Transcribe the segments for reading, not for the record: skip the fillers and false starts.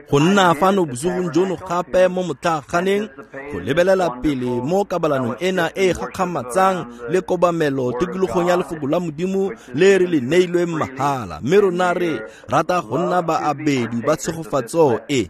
Go nna fano bosigong jono gape mo motlaaganeng go lebelela pele mo kabalanong ena e e gakgamatsang le kobamelo tikologong ya lefoko la Modimo le re le neilweng mahala, mme rona re rata go nna baabedi ba tshegofatso e.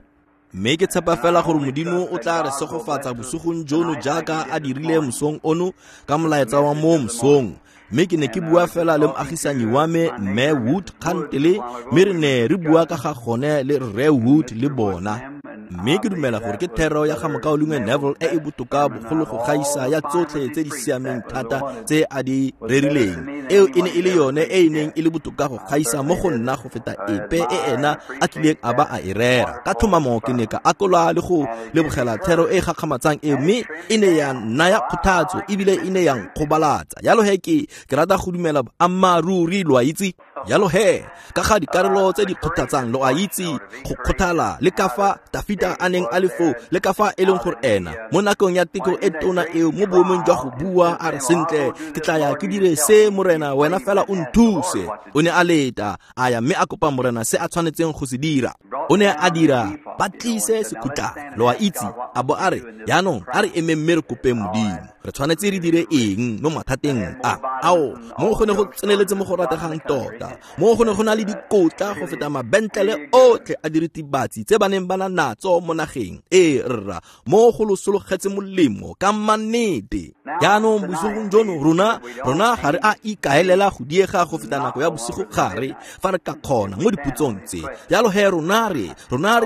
Mme ke tshepa fela gore Modimo o tla re segofatsa bosigong jono jaaka a dirile mosong ono ka molaetsa wa mo mosong. Mme ke ne ke bua fela le moagisanyi wa me Mme Wood kgantele, mme re ne re bua ka ga gone le Rre Wood le bona. Mme ke dumela gore ke thero ya ga Mokaulengwe Neville e e botoka bogolo go gaisa ya tsotlhe tse di siameng thata tse a di rerileng. Eo e ne e le yone e e neng e le botoka go gaisa mo go nna go feta epe e ena a kileng a ba a e rera. Ka tlhomamo ke ne ka akola le go lebogela thero e e gakgamatsang eo, mme e ne ya nnaya kgothatso ebile e ne ya nkgobalatsa. Jalo he ke rata go dumela boammaaruri, lo a itse. Jalo he ka ga dikarolo tse di kgothatsang, lo a itse, go kgothala le ka fa Dafita a neng a le foo, le ka fa e leng gore ena mo nakong ya teko e tona eo, mo boemong jwa go bua a re, sentle ke tla ya ke dire se, Morena, wena fela o nthuse. O ne a leta a ya mme a kopa Morena se a tshwanetseng go se dira. O ne a dira ba tlise sekhutla, lo a itse, a bo a re, jaanong a re emeng mme re kopeng Modimo, re tshwanetse re dire eng mo mathateng a? Ao, mo go ne go tseneletse mo go rategang tota, mo go ne go na le dikotla go feta mabentlele otlhe a diritibatsi tse ba neng ba na natso mo nageng. Ee rra, mo go lo sologetse molemo ka mannete. Jaanong bosigong jono rona ga re a ikaelela go diega go feta nako ya bosigo gare fa re ka kgona mo dipotsong tse. Jalo he rona re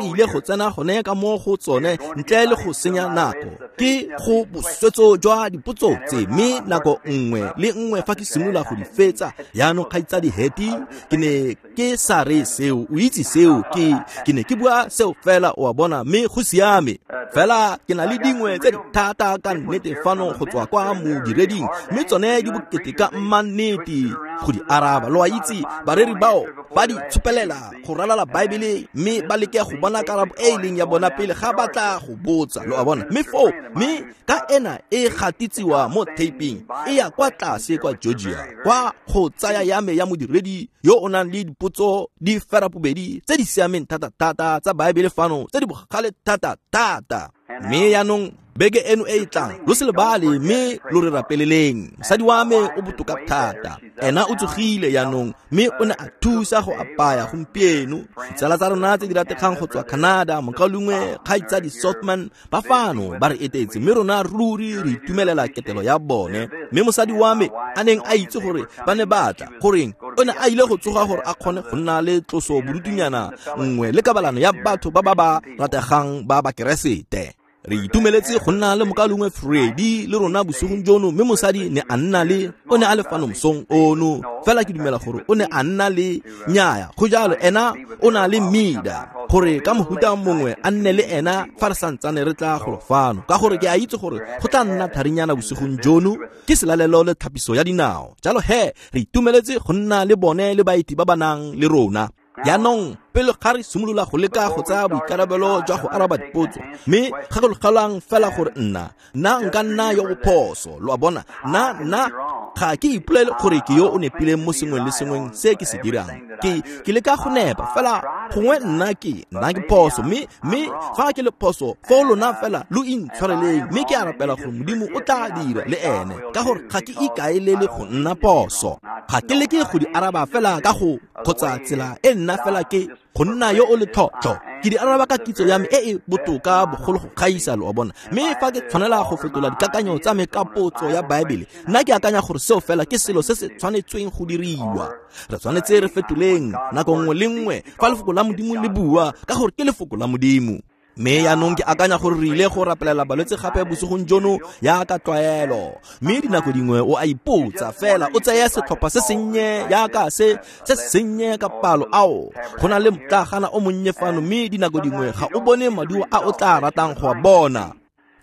ile go tsena gone ka mo go tsone ntle le go senya nako. Ke go boswetso jwa dipotso tse, mme nako nngwe le nngwe fa ke simolola go di fetsa, jaanong kgaitsadi Hattie, ke ne ke sa re seo, o itse seo, ke ne ke bua seo fela, o a bona, mme go siame. Fela ke na le dingwe tse di thata ka nnete fano go tswa kwa modireding, mme tsone di bokete ka mmannete go di araba. Lo a itse, bareri bao ba di tshopelela go ralala Baebele mme ba leke go bona karabo e e leng ya bona pele ga ba tla go botsa, lo a bona. Mme foo, mme ka ena e gatitsiwa mo taping e ya kwa tlase kwa Georgia, kwa go tsaya ya me ya modiredi yo o nang le dipotso di ferapobedi tse di siameng thata-thata tsa Baebele fano, tse di bogale thata-thata. Mme jaanong beke eno e e tlang, lo se lebale mme lo re rapeleleng. Mosadi wa me o botoka thata, ena o tsogile jaanong, mme o ne a thusa go apaya gompieno. Ditsala tsa rona tse di rategang go tswa Canada, mokaulengwe kgaitsadi Sotman, ba fano ba re etetse, mme rona ruri re itumelela ketelo ya bone. Mme mosadi wa me a neng a itse gore ba ne ba tla, goreng o ne a ile go tsoga gore a kgone go nna le tloso bodutunyana nngwe le kabalano ya batho ba ba ba rategang ba Bakeresete. Re itumeletse go nna le mokaulengwe Freddy le rona bosigong jono, mme mosadi ne a nna le, o ne a le fano mosong ono, fela ke dumela gore o ne a nna le nyaya, go jalo, ena o na le mida gore ka mohuta mongwe a nne le ena fa re santsane re tla golo fano, ka gore ke a itse gore go tla nna tharinyana bosigong jono, ke selalelo le thapiso ya dinao. Jalo he re itumeletse go nna le bone le baeti ba ba nang le rona. Jaanong pele ga re simolola go leka go tsaya boikarabelo jwa go araba dipotso, mme gakologelwang fela gore nna nka nna yo o phoso, lo a bona, nna ga ke ipolele gore ke yo o nepileng mo sengweng le sengweng se ke se dirang. Ke leka go nepa fela, gongwe nna ke phoso, mme fa ke le phoso, foo lona fela lo intshwareleng, mme ke a rapela gore Modimo o tla dira le ene, ka gore ga ke ikaelele go nna phoso. Ga ke leke go di araba fela ka go kgotsa tsela e nna fela ke go nna yo o letlhotlho, ke di araba ka kitso ya me e e botoka bogolo go gaisa, lo a bona. Mme fa ke tshwanela go fetola dikakanyo tsa me ka potso ya Baebele, nna ke akanya gore seo fela ke selo se se tshwanetsweng go diriwa. Re tshwanetse re fetoleng nako nngwe le nngwe fa lefoko la Modimo le bua, ka gore ke lefoko la Modimo. Mme jaanong ke akanya gore re ile go rapelela balwetse gape bosigong jono jaaka tlwaelo. Mme dinako dingwe o a ipotsa fela, o tseye setlhopha se sennye jaaka se se sennye ka palo, ao go na le motlagana o monnye fano, mme dinako dingwe ga o bone maduo a o tla ratang go a bona.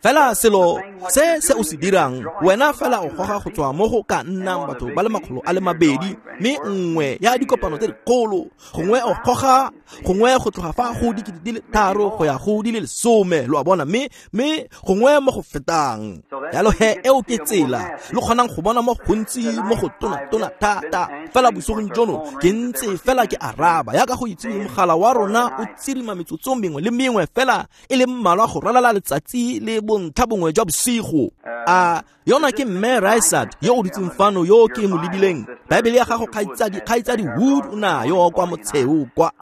Fela selo se se o se dirang, wena fela o goga go tswa mo go ka nnang batho ba le 200, mme nngwe ya dikopano tse dikgolo, gongwe o goga gongwe go tloga fa go 3,000 go ya go di le 10, lo a bona, mme gongwe mo go fetang. Jalo he eo ke tsela lo kgonang go bona mo gontsi mo go tona thata. Fela bosigong jono ke ntse fela ke araba yaka go itse mogala wa rona o tsirima metsotso mengwe le mengwe fela e le mmalwa go ralala letsatsi le bontlha bongwe jwa bosigo. A yona ke Mme Rysard yo o dutseng fano yo ke mo lebileng. Baebele ya gago kgaitsadi Wood o nayo kwa motsheo kwa.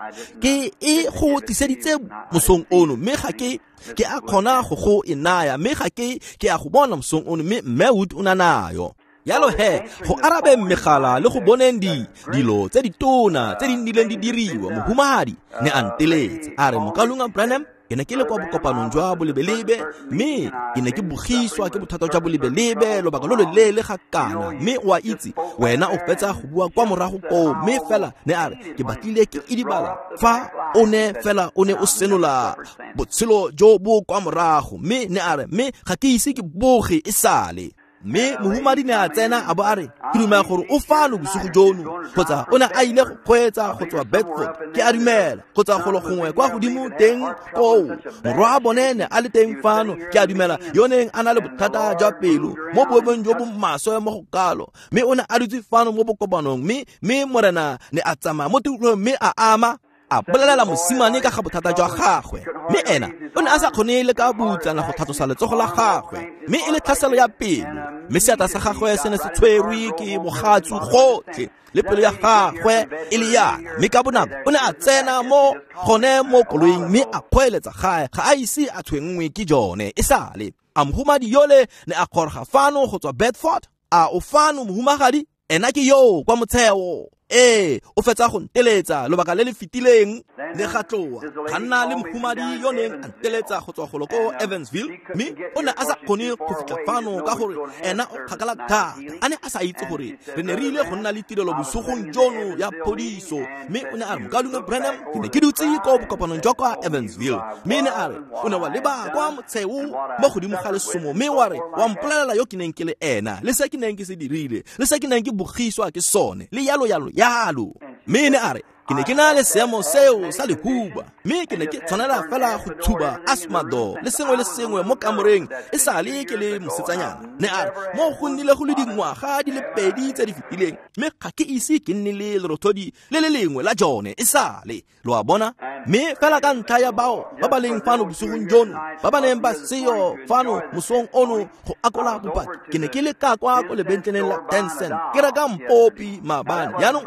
Ke e go tliseditse mosong ono, mme ga ke a kgona go e naya, mme ga ke a go bona mosong ono, mme Mme Wood o na nayo. Jalo he go arabe megala le go boneng dilo tse ditona tse di nnileng di diriwa, mohumagadi ne a nteletse a re, Mokaulengwe Branham, ke ne ke le kwa bokopanong jwa bolebelebe, mme ke ne ke bogiswa ke bothata jwa bolebelebe lobaka lo loleele ga kana, mme o a itse wena o fetsa go bua kwa morago koo, mme fela ne a re ke batlile ke idibala fa o ne fela o ne o senola botshelo jo bo kwa morago, mme ne a re mme ga ke ise ke boge e sale. Mme mohumadi ne a tsena a bo a re, ke dumela gore o fano bosigo jono, kgotsa o ne a ile go kgweetsa go tswa Bedford, ke a dumela, kgotsa golo gongwe kwa godimo teng koo. Morwa a bone ne a le teng fano, ke a dumela, yo neng a na le bothata jwa pelo mo boemong jo bo maswe mo go kalo, mme o ne a dutse fano mo bokopanong, mme morena ne a tsamaya mo tikologong mme a ama a bolelela mosimane ka ga bothata jwa gagwe, mme ena o ne a sa kgone le ka butsana go tlhatlosa letsogo la gagwe, mme e le tlhaselo ya pelo, mme seatla sa gagwe se ne se tshwerwe ke bogatsu gotlhe le pelo ya gagwe e le yana, mme ka bonako o ne a tsena mo gone mo koloing mme a kgweeletsa gae, ga a ise a tshwenngwe ke jone e sale. A mohumadi yole ne a goroga fano go tswa Bedford. A o fano mohumagadi? Ena ke yo kwa motsheo. Ee, o fetsa go nteletsa lobaka le le fetileng le ga tloa ga nna le mohumadi yo neng a nteletsa go tswa golo ko Evansville, mme o ne a sa kgone go fitlha fano ka gore ena o kgakala thata, a ne a sa itse gore re ne re ile go nna le tirelo bosigong jono ya phodiso. Mme o ne a re, Mokaulengwe Branham, ke ne ke dutse ko bokopanong jwa kwa Evansville, mme ne a re o ne wa leba kwa motsheo mo godimo ga lesomo, mme wa re wa mpolelela yo ke neng ke le ena, le se ke neng ke se dirile, le se ke neng ke bogiswa ke sone, le yalo yalo yalo. Mme ne a re ke ne ke na le seemo seo sa lehuba, mme ke ne ke tshwanela fela go tshuba asthma le sengwe le sengwe mo kamoreng e sale ke le mosetsanyana. Ne a re mo go nnile go le dingwaga di le 2 tse di fetileng, mme ga ke ise ke nne le lerothodi le le lengwe la jone e sale. Lo a bona? Mme fela ka ntlha ya bao ba ba leng fano bosigong jono, ba ba neng ba seyo fano mosong ono go akola bopaki, ke ne ke le ka kwa ko lebentleleng la 10 cent ke reka mpopi maabane. Jaanong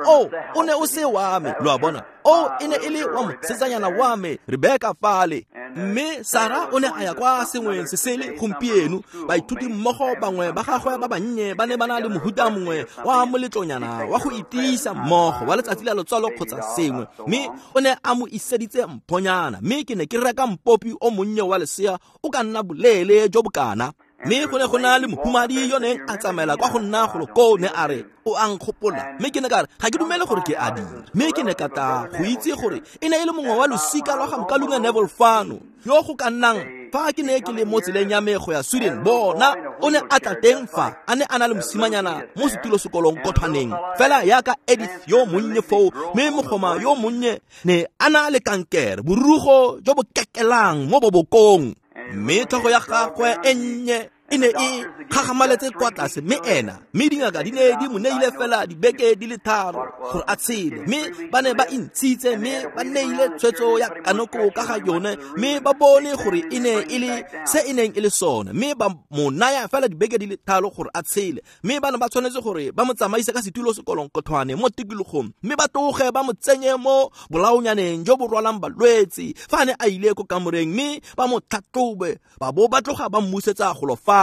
o ne o se wa me, lo a bona, o e ne e le wa mosetsanyana wa me Rebecca fale. Mme Sarah o ne a ya kwa sengweng se sele gompieno. Baithuti mmogo bangwe ba gagwe ba bannye ba ne ba na le mohuta mongwe wa moletlonyana wa go itiisa mmogo wa letsatsi la lotsalo kgotsa sengwe, mme o ne a mo iseditse mphonyana, mme ke ne ke reka mpopi o monnye wa lesea o ka nna boleele jo bokana. Mme go ne go na le mohumadi yo neng a tsamaela kwa go nna golo koo, ne a re o a nkgopola, mme ke ne ka re ga ke dumele gore ke a dira, mme ke ne ka tla go itse gore e ne e le mongwe wa losika lwa ga Mokaulengwe Neville fano yo go ka nnang fa ke ne ke le mo tseleng ya me go ya Sweden. Bona o ne a tla teng fa a ne a na le mosimanyana mo setulo sekolong kothwaneng fela yaka Edith yo monnye foo, mme mogoma yo monnye ne a na le kankere, borugo jo bo kekelang mo bobokong, mme tlhogo ya gagwe e nnye e ne e gagamaletse kwa tlase, mme ena mme dingaka di ne di mo neile fela dibeke di le 3 gore a tshele, mme ba ne ba intshitse mme ba neile tshwetso ya kanoko ka ga yone, mme ba bone gore e ne e le se e neng e le sone, mme ba mo naya fela dibeke di le 3 gore a tshele, mme ba ne ba tshwanetse gore ba mo tsamaise ka setulo sekolong kothwane mo tikologong, mme ba tloge ba mo tsenye mo bolaonyaneng jo bo rwalang balwetse fa a ne a ile ko kamoreng, mme ba mo tlhatlhobe ba bo ba tloga ba mmusetsa golo fano.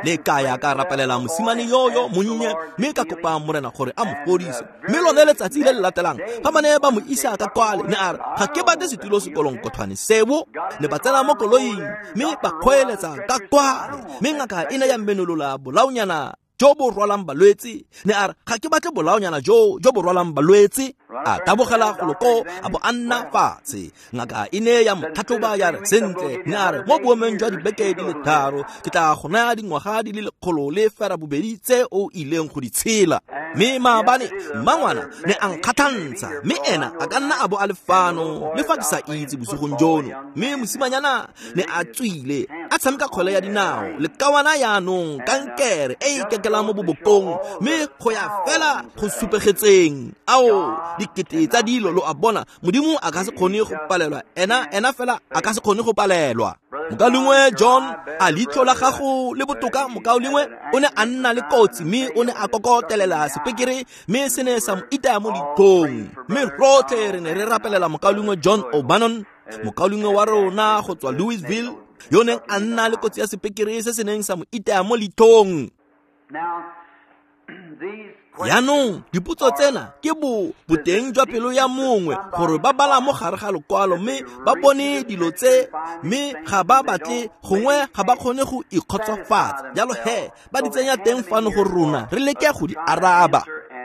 Le ka ya ka rapelela mosimane yoyo monnye, mme ka kopa morena gore a mo fodise. Mme lone letsatsi le le latelang fa ba ne ba mo isa ka kwale, ne a re ga ke batle setulo sekolong kothwane seo. Ne ba tsena mo koloing mme ba kgweeletsa ka kwale, mme ngaka e ne ya menolola bolaonyana jo bo rwalang balwetse. Ne a re ga ke batle bolaonyana jo bo rwalang balwetse. A tabogela golo ko a bo a nna fatshe. Ngaka e ne ya mo tlhatlhoba ya re sentle, ne a re mo boemong jwa dibeke di le 3 ke tla go naya dingwaga di le 102 tse o ileng go di tshela. Mme maabane mmangwana ne a nkgatlhantsha, mme ena a ka nna a bo a le fano le fa ke sa itse bosigong jono. Mme mosimanyana ne a tswile a tshameka kgwele ya dinao lekawana yaanong kankere e e kekelang mo bobokong, mme go ya fela go supegetseng. Ao dikete tsa dilo, lo a bona, Modimo a ka se kgone go palelwa, ena fela a ka se kgone go palelwa. Mokaulengwe John, a leitlho la gago le botoka? Mokaulengwe o ne a nna le kotsi mme o ne a kokotelela sepekere mme se ne sa mo itaya mo leitlhong. Mme rotlhe re ne re rapelela mokaulengwe John O'Bannon, mokaulengwe wa rona go tswa Louisville, yo neng a nna le kotsi ya sepekere se se neng sa mo itaya mo leitlhong. Jaanong dipotso tsena ke boteng jwa pelo ya mongwe, gore ba bala mo gare ga lokwalo mme ba bone dilo tse, mme ga ba batle, gongwe ga ba kgone go ikgotsofatsa. Jalo he ba di tsenya teng fano gore rona re leke go di araba.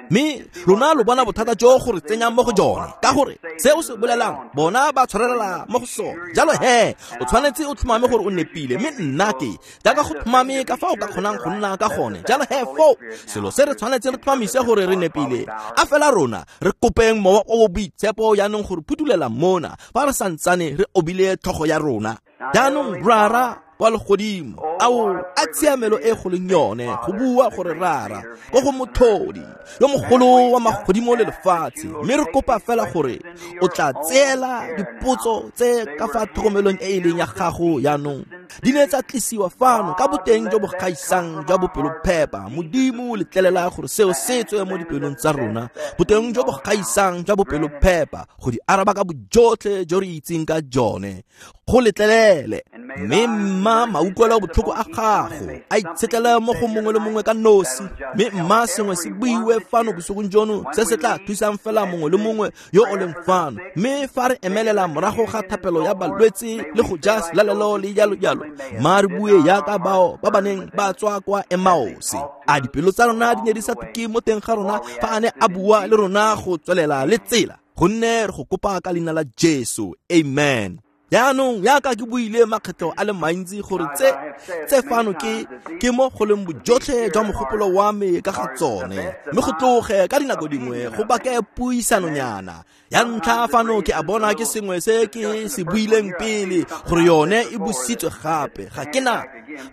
Mme lona lo bona bothata jo gore tsenyang mo go jone, ka gore se o se bolelang bona ba tshwarelela mo go sone. Jalo he o tshwanetse o tlhomame gore o nepile, mme nna ke jaaka go tlhomame ka fa o ka kgonang go nna ka gone. Jalo he foo selo se re tshwanetse re tlhomamise gore re nepile, a fela rona re kopeng Mowa o o Boitshepo jaanong gore phudulela mona fa re santsane re obile tlhogo ya rona. Jaanong Rara wa legodimo, ao a tshiamelo e go leng yone go bua gore Rara ko go Motlhodi yo mogolo wa magodimo le lefatshe, mme re kopa fela gore o tla tseela dipotso tse ka fa tlhokomelong e e leng ya gago jaanong. Di ne tsa tlisiwa fano ka boteng jo bo gaisang jwa bopelophepa. Modimo letlelela gore seo se tswe mo dipelong tsa rona, boteng jo bo gaisang jwa bopelophepa, go di araba ka bojotlhe jo re itseng ka jone. Go letlelele, mme mma mautlwelo botlhoko a gago a itshetlele mo go mongwe le mongwe ka nosi, mme mma sengwe se buiwe fano bosigong jono se se tla thusang fela mongwe le mongwe yo o leng fano. Mme fa re emelela morago ga thapelo ya balwetse le go ja selalelo le jalo jalo, mma re bue jaaka bao ba ba neng ba tswa kwa Emmaus. A dipelo tsa rona di ne di sa tuke mo teng ga rona fa a ne a bua le rona go tswelela le tsela? Gonne re go kopa ka leina la Jesu, amen. Jaanong jaaka ke buile makgetlho a le mantsi gore tse fano ke mo go leng bojotlhe jwa mogopolo wa me ka ga tsone, mme go tloge ka dinako dingwe go bake puisanonyana. Ya ntlha fano ke a bona ke sengwe se ke se buileng pele gore yone e busitswe gape. Ga ke na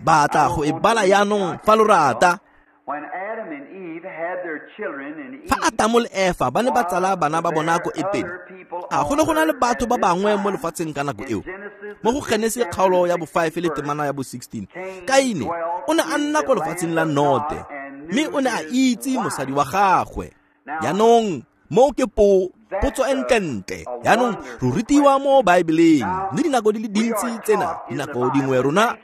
batla go e bala jaanong fa lo rata. Fa Adamo le Efa ba ne ba tsala bana ba bona ko Etene, a go ne go na le batho ba bangwe mo lefatsheng ka nako eo? Mo go Genesi kgaolo ya bo 5 le temana ya bo 16, Kaine o ne a nna ko lefatsheng la Note, mme o ne a itse mosadi wa gagwe. Jaanong mo ke potso e ntlentle. Jaanong re rutiwa mo Baebeleng, mme dinako di le dintsi tsena, dinako dingwe rona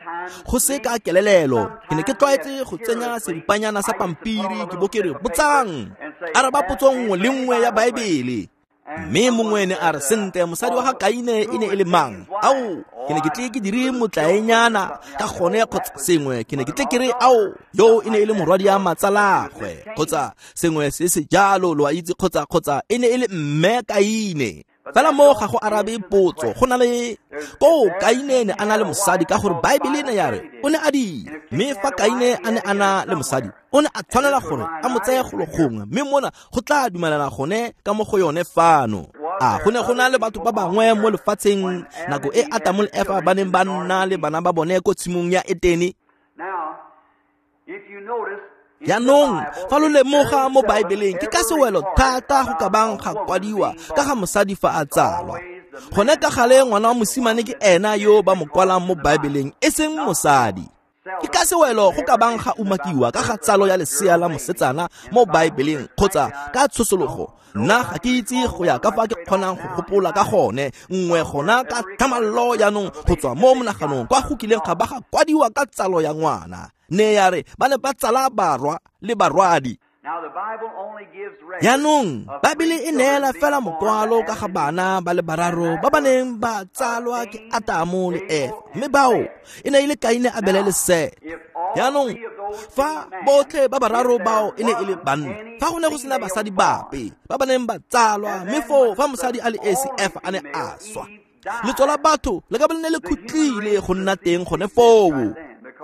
go se ka kelelelo. Ke ne ke tlwaetse go tsenya seripanyana sa pampiri ke bo ke re botsang, araba potso nngwe le nngwe ya Baebele. Mme mongwe ne a re sentle, mosadi wa ga Kaine e ne e le mang? Ao, ke ne ke tle ke dire motlaenyana ka gone kgotsa sengwe, ke ne ke tle ke re ao, yo e ne e le morwadi ya matsalagwe kgotsa sengwe se se jalo, lo a itse, kgotsa e ne e le mme Kaine. Fela mo ga go arabe potso, go na le ko Kaine ne a na le mosadi, ka gore Baebele ne ya re o ne a dira. Mme fa Kaine a ne a na le mosadi, o ne a tshwanela gore a mo tseye golo gongwe, mme mona go tla dumelana gone ka mo go yone fano. A go ne go na le batho ba bangwe mo lefatsheng nako e Adamo le Efa ba neng ba nna le bana ba bone ko tshimong ya Etene? Jaanong fa lo lemoga mo Baebeleng, ke ka sewelo thata go ka bang ga kwadiwa ka ga mosadi fa a tsalwa. Gone ka gale ngwana wa mosimane ke ena yo ba mo kwalang mo Baebeleng, e seng mosadi. Ke ka sewelo go ka bang ga umakiwa ka ga tsalo ya lesea la mosetsana mo Baebeleng kgotsa ka tshosologo. Nna ga ke itse go ya ka fa ke kgonang go gopola ka gone, nngwe gona ka tlhamallo jaanong go tswa mo monaganong kwa go kileng ga ba ga kwadiwa ka tsalo ya ngwana. Ne ya re ba ne ba tsala barwa le barwadi. Jaanong Baebele e neela fela mokwalo ka ga bana ba le bararo ba ba neng ba tsalwa ke Atamo le Efa, mme bao e ne e le Kaine, Abele le Sete. Jaanong fa botlhe ba bararo bao e ne e le banna, fa go ne go sena basadi bape ba ba neng ba tsalwa, mme foo fa mosadi a le esi Efa a ne a swa, letso la batho le ka bo le ne le khutlile go nna teng gone foo,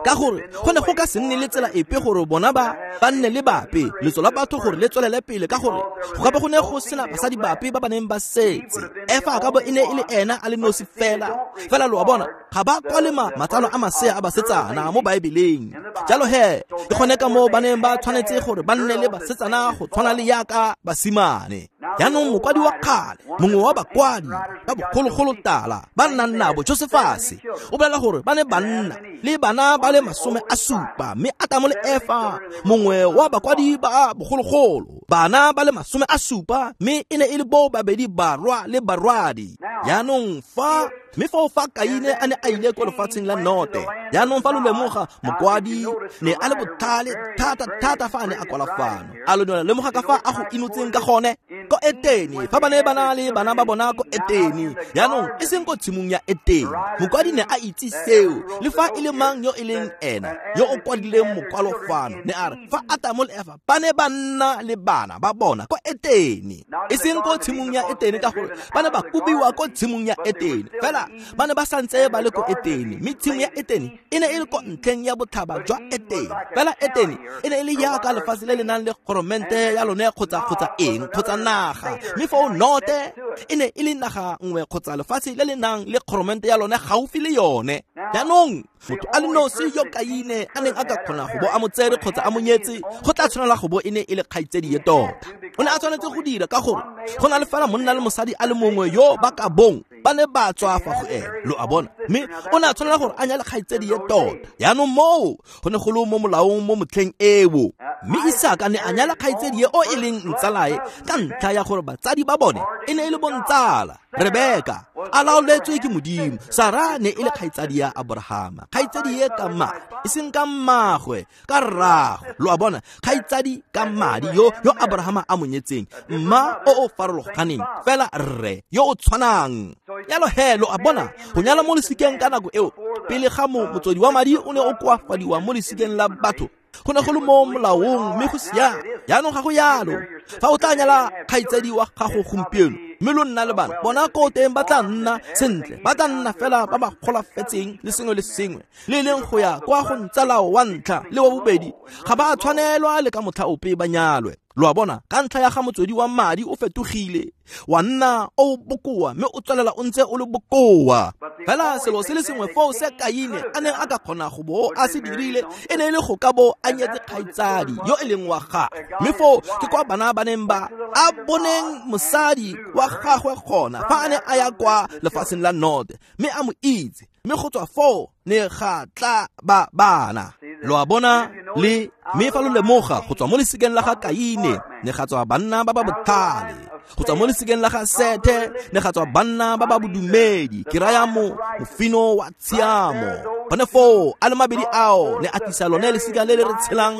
ka gore go ne go ka se nne le tsela epe gore bona ba nne le bape letso la batho gore le tswelele pele, ka gore go ka bo go ne go sena basadi bape ba ba neng ba setse. Efa a ka bo e ne e le ena a le nosi fela. Fela lo a bona, ga ba kwale matsalo a masea a basetsana mo Baebeleng. Jalo he, ke gone ka moo ba neng ba tshwanetse gore ba nne le basetsana go tshwana le yaka basimane. Jaanong mokwadi wa kgale, mongwe wa bakwadi ba bogologolo tala ba nnang nabo, Josefase, o bolela gore ba ne ba nna le bana ba le 70, mme Atamo le Efa, mongwe wa bakwadi ba bogologolo, bana ba le 70, mme e ne e le bo babedi barwa le barwadi. Jaanong fa mme foo fa Kaine a ne a ile ko lefatsheng la Note, jaanong fa lo lemoga, mokwadi ne a le botlhale thata thata fa a ne a kwala fano. A lo ne lemoga ka fa a go inotseng ka gone ko Etene, fa ba ne ba na le bana ba bona ko Etene, jaanong e seng ko tshimong ya Etene. Mokwadi ne a itse seo, le fa e le mang yo e leng ena yo o kwadileng mokwalo fano, ne a re fa Atamo le Efa ba ne ba nna le bana ba bona ko Etene, e seng ko tshimong ya Etene, ka gore ba ne ba kobiwa ko tshimong ya Etene, fela ba ne ba santse ba le ko Etene, mme tshimo ya Etene e ne e le ko ntlheng ya botlhaba jwa Etene. Fela Etene e ne e le yaka lefatshe le le nang le goromente ya lone kgotsa eng kgotsa naga, mme foo Note e ne e le naga nngwe kgotsa lefatshe le le nang le goromente ya lone gaufi le yone. Jaanong motho a le nosi yo Kaine a neng a ka kgona go bo a mo tsere kgotsa a mo nyetse, go tla tshwanela go bo e ne e le kgaitsedi ye tota. O ne a tshwanetse go dira ka gore go na le fela monna le mosadi a le mongwe yo ba ka bong ba ne ba tswa fa go ene, lo a bona, mme o ne a tshwanela gore a nyale kgaitsedi ye tota. Jaanong moo go ne go le mo molaong mo motlheng eo, mme Isaka ne a nyala kgaitsedi ye o e leng ntsalae ka ntlha ya gore batsadi ba bone e ne e le bontsala. Rebeka a laoletswe ke Modimo, Sara ne e le kgaitsadi ya Abrahama, kgaitsadi ye ka madi, e seng ka mmagwe, ka rraagwe. Lo a bona, kgaitsadi ka madi yo Abrahama a mo nyetseng, mma o o farologaneng, fela rre yo o tshwanang. Jalo he, lo a bona, go nyala mo lesikeng ka nako eo, pele ga motswedi wa madi o ne o koafadiwa mo lesikeng la batho, go ne go le mo molaong, mme go siame. Jaanong ga go yalo. Fa o tla nyala kgaitsadi wa gago gompieno, mme lo nna le bana, bona ko teng ba tla nna sentle, ba tla nna fela ba ba golafetseng le sengwe le sengwe, le leng go ya kwa go ntsalao wa ntlha le wa bobedi, ga ba tshwanelwa le ka motlha ope ba nyalwe. Lo a bona, ka ntlha ya ga motswedi wa madi o fetogile, wa nna o bokoa, mme o tswelela o ntse o le bokoa. Fela selo se le sengwe foo se Kaine a neng a ka kgona go bo a se dirile e ne e le go ka bo a nyetse kgaitsadi yo e leng wa gagwe, mme foo ke kwa bana ba neng ba a boneng mosadi wa gagwe gona fa a ne a ya kwa lefatsheng la Note, mme a mo itse, mme go tswa foo ne ga tla ba bana. Lo a bona, le mme fa lo lemoga, go tswa mo lesikeng la ga Kaine ne ga tswa banna ba ba botlhale, go tswa mo lesikeng la ga Sethe ne ga tswa banna ba ba bodumedi, ke raya mofino wa tshiamo. Gone foo a le mabedi ao ne a tlisa lone lesika le le re tshelang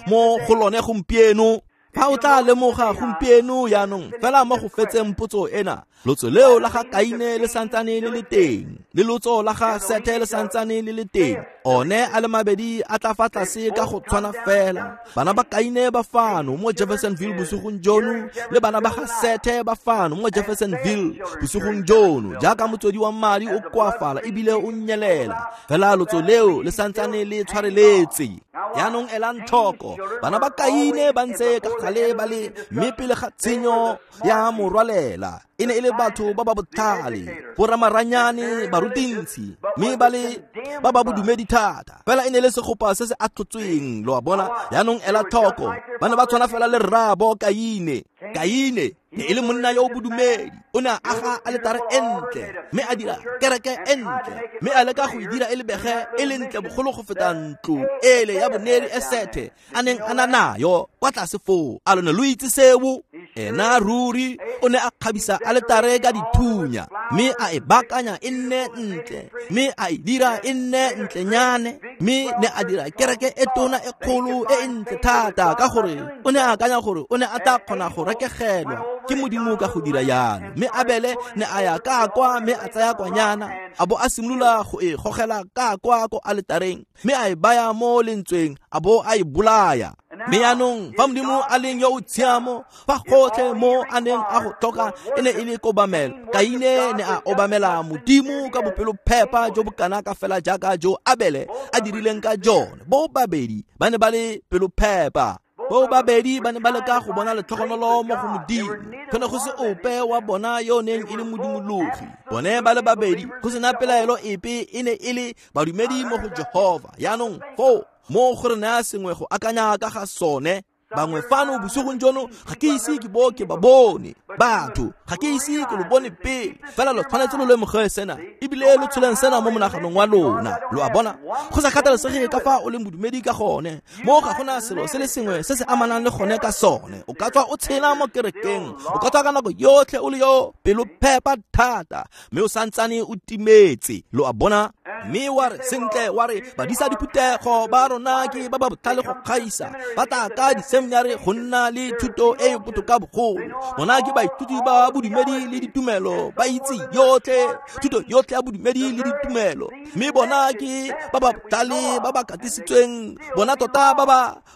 mo go lone gompieno. Fa o tla lemoga gompieno jaanong, fela mo go fetseng potso ena, lotso leo la ga Kaine le santsane le le teng, le lotso la ga Sethe le santsane le le teng. One a le mabedi a tla fa tlase ka go tshwana fela. Bana ba Kaine ba fano mo Jeffersonville bosigong jono, le bana ba ga Sethe ba fano mo Jeffersonville bosigong jono, jaaka motswedi wa madi o koafala ebile o nyelela, fela lotso leo le santsane le tshwareletse. Jaanong elang tlhoko, bana ba Kaine ba ntse ka gale ba le, mme pele ga tshenyo ya morwalela e ne e le batho ba ba botlhale, boramaranyane, barutintshi, mme ba le ba ba bodumedi thata, fela e ne le segopa se se atlhotsweng. Lo a bona, jaanong ela tlhoko, ba ne ba tshwana fela le rraabo Kaine. Kaine ne e le monna yo o bodumedi, o ne a aga aletare e ntle, mme a dira kereke e ntle, mme a leka go e dira e lebege e le ntle bogolo go feta ntlo ele ya boneri e Sethe a neng a na nayo kwa tlase foo. A lone lo itse seo? Ena ruri o ne a kgabisa aletare ka dithunya, mme a e baakanya e nne ntle, mme a e dira e nne ntlenyane, mme ne a dira kereke e tona e kgolo e e ntle thata, ka gore o ne a akanya gore o ne a tla kgona go rekegelwa ke Modimo ka go dira yalo. Mme Abele ne a ya ka kwa mme a tsaya kwanyana, a bo a simolola go e gogela ka kwa ko aletareng, mme a e baya mo lentsweng, a bo a e bolaya. Mme yaanong fa Modimo a leng yo o tshiamo, fa gotlhe mo a neng a go tlhoka e ne e le kobamelo, Kaine ne a obamela Modimo ka bopelophepa jo bo kana ka fela jaaka jo Abele a dirileng ka jone. Bo babedi ba ne ba le pelophepa. Bo babedi ba ne ba leka go bona letlhogonolo mo go Modimo. Go ne go se ope wa bona yo neng e le modumologi. Bone ba le babedi go sena pelaelo epe e ne e le badumedi mo go Jehova. Yaanong foo mo go re naya sengwe go akanya ka ga sone. Bangwe fano bosigong jono ga ke ise ke bo ke ba bone. Batho ga ke ise ke lo bone pele, fela lo tshwanetse lo lemoge sena, ebile lo tsholeng sena mo monaganong wa lona. Lo a bona, go sa kgathalesege ka fa o leng bodumedi ka gone, mo ga gona selo se le sengwe se se amanang le gone ka sone. O ka tswa o tshela mo kerekeng, o ka tswa ka nako yotlhe o le yo pelophepa thata, mme o santsane o timetse. Lo a bona? Mme wa re sentle, wa re badisa diphuthego ba rona ke ba ba botlhale go gaisa, ba tla ka diseminari go nna le thuto e e botoka bogolo. Bona ke baithuti ba bodumedi le ditumelo, ba itse yotlhe thuto yotlhe ya bodumedi le ditumelo, mme bona ke ba ba botlhale, ba ba katisitsweng, bona tota ba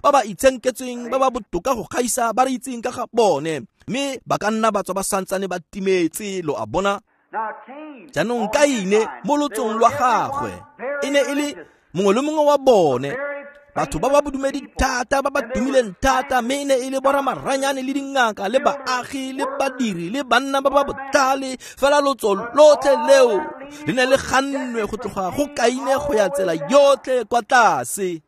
ba itshenketsweng, ba ba botoka go gaisa ba re itseng ka ga bone, mme ba ka nna ba tswa ba santsane ba timetse. Lo a bona? Jaanong Kaine mo lotsong lwa gagwe e ne e le mongwe le mongwe wa bone batho ba ba bodumedi thata, ba ba tumileng thata, mme e ne e le boramaranyane le dingaka le baagi le badiri le banna ba ba botlhale. Fela lotso lotlhe leo le ne le gannwe go tloga go Kaine go ya tsela yotlhe kwa tlase.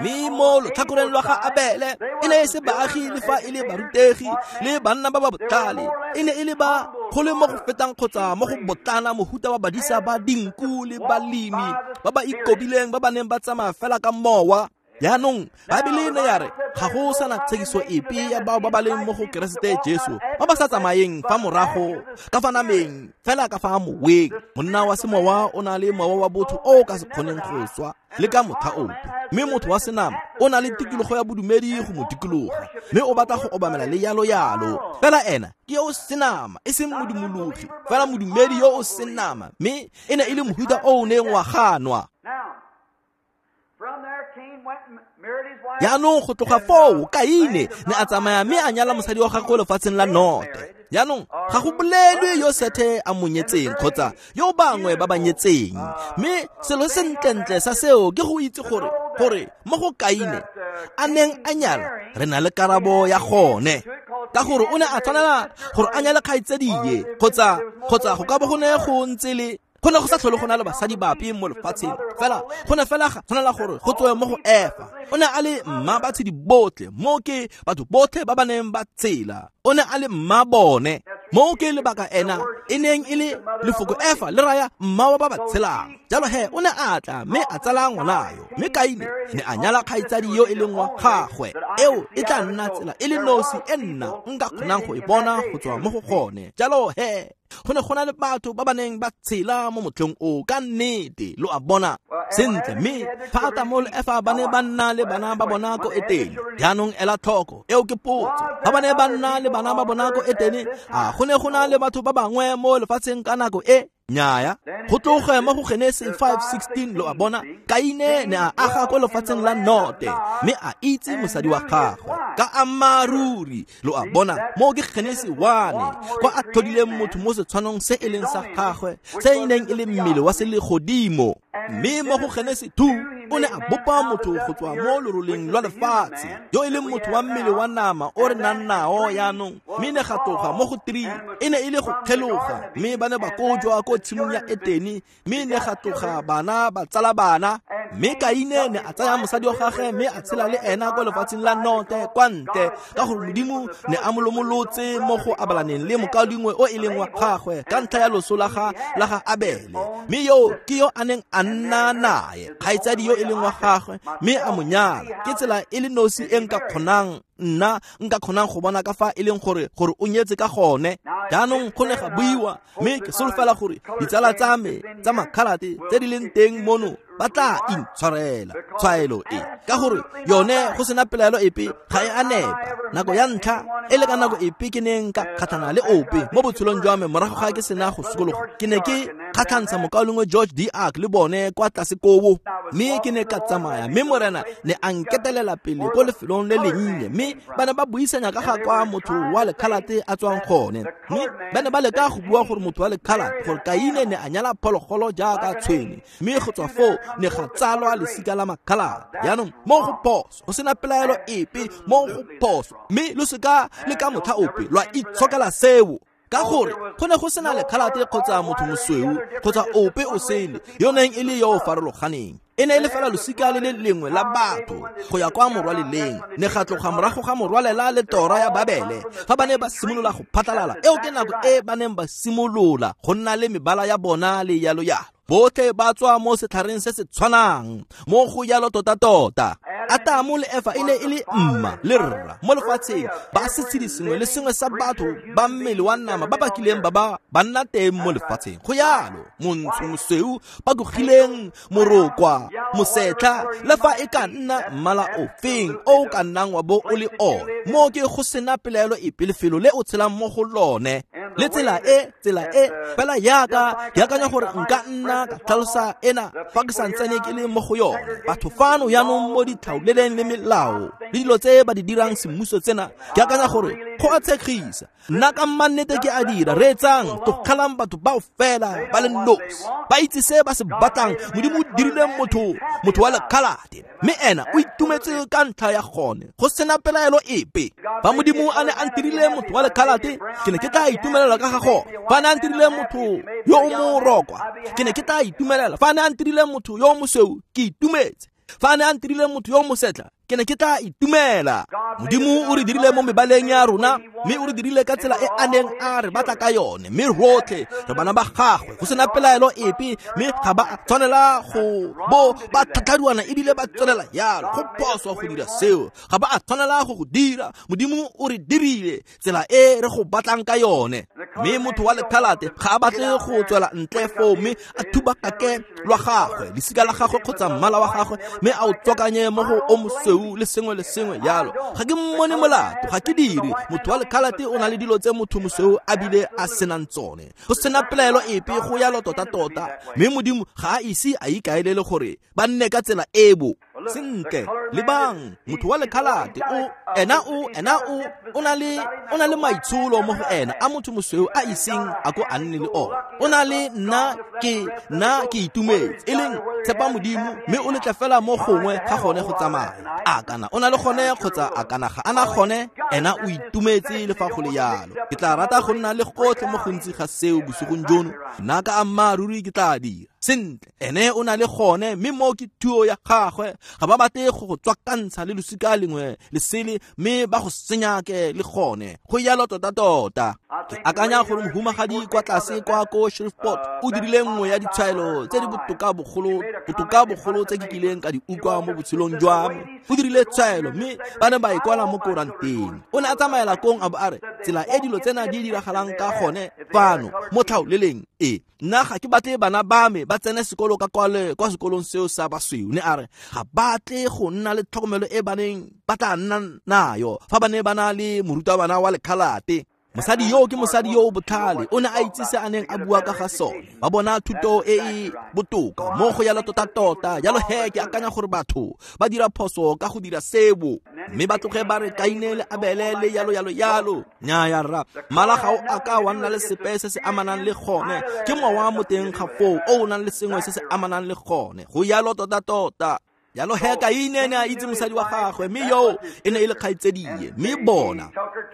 Mme mo lotlhakoreng lwa ga Abele e ne e se baagi le fa e le barutegi le banna ba ba botlhale, e ne e le ba go le mo go fetang kgotsa mo go botlana mohuta wa badisa ba dinku le balemi ba ba ikobileng, ba ba neng ba tsamaya fela ka mowa. Jaanong Baebele ne ya re ga go sana tshekiso epe ya bao ba ba leng mo go Keresete Jesu, ba ba sa tsamayeng fa morago ka fa nameng, fela ka fa moweng. Monna wa semowa o na le mowa wa botho o o ka se kgoneng go swa le ka motlha ope, mme motho wa senama o na le tikologo ya bodumedi go mo dikologa, mme o batla go obamela le yalo yalo. Fela ena ke yo o senama, e seng modumologi, fela modumedi yo o senama, mme e ne e le mohuta o o neng wa ganwa. Jaanong go tloga foo Kaine ne a tsamaya mme a nyala mosadi wa gagwe lefatsheng la Note. Jaanong ga go bolelwe yo Sethe a mo nyetseng kgotsa yo bangwe ba ba nyetseng, mme selo se sentlentle sa seo ke go itse gore mo go Kaine a neng a nyala re na le karabo ya gone, ka gore o ne a tshwanela gore a nyale kgaitsadie kgotsa go ka bo go ne go ntse le go ne go sa tlhole go na le basadi bape mo lefatsheng, fela go ne fela ga tshwanela gore go tswe mo go Efa. O ne a le mma batshedi botlhe, mo ke batho botlhe ba ba neng ba tshela, o ne a le mma bone. Mo ke lebaka ena e neng e le lefoko Efa le raya mma wa ba ba tshelang. Jalo he o ne a tla mme a tsala ngwana yo, mme Kaine ne a nyala kgaitsadi yo e leng wa gagwe. Eo e tla nna tsela e le nosi e nna nka kgonang go e bona go tswa mo go gone. Jalo he go ne go na le batho ba ba neng ba tshela mo motlheng o ka nnete. Lo a bona? Sentle, mme fa Adamo le Efa ba ne ba nna le bana ba bona ko Etene. Jaanong ela tlhoko, eo ke potso. Fa ba ne ba nna le bana ba bona ko Etene, a go ne go na le batho ba bangwe mo lefatsheng ka nako e? Nnyaya. Go tloge mo go Genesi 5:16, lo a bona, Kaine ne a aga ko lefatsheng la Note, mme a itse mosadi wa gagwe ka ammaaruri. Lo a bona, mo ke Genesi 1, kwa a tlhodileng motho mo setshwanong se e leng sa gagwe, se e neng e le mmele wa selegodimo. Mme mo go Genesi 2, o ne a bopa motho go tswa mo loroleng lwa lefatshe, yo e leng motho wa mmele wa nama o re nang nao yaanong. Mme ne ga tloga mo go 3, e ne e le go kgeloga, mme ba ne ba kojwa ko tshimong ya Etene, mme ne ga tloga bana ba tsala bana. Mme Kaine ne a tsaya mosadi wa gagwe mme a tshela le ena kwa lefatsheng la Note kwa ntle, ka gore Modimo ne a mo lomolotse mo go abalaneng le mokaulengwe o e leng wa gagwe ka ntlha ya loso la ga Abele. Mme yo ke yo a neng a nna nae, kgaitsadi yo e leng wa gagwe, mme a mo nyala. Ke tsela e le nosi e nka kgonang nna nka kgonang go bona ka fa e leng gore o nyetse ka gone. Jaanong go ne ga buiwa, mme ke solofela gore ditsala tsa me tsa makhalate tse di leng teng mono ba tla intshwarela tshwaelo e, ka gore yone go sena pelaelo epe ga e a nepa. Nako ya ntlha e le ka nako epe ke neng ka kgatlhana le ope mo botshelong jwa me morago ga ke sena go sokologa, ke ne ke kgatlhantsha mokaulengwe George D. Ark le bone kwa tlase koo, mme ke ne ka tsamaya, mme Morena ne a nketelela pele ko lefelong le lennye, mme ba ne ba buisanya ka ga kwa motho wa lekhalate a tswang gone. Mme ba ne ba leka go bua gore motho wa lekhalate, gore Kaine ne a nyala phologolo jaaka tshwene, mme go tswa foo ne ga tsalwa lesika la makhalate. Jaanong mo go phoso, go sena pelaelo epe mo go phoso, mme lo seka le ka motlha ope lwa itshokela seo, ka gore go ne go sena lekhalate kgotsa motho mosweu kgotsa ope o sele yo neng e le yo o farologaneng. E ne e le fela losika le le lengwe la batho go ya kwa morwaleleng. Ne ga tloga morago ga morwalela le tora ya Babele, fa ba ne ba simolola go phatlalala. Eo ke nako e ba neng ba simolola go nna le mebala ya bona le yalo yalo. Botlhe ba tswa mo setlhareng se se tshwanang, mo go yalo tota-tota. Atamo le Efa e ne e le mma le rra mo lefatsheng, ba setshedi sengwe le sengwe sa batho ba mmele wa nama ba ba kileng ba ba nna teng mo lefatsheng. Go yalo, montsho, mosweu, ba tlogileng, morokwa, mosetlha, le fa e ka nna mmala ofeng o ka nnang wa bo o le one. Mo ke go sena pelaelo epe lefelo le o tshelang mo go lone, le tsela e fela yaka ke akanya gore nka nna ka tlhalosa ena fa ke santsane ke le mo go yone. Batho fano jaanong mo ditlhaoleleng le melao le dilo tse ba di dirang semmuso tsena, ke akanya gore go a tshegisa. Nna ka mmannete ke a dira. Reetsang, tlogelang batho bao fela ba le nosi, ba itse se ba se batlang. Modimo o dirile motho wa lekhalate, mme ena o itumetse ka ntlha ya gone, go sena pelaelo epe. Fa Modimo a ne a ntirile motho wa lekhalate, ke ne ke tla itumelela ka ga gone. Fa a ne a ntirile motho yo o morokwa, ke ne ke tla itumelela. Fa a ne a ntirile motho yo o mosweu, ke itumetse. Fa a ne a ntirile motho yo o mosetla, ke ne ke tla itumela. Modimo o re dirile mo mebaleng ya rona, mme o re dirile ka tsela e a neng a re batla ka yone, mme rotlhe re bana ba gagwe, go sena pelaelo epe. Mme ga ba tshwanela go bo ba tlhatlharuana ebile ba tswelela yalo. Go phoso go dira seo, ga ba a tshwanela go go dira. Modimo o re dirile tsela e re go batlang ka yone. Mme motho wa lekhalate ga a batle go tswela ntle foo mme a thubakake lwa gagwe, lesika la gagwe kgotsa mmala wa gagwe, mme a o tswakanye mo go o mosweu le sengwe le sengwe yalo. Ga ke mmone molato, ga ke dire. Motho wa lekhalate o na le dilo tse motho mosweu a bile a senang tsone, go sena pelaelo epe, go yalo tota-tota. Mme Modimo ga a ise a ikaelele gore ba nne ka tsela ebo. Sentle, lebang, motho wa lekhalate o na le maitsholo mo go ena a motho mosweu a iseng a ko a nne le ona. O na le nna ke itumetse, e leng tshepa Modimo, mme o letla fela mo gongwe ga gone go tsamaya. A kana o na le gone kgotsa a kana ga ana gone, ena o itumetse le fa go le yalo. Ke tla rata go nna le gotlhe mo gontsi ga seo bosigong jono. Nna ka ammaaruri ke tla dira. Sentle, ene o na le gone, mme mo ke thuo ya gagwe. Ga ba batle go go tswakantsha le losika lengwe lesele, mme ba go senyake le gone. Go yalo tota-tota. Ke akanya gore mohumagadi kwa tlase kwa ko Shreveport o dirile nngwe ya ditshwaelo tse di botoka bogolo tse ke kileng ka di utlwa mo botshelong jwa me. O dirile tshwaelo, mme ba ne ba e kwala mo koranteng. O ne a tsamaela kong a bo a re, tsela e dilo tsena di diragalang ka gone fano mo tlhaoleleng e, nna ga ke batle bana ba me ba tsene sekolo ka kwa sekolong seo sa basweu. Ne a re ga batle go nna le tlhokomelo e ba neng ba tla nna nayo fa ba ne ba na le morutabana wa lekhalate. Mosadi yo ke mosadi yo o botlhale, o ne a itse se a neng a bua ka ga sone. Ba bona thuto e e botoka mo go yalo tota-tota. Jalo he ke akanya gore batho ba dira phoso ka go dira sebo, mme ba tloge ba re Kaine le Abele le yalo yalo yalo. Nnyaya rra, mmala ga o a ka wa nna le sepe se se amanang le gone. Ke mowa mo teng ga foo o o nang le sengwe se se amanang le gone. Go yalo tota-tota. Yalo he Kaine ne a itse mosadi wa gagwe, mme yo e ne e le kgaitsedie. Mme bona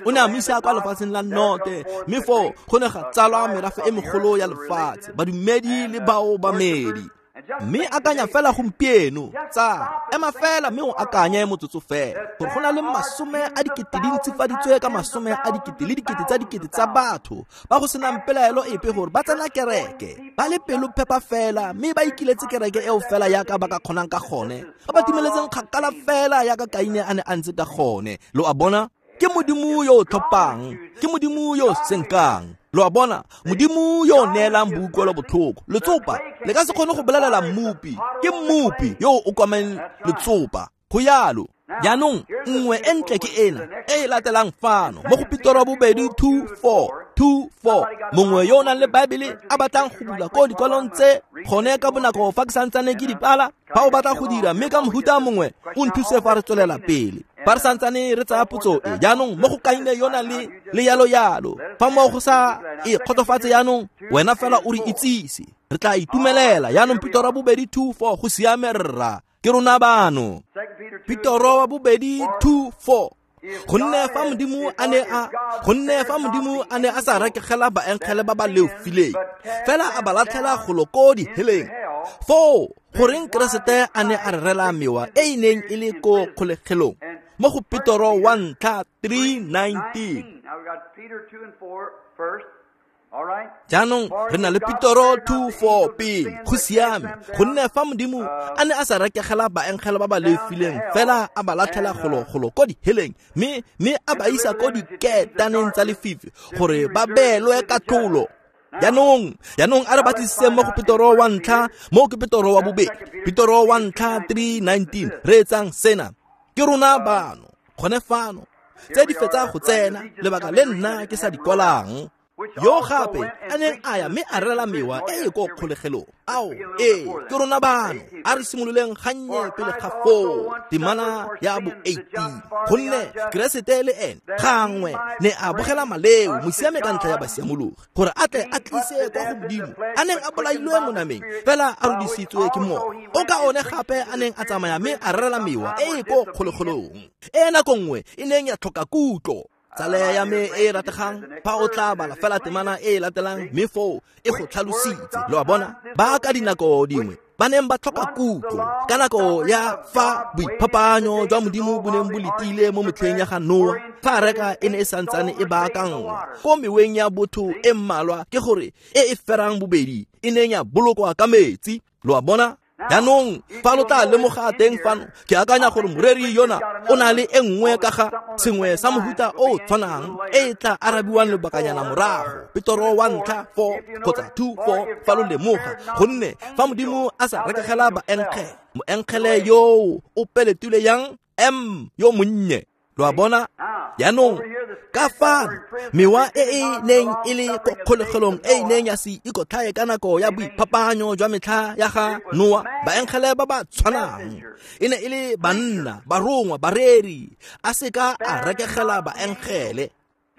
o ne a mo isa kwa lefatsheng la Note, mme foo go ne ga tsalwa merafe e megolo ya lefatshe, badumedi le baobamedi. Mme akanya fela gompieno, tsala, ema fela mme o akanye motsotso fela gore go na le 10 000 di ntsifaditswe ka 10 000 le dikete tsa dikete tsa batho ba go senang pelaelo epe gore ba tsena kereke ba le pelo phepa fela, mme ba ikiletse kereke eo fela yaka ba ka kgonang ka gone, ba ba timeletseng kgakala fela yaka Kaine a ne a ntse ka gone. Lo a bona? Ke Modimo yo o tlhophang, ke Modimo yo o senkang. Lo a bona? Modimo yo o neelang boutlwelo botlhoko. Letsopa le ka se kgone go bolelela mmopi, ke mmopi yo o okameng letsopa. Go yalo. Jaanong nngwe e ntle ke ena e e latelang fano mo go Petoro bobedi 2:4 mongwe yo o nang le Baebele a batlang go bula ko dikwalong tse gone ka bonako fa ke santsane ke dipala, fa o batla go dira mme ka mohuta mongwe o nthuse fa re tswelela pele fa re santsane re tsaya potso e. Jaanong mo go Kaine yona le yalo yalo, fa mo go sa e kgotsofatse jaanong wena fela o re itsise, re tla itumelela. Jaanong Petoro bobedi 2:4 go siame rra, ke rona bano. Petoro wa bobedi 2:4 gonne fa Modimo a ne a sa rekegela baengele ba ba leofileng, fela a ba latlhela golo ko diheleng, foo goreng Keresete a ne a re rela mewa e e neng e le ko kgolegelong? Mo go Petoro wa ntlha 3:19. Jaanong re na le Petoro 2:4 pele. Go siame, gonne fa Modimo a ne a sa rekegela baengele ba ba leofileng fela a ba latlhela golo ko diheleng, mme a ba isa ko diketaneng tsa lefifi gore ba beelwe katlholo. Jaanong a re batlisiseng mo go Petoro wa ntlha, mo ke Petoro wa bobedi, Petoro wa ntlha 3:19. Re etsang sena, ke rona bano gone fano tse di fetsa go tsena, lebaka le nna ke sa di kwalang. Yo gape a neng a ya mme a rela mewa e e ko kgolegelong. Ao, ee, ke rona bano. A re simololeng gannye pele ga foo, temana ya bo 18. Gonne Keresete le ene gangwe ne a bogela maleo, mosiame ka ntlha ya basiamologi, gore a tle a tlise kwa go Modimo a neng a bolailwe mo nameng, fela a rodisitswe ke Moya o ka one gape a neng a tsamaya mme a rela mewa e e ko kgolegelong, e nako nngwe e neng ya tlhoka kutlo. Tsala ya me e rategang, fa o tla bala fela temana e e latelang mme foo e go tlhalositse. Lo a bona? Ba ka dinako dingwe ba neng ba tlhoka kutlo ka nako ya fa boiphapanyo jwa Modimo bo neng bo letile mo metlheng ya ga Noa, fa areka e ne e santsane e baakanngwa ko meweng ya botho e mmalwa, ke gore e e ferang bobedi e neng ya bolokwa ka metsi. Lo a bona? Jaanong fa lo tla lemoga teng fano, ke akanya gore moreri yona o na le e nngwe ka ga sengwe sa mohuta o tshwanang e e tla arabiwang lobakanyana morago. Petoro wa ntlha 4 kgotsa 2:4 fa lo lemoga, gonne fa Modimo a sa rekegela baengele, moengele yo o peletile yang M yo monnye. Lo a bona? Jaanong ka fano mewa e e neng e le ko kgolegelong e e neng ya se ikotlhae ka nako ya boiphapanyo jwa metlha ya ga Noa, baengele ba ba tshwanang e ne e le banna, barongwa, bareri, a seka a rekegela baengele.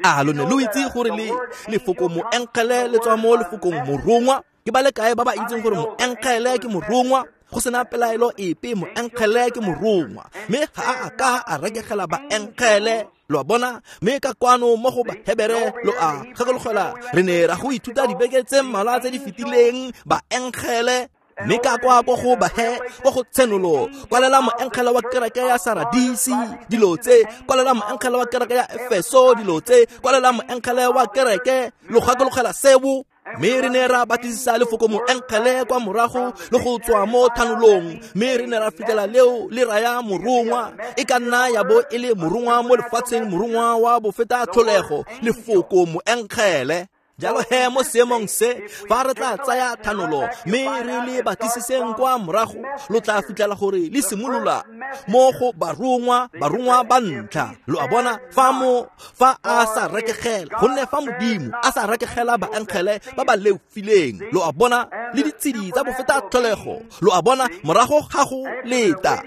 A lo ne lo itse gore le lefoko moengele le tswa mo lefokong morongwa? Ke ba le kae ba ba itseng gore moengele ke morongwa? Go sena pelaelo epe, moengele ke morongwa, mme ga a ka a rekegela baengele. Lo a bona? Mme ka kwano mo go Bahebere, lo a gakologelwa, re ne ra go ithuta dibeke tse mmalwa tse di fetileng, baengele. Mme ka kwa ko go bahe, ko go Tshenolo, kwalela moengele wa kereke ya Saradisi dilo tse, kwalela moengele wa kereke ya Efeso dilo tse, kwalela moengele wa kereke. Lo gakologela seo? Mme re ne ra batlisisa lefoko moengele kwa morago le go tswa mo thanolong, mme re ne ra fitlhela leo le raya morongwa. E ka nna ya bo e le morongwa mo lefatsheng, morongwa wa bofeta tlholego, lefoko moengele. Jalo he mo seemong se, fa re tla tsaya thanolo mme re le batlisiseng kwa morago, lo tla fitlhela gore le simolola mo go barongwa, barongwa ba ntlha. Lo a bona? Fa a sa rekegela, gonne fa Modimo a sa rekegela baengele ba ba leofileng, lo a bona, le ditshedi tsa bofeta tlholego, lo a bona, morago ga go leta.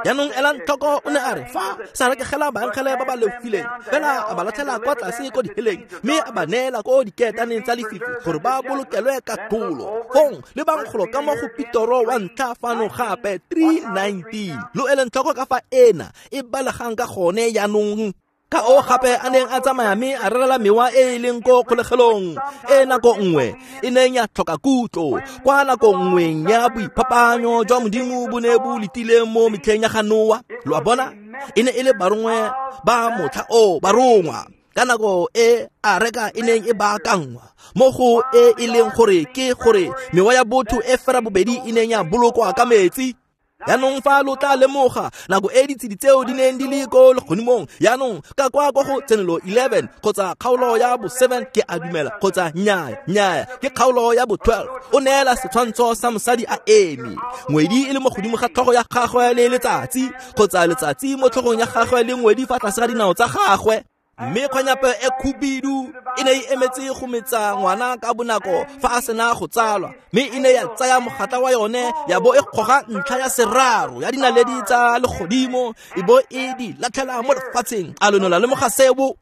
Jaanong elang tlhoko, o ne a re fa sa rekegela baengele ba ba leofileng, fela a ba latlhela kwa tlase ko diheleng, mme a ba neela ko diketaneng tsa lefifi gore ba bolokelwe katlholo. Fong le bangkgolo ka mo go Petoro wa ntlha fano gape 3:19. Lo eleng tlhoko ka fa ena e balegang ka gone jaanong. Ka o gape a neng a tsamaya mme a rerela mewa e e leng ko kgolegelong e nako nngwe e neng ya tlhoka kutlo kwa nako nngweng ya boiphapanyo jwa Modimo bo ne bo letile mo metlheng ya ga Noa. Lo a bona, e ne e le barongwe ba motlha o barongwa ka nako e areka e neng e baakangwa mo go e e leng gore ke gore mewa ya botho e fera bobedi e neng ya bolokwa ka metsi. Yaanong fa lo tla lemoga nako e ditshedi tseo di neng di le ko legodimong, yaanong ka kwa kwa go Tsenolo 11 kgotsa kgaolo ya bo 7 ke a dumela, kgotsa nnyaa ke kgaolo ya bo 12, o neela setshwantsho sa mosadi a eme, ngwedi e le mo godimo ga tlhogo ya gagwe le letsatsi, kgotsa letsatsi mo tlhogong ya gagwe le ngwedi fa tlase ga dinao tsa gagwe. Mme kgwanyape e khubidu e ne e emetse go metsa ngwana ka bonako fa a sena go tsalwa, mme e ne ya tsaya mogatla wa yone ya bo e kgoga ntlha ya seraro ya dinaledi tsa legodimo e bo e di latlhela mo lefatsheng. A lo ne la lemoga seo?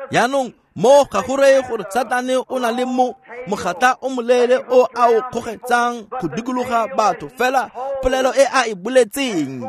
Yaanong mo ga go reye gore Satane o na le mo mogatla o moleele o a o kgogetsang go dikologa batho, fela polelo e a e boletseng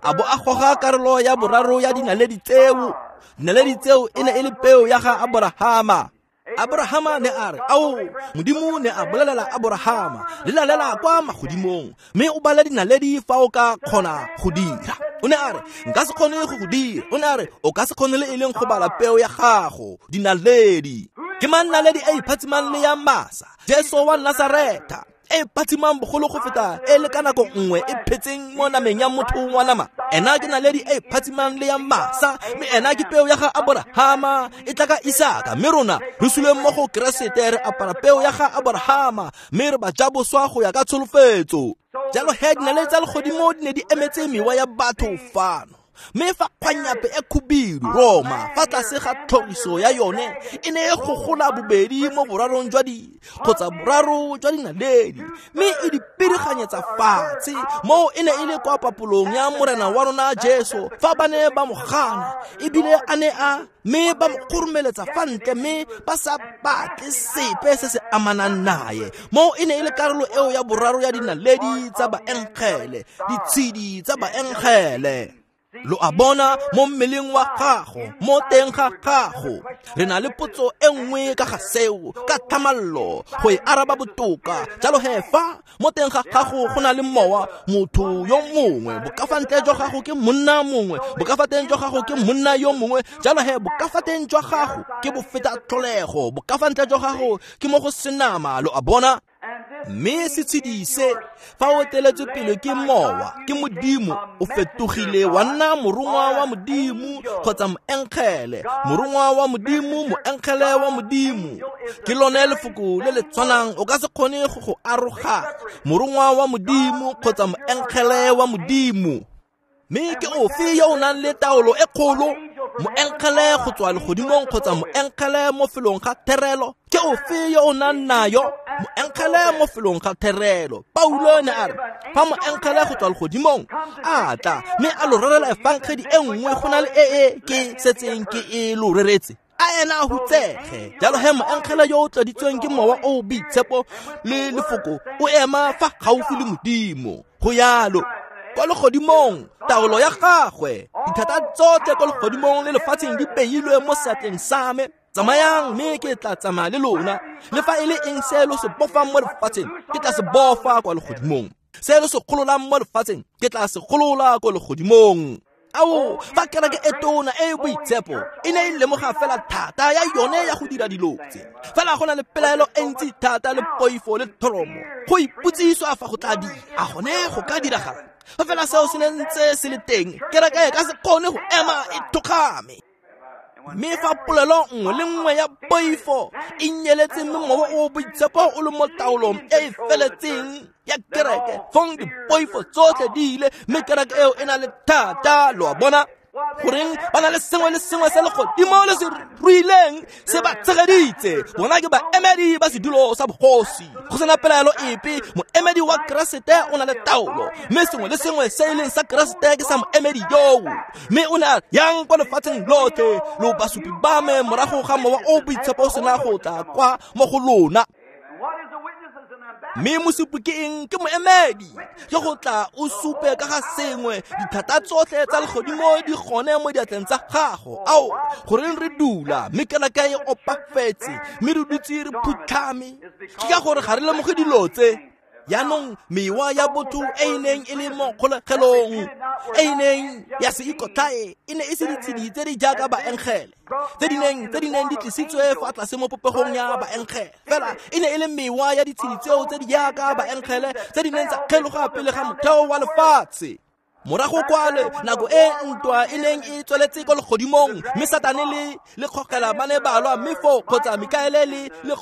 a bo a goga karolo ya boraro ya dinaledi tseo. Dinaledi tseo e ne e le peo ya ga Aborahama. Aborahama ne a re, ao, Modimo ne a bolelela Aborahama, lelalela kwa magodimong mme o bale dinaledi fa o ka kgona go dira. O ne a re, nka se kgone go go dira. O ne a re, o ka se kgone le e leng go bala peo ya gago, dinaledi. Ke mang naledi e iphatsimang le ya masa? Jesu wa Nasaretha, e phatsimang bogolo go feta e le ka nako nngwe e phetseng mo nameng ya motho wa nama. Ena ke naledi e phatsimang le ya masa, mme ena ke peo ya ga Aborahama e tla ka Isaka. Mme rona re suleng mo go Keresete, re apara peo ya ga Aborahama mme re ba jaboswa go ya ka tsholofetso. Jalo he dinaledi tsa legodimo di ne di emetse mewa ya batho fano. Mme fa kgwanyape e khubidu Roma fa tlase ga tlhoriso ya yone e ne e gogola bobedi mo borarong jwa di kgotsa boraro jwa dinaledi, mme e di piriganyetsa fatshe. Moo e ne e le kwa papolong ya Morena wa rona Jesu fa ba ne ba mo gana, ebile a ne a mme ba mo kgoromeletsa fa ntle mme ba sa batle sepe se se amanang naye. Moo e ne e le karolo eo ya boraro ya dinaledi tsa baengele, ditshedi tsa baengele. Lo a bona mo mmeleng wa gago, mo teng ga gago. Re na le potso e nngwe ka ga seo, ka thamallo go e araba botoka. Jalo he fa mo teng ga gago go na le mowa, motho yo mongwe, bokafantle jwa gago ke monna mongwe, bokafateng jwa gago ke monna yo mongwe. Jalo he bokafateng jwa gago ke bofeta tlholego, bokafantle jwa gago ke mo go senama. Lo a bona? Mme setshedi se fa o eteletswe pele ke mowa, ke Modimo, o fetogile wa nna morongwa wa Modimo kgotsa moengele, morongwa wa Modimo, moengele wa Modimo. Ke lone lefoko le le tshwanang, o ka se kgone go go aroganya, morongwa wa Modimo kgotsa moengele wa Modimo. Mme ke ofe yo o nang le taolo e kgolo, moengele go tswa legodimong kgotsa moengele mo felong ga therelo? Ke ofe yo o nang nayo, moengele mo felong ga therelo? Paulo ne a re, fa moengele go tswa legodimong a tla mme a lo rerela efangedi e nngwe go na le e e ke setseng ke e lo reretse, a ena a hutsege. Jalo he moengele yo o tloditsweng ke mowa o boitshepo le lefoko o ema fa gaufi le Modimo. Go yalo kwa legodimong, taolo ya gagwe, dithata tsotlhe kwa legodimong le lefatsheng di beilwe mo seatleng sa me. Tsamayang mme ke tla tsamaya le lona, le fa e le eng se lo se bofang mo lefatsheng ke tla se bofa kwa legodimong, se lo se gololang mo lefatsheng ke tla se golola kwa legodimong. Ao, fa kereke e tona e boitshepo e ne e lemoga fela thata ya yone ya go dira dilo tse, fela go na le pelaelo e ntsi thata le poifo le thoromo go ipotsiswa fa go tla dira, a gone go ka diragala? Fa fela seo se ne ntse se le teng, kereke e ka se kgone go ema e thokgame. Mme fa polelo nngwe le nngwe ya poifo e nyeletse mme mowa o boitshepo o le mo taolong e e feletseng ya kereke, fong dipoifo tsotlhe di ile, mme kereke eo e na le thata. Lo a bona? Goreng ba na le sengwe le sengwe se legodimo le se ruileng se ba tshegeditse. Bona ke baemedi ba sedulo sa bogosi. Go sena pelaelo epe, moemedi wa Keresete o na le taolo, mme sengwe le sengwe se e leng sa Keresete ke sa moemedi yoo. Mme o ne a yang kwa lefatsheng lotlhe, lo basupi ba me morago ga mowa o boitshepo o sena go tla kwa mo go lona. Mme mosupi ke eng? Ke moemedi. Ke go tla o supe ka ga sengwe. Dithata tsotlhe tsa legodimo di gone mo diatleng tsa gago. Ao, goreng re dula mme kereke e opafetse, mme re dutse re phutlhame? Ke ka gore ga re lemoge dilo tse. Jaanong mewa ya botho e e neng e le mo kgolegelong, e e neng ya se ikotlhae, e ne e se ditshedi tse di jaaka baengele tse di neng di tlisitswe fa tlase mo popegong ya baengele. Fela e ne e le mewa ya ditshedi tseo tse di jaaka baengele tse di neng tsa kgeloga pele ga motheo wa lefatshe. Morago kwale nako e ntwa e neng e tsweletse ko legodimong, mme Satane le kgogela ba ne ba lwa, mme foo kgotsa Mikaele le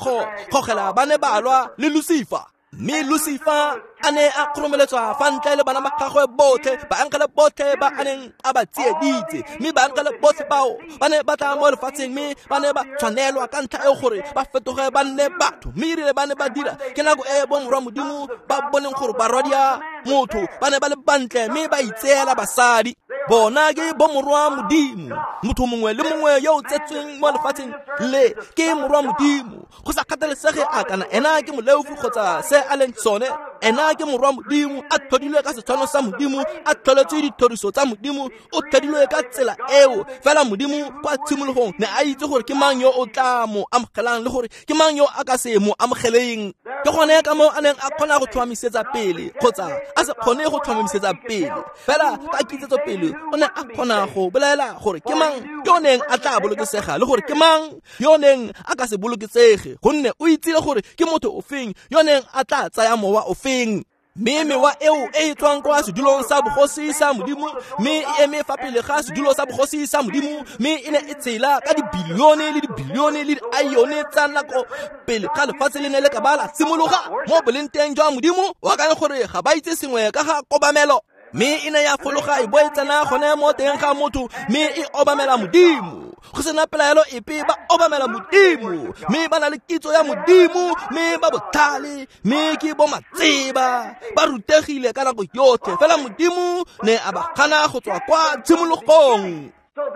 kgogela ba ne ba lwa le Lucifer. Mme Lucifer a ne a kgoromeletswa fa ntle le bana ba gagwe botlhe, baengele botlhe ba a neng a ba tsieditse. Mme baengele botlhe bao ba ne ba tla mo lefatsheng, mme ba ne ba tshwanelwa ka ntlha eo gore ba fetoge ba nne batho. Mme erile ba ne ba dira, ke nako e bomorwa Modimo ba boneng gore barwadia motho ba ne ba le bantle, mme ba itseela basadi. Bona ke bomorwa Modimo. Motho mongwe le mongwe yo o tsetsweng mo lefatsheng le ke morwa Modimo. Go sa kgathalesege a kana ena ke moleofi kgotsa se a leng sone, ena ke morwa Modimo, a tlhodilwe ka setshwano sa Modimo, a tlholetswe dithoriso tsa Modimo, o tlhodilwe ka tsela eo. Fela Modimo kwa tshimologong ne a itse gore ke mang yo o tla mo amogelang le gore ke mang yo a ka se mo amogeleng. Ke gone ka moo a neng a kgona go tlhomamisetsa pele kgotsa a se kgone go tlhomamisetsa pele. Fela ka kitsetso pele o ne a kgona go bolela gore ke mang yo neng a tla bolokesega le gore ke mang yo neng a ka se bolokesege, gonne o itsile gore ke motho ofeng yo neng a tla tsaya mowa ofeng. Mme mewa eo e e tswang kwa sedulong sa bogosi sa Modimo, mme e eme fa pele ga sedulo sa bogosi sa Modimo, mme e ne e tshela ka dibilione le dibilione le diaione tsa nako pele ga lefatshe le ne le ka ba la simologa mo boleng teng jwa Modimo. O akanya gore ga ba itse sengwe ka ga kobamelo? Mme e ne ya fologa e bo e tsena gone mo teng ga motho, mme e obamela Modimo. Go sena pelaelo epe, ba obamela Modimo, mme ba na le kitso ya Modimo, mme ba botlhale, mme ke bo matseba, ba rutegile ka nako yotlhe. Fela Modimo ne a ba gana go tswa kwa tshimologong.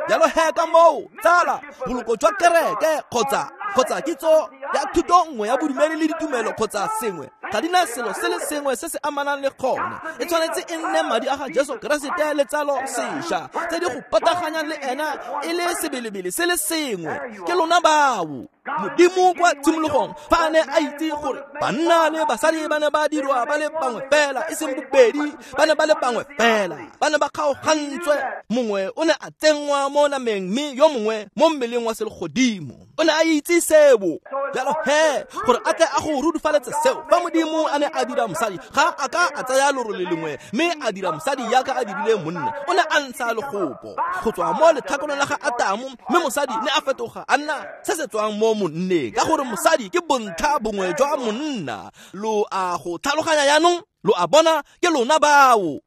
Jalo he ka moo, tsala, boloko jwa kereke kgotsa kitso ya thuto nngwe ya bodumedi le ditumelo kgotsa sengwe ga di na selo se le sengwe se se amanang le gone. E tshwanetse e nne madi a ga Jesu Keresete le tsalo sešwa tse di go pataganyang le ena e le sebelebele se le sengwe. Ke lona bao. Modimo kwa tshimologong fa a ne a itse gore banna le basadi ba ne ba dirwa ba le bangwe fela, e seng bobedi, ba ne ba le bangwe fela, ba ne ba kgaogantswe. Mongwe o ne a tsenngwa mo nameng mme yo mongwe mo mmeleng wa selegodimo. O ne a itse seo. Jalo he, gore a tle a go rudufaletse seo, fa Modimo a ne a dira mosadi, ga a ka a tsaya lorole lengwe mme a dira mosadi yaka a dirile monna. O ne a ntsha legopo go tswa mo letlhakoreng la ga Atamo, mme mosadi ne a fetoga a nna se se tswang mo monneng, ka gore mosadi ke bontlha bongwe jwa monna. Lo a go tlhaloganya jaanong? Lo a bona? Ke lona bao.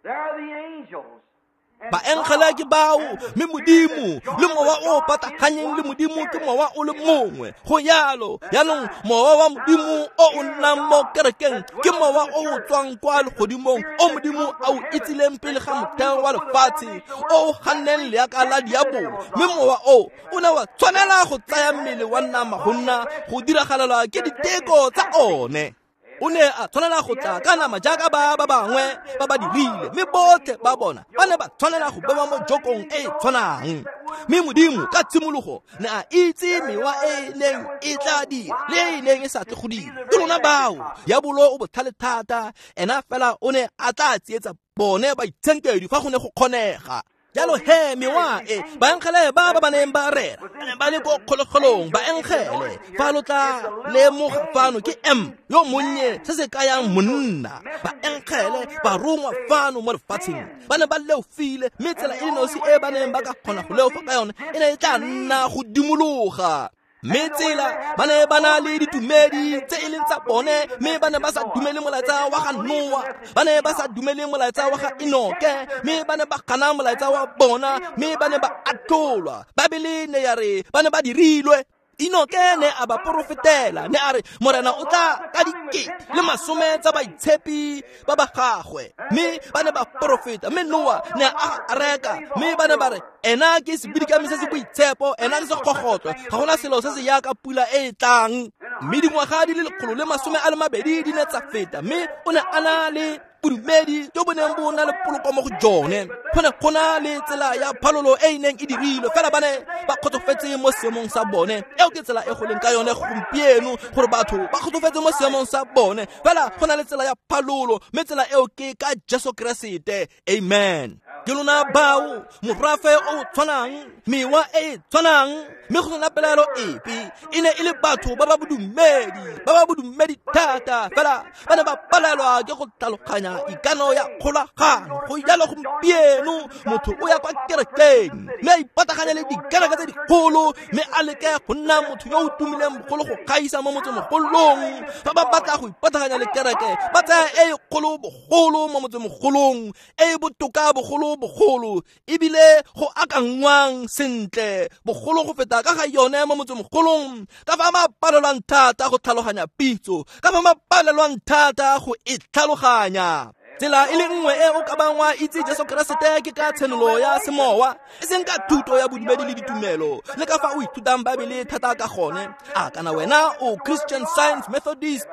Baengele ke bao, mme Modimo le mowa o pataganyeng le Modimo ke mowa o le mongwe. Go yalo. Jaanong mowa wa Modimo o o nnang mo kerekeng ke mowa o o tswang kwa legodimong, o Modimo a o itsileng pele ga motheo wa lefatshe, o o ganneng leaka la diabolo. Mme mowa o o ne wa tshwanela go tsaya mmele wa nama go nna go diragalelwa ke diteko tsa one. O ne a tshwanela go tla ka nama jaaka ba ba bangwe ba ba dirile, mme botlhe ba bona ba ne ba tshwanela go bewa mo jokong e e tshwanang. Mme Modimo ka tshimologo ne a itse mewa e neng e tla dira le e neng e sa tle go dira. Ke lona bao. Diabolo o botlhale thata, ena fela o ne a tla tsietsa bone baitshenkedi fa go ne go kgonega. Jalo he mewa e baengele ba ba neng ba rera ba le ko kgolegelong, baengele fa lo tla lemoga fano ke M yo monnye se se kayang monna. Baengele ba rongwa fano mo lefatsheng ba ne ba leofile, mme tsela e le nosi e ba neng ba ka kgona go leofa ka yone e ne e tla nna go dimologa. Mme tsela ba ne ba na le ditumedi tse e leng tsa bone, mme ba ne ba sa dumele molaetsa wa ga Noa, ba ne ba sa dumele molaetsa wa ga Enoke, mme ba ne ba gana molaetsa wa bona, mme ba ne ba atlholwa. Babele ne ya re ba ne ba dirilwe. Enoke ne a ba porofetela, ne a re Morena o tla ka dikete le masome tsa baitshepi ba ba gagwe. Mme ba ne ba porofeta, mme Noa ne a areka, mme ba ne ba re ena ke sebidikami se se boitshepo, ena ke segogotlo, ga gona selo se se yaka pula e e tlang. Mme dingwaga di le 120 di ne tsa feta, mme o ne a na le bodumedi jo bo neng bo na le poloko mo go jone. Go ne go na le tsela ya phalolo e e neng e dirilwe, fela ba ne ba kgotsofetse mo seemong sa bone. Eo ke tsela e go leng ka yone gompieno, gore batho ba kgotsofetse mo seemong sa bone, fela go na le tsela ya phalolo, mme tsela eo ke ka Jesu Keresete. Amen. Ke lona bao, morafe o tshwanang, mewa e e tshwanang, mme go sena pelaelo epe. E ne e le batho ba ba bodumedi, ba ba bodumedi thata, fela ba ne ba palelwa ke go tlhaloganya ikano ya kgolagano. Go jalo gompieno, motho o ya kwa kerekeng mme a ipataganya le dikereke tse dikgolo, mme a leke go nna motho yo o tumileng bogolo go gaisa mo motsemogolong. Fa ba batla go ipataganya le kereke, ba tsaya e kgolo bogolo mo motsemogolong, e botoka bogolo bogolo, ebile go akangwang sentle bogolo go feta ka ga yone mo motsemogolong. Ka fa ba palelwang thata go tlhaloganya pitso, ka fa ba palelwang thata go e tlhaloganya. Tsela e le nngwe e o ka bang wa itse Jesu Keresete ke ka tshenolo ya semowa, e seng ka thuto ya bodumedi le ditumelo, le ka fa o ithutang Baebele thata ka gone. A kana wena o Christian Science, Methodist,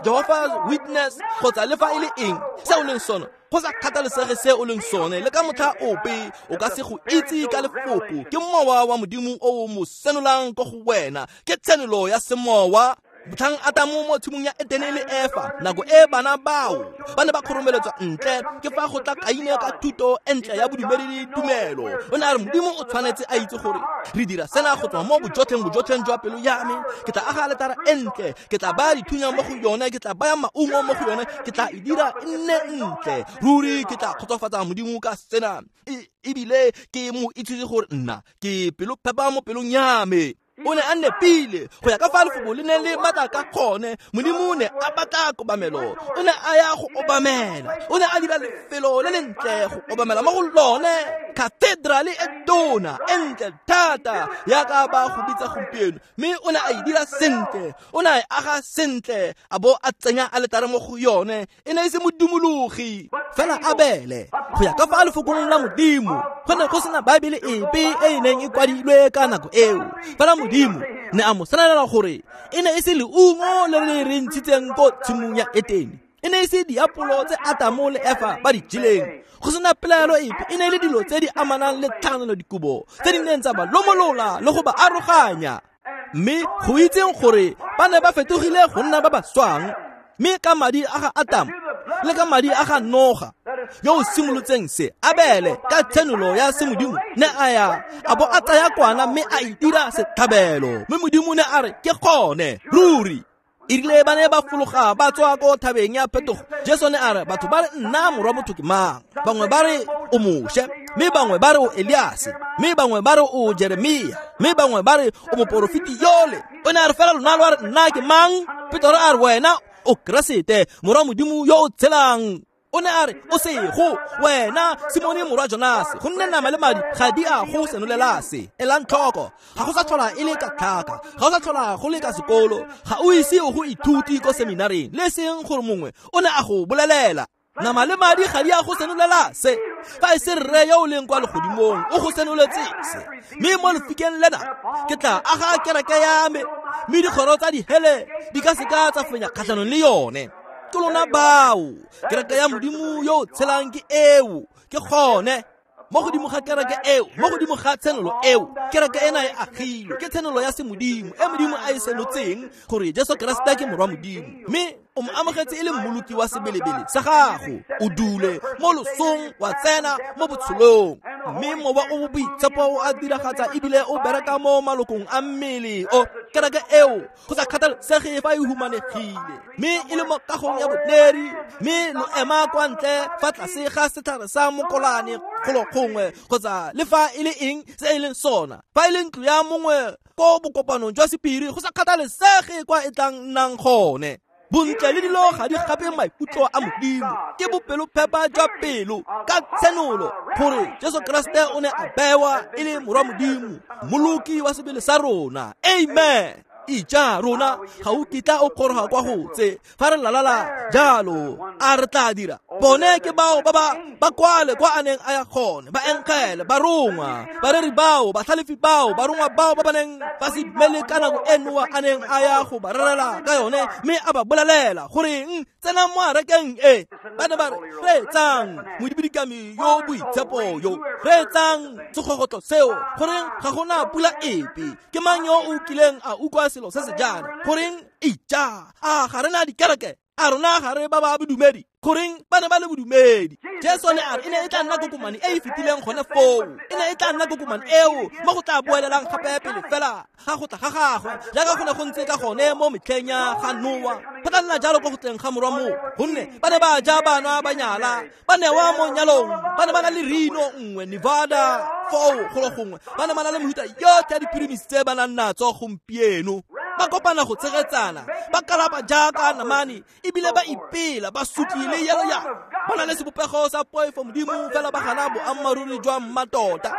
Jehovah's Witness, kgotsa le fa e le eng se o leng sone, go sa kgathalesege se o leng sone, le ka motlha ope o ka se go itse ka lefoko. Ke mowa wa Modimo o mo senolang ko go wena, ke tshenolo ya semowa. Motlhang Atamo mo tshimong ya Etene le Efa, nako e bana bao ba ne ba kgoromeletswa ntle, ke fa go tla Kaine ka thuto e ntle ya bodumedi le tumelo. O ne a re Modimo o tshwanetse a itse gore re dira sena go tswa mo bojotlheng jwa pelo ya me. Ke tla aga aletara e ntle, ke tla baya dithunya mo go yone, ke tla baya maungo mo go yone, ke tla e dira e nne ntle. Ruri ke tla kgotsofatsa Modimo ka sena, ebile ke mo itsise gore nna ke pelophepa mo pelong ya me. O ne a nepile go ya ka fa lefoko le ne le matla ka gone. Modimo ne a batla kobamelo, o ne a ya go obamela, o ne a dira lefelo le lentle go obamela mo go lone, cathedrale e tona e ntle thata yaka ba go bitsa gompieno. Mme o ne a e dira sentle, o ne a e aga sentle, a bo a tsenya aletare mo go yone. E ne e se modumologi fela Abele go ya ka fa lefokong la Modimo. Go ne go sena Baebele epe e e neng e kwadilwe ka nako eo, fela Modimo ne a mo senolela gore e ne e se leungo le le re ntshitseng ko tshimong ya Etene, e ne e se diapolo tse Atamo le Efa ba di jeleng. Go sena pelaelo epe, e ne e le dilo tse di amanang le tlhakanelo dikobo tse di neng tsa ba lomolola le go ba aroganya. Mme go itseng gore ba ne ba fetogile go nna ba ba swang, mme ka madi a ga Atamo le ka madi a ga Noga yo o simolotseng se, Abele ka tshenolo ya semodimo ne a ya a bo a tsaya kwana mme a e dira setlhabelo. Mme Modimo ne a re ke gone ruri. E rile ba ne ba fologa ba tswa ko thabeng ya phetogo, Jesu ne a re batho ba re nna morwa motho ke mang? Bangwe ba re o Moshe, mme bangwe ba re o Eliase, mme bangwe ba re o Jeremia, mme bangwe ba re o moporofeti yole. O ne a re fela lona lo a re nna ke mang? Petoro a re wena o Keresete, morwa Modimo yo o tshelang. O ne a re o sego wena Simone morwa Jonase, gonne nama le madi ga di a go senolela se. Elang tlhoko, ga go sa tlhola e le ka tlhaka, ga go sa tlhola go le ka sekolo, ga o ise o go ithuti ko seminareng, le seng gore mongwe o ne a go bolelela. Nama le madi ga di a go senolela se, fa e se rre yo o leng kwa legodimong o go senoletse se. Mme mo lefikeng lena ke tla aga kereke ya me, mme dikgoro tsa dihele di ka seka tsa fenya kgatlhanong le yone. Ke lona bao, kereke ya Modimo yo o tshelang ke eo, ke gone. Mo godimo ga kereke eo, mo godimo ga tshenolo eo, kereke ena e agilwe ke tshenolo ya semodimo e Modimo a e senotseng gore Jesu Keresete ke morwa Modimo, mme o mo amogetse e le mmoloki wa sebelebele sa gago. O dule mo losong wa tsena mo botshelong, mme mowa o boitshepo o a diragatsa ebile o bereka mo malokong a mmele o. Kereke eo go sa kgathalesege fa e humanegile, mme e le mo kagong ya boneri, mme lo ema kwa ntle fa tlase ga setlhare sa mokolane golo gongwe, kgotsa le fa e le eng se e leng sona, fa e le ntlo ya mongwe ko bokopanong jwa sephiri, go sa kgathalesege kwa e tlang nnang gone. Bontle le dilo ga di gape maikutlo a Modimo, ke bopelophepa jwa pelo ka tshenolo gore Jesu Keresete o ne a bewa e le morwa Modimo, mmoloki wa sebele sa rona. Amen. Ija rona ga o kitla o kgoroga kwa go tse fa re lalala jalo, a re tla dira. Bone ke bao ba ba kwale kwa a neng a ya gone, ba enkele, barongwa, bareri bao, batlhalefi bao, barongwa bao ba ba neng ba se dumele ka nako e Noa a neng a ya go ba rerela ka yone, mme a ba bolelela goreng tsenang mo arekeng e. Ba ne ba re, reetsang modibidikami yo boitshepo yo, reetsang segogotlo seo, goreng ga gona pula epe, ke mang yo o kileng a utlwa selo se se jaana, goreng ija, a ga re na dikereke, a rona ga re ba ba bodumedi, goreng ba ne ba le bodumedi. Jesu ne a re e ne e tla nna kokomane e e fetileng gone foo, e ne e tla nna kokomane eo mo go tla boelelang gape pele fela ga go tla ga gagwe, jaaka go ne go ntse ka gone mo metlheng ya ga Noa. Go tla nna jalo ko go tleng ga morwa motho, gonne ba ne ba ja, ba nwa, ba nyala, ba newa mo nyalong, ba ne ba na le rino nngwe Nevada foo golo gongwe, ba ne ba na le mehuta yotlhe ya diphirimisi tse ba nang natso gompieno. Ba kopana go tshegetsana, ba kalapa jaaka namane, ebile ba ipela, ba sutlile yalo ya ba na le sebopego sa poifo Modimo, fela ba gana boammaaruri jwa mmatota.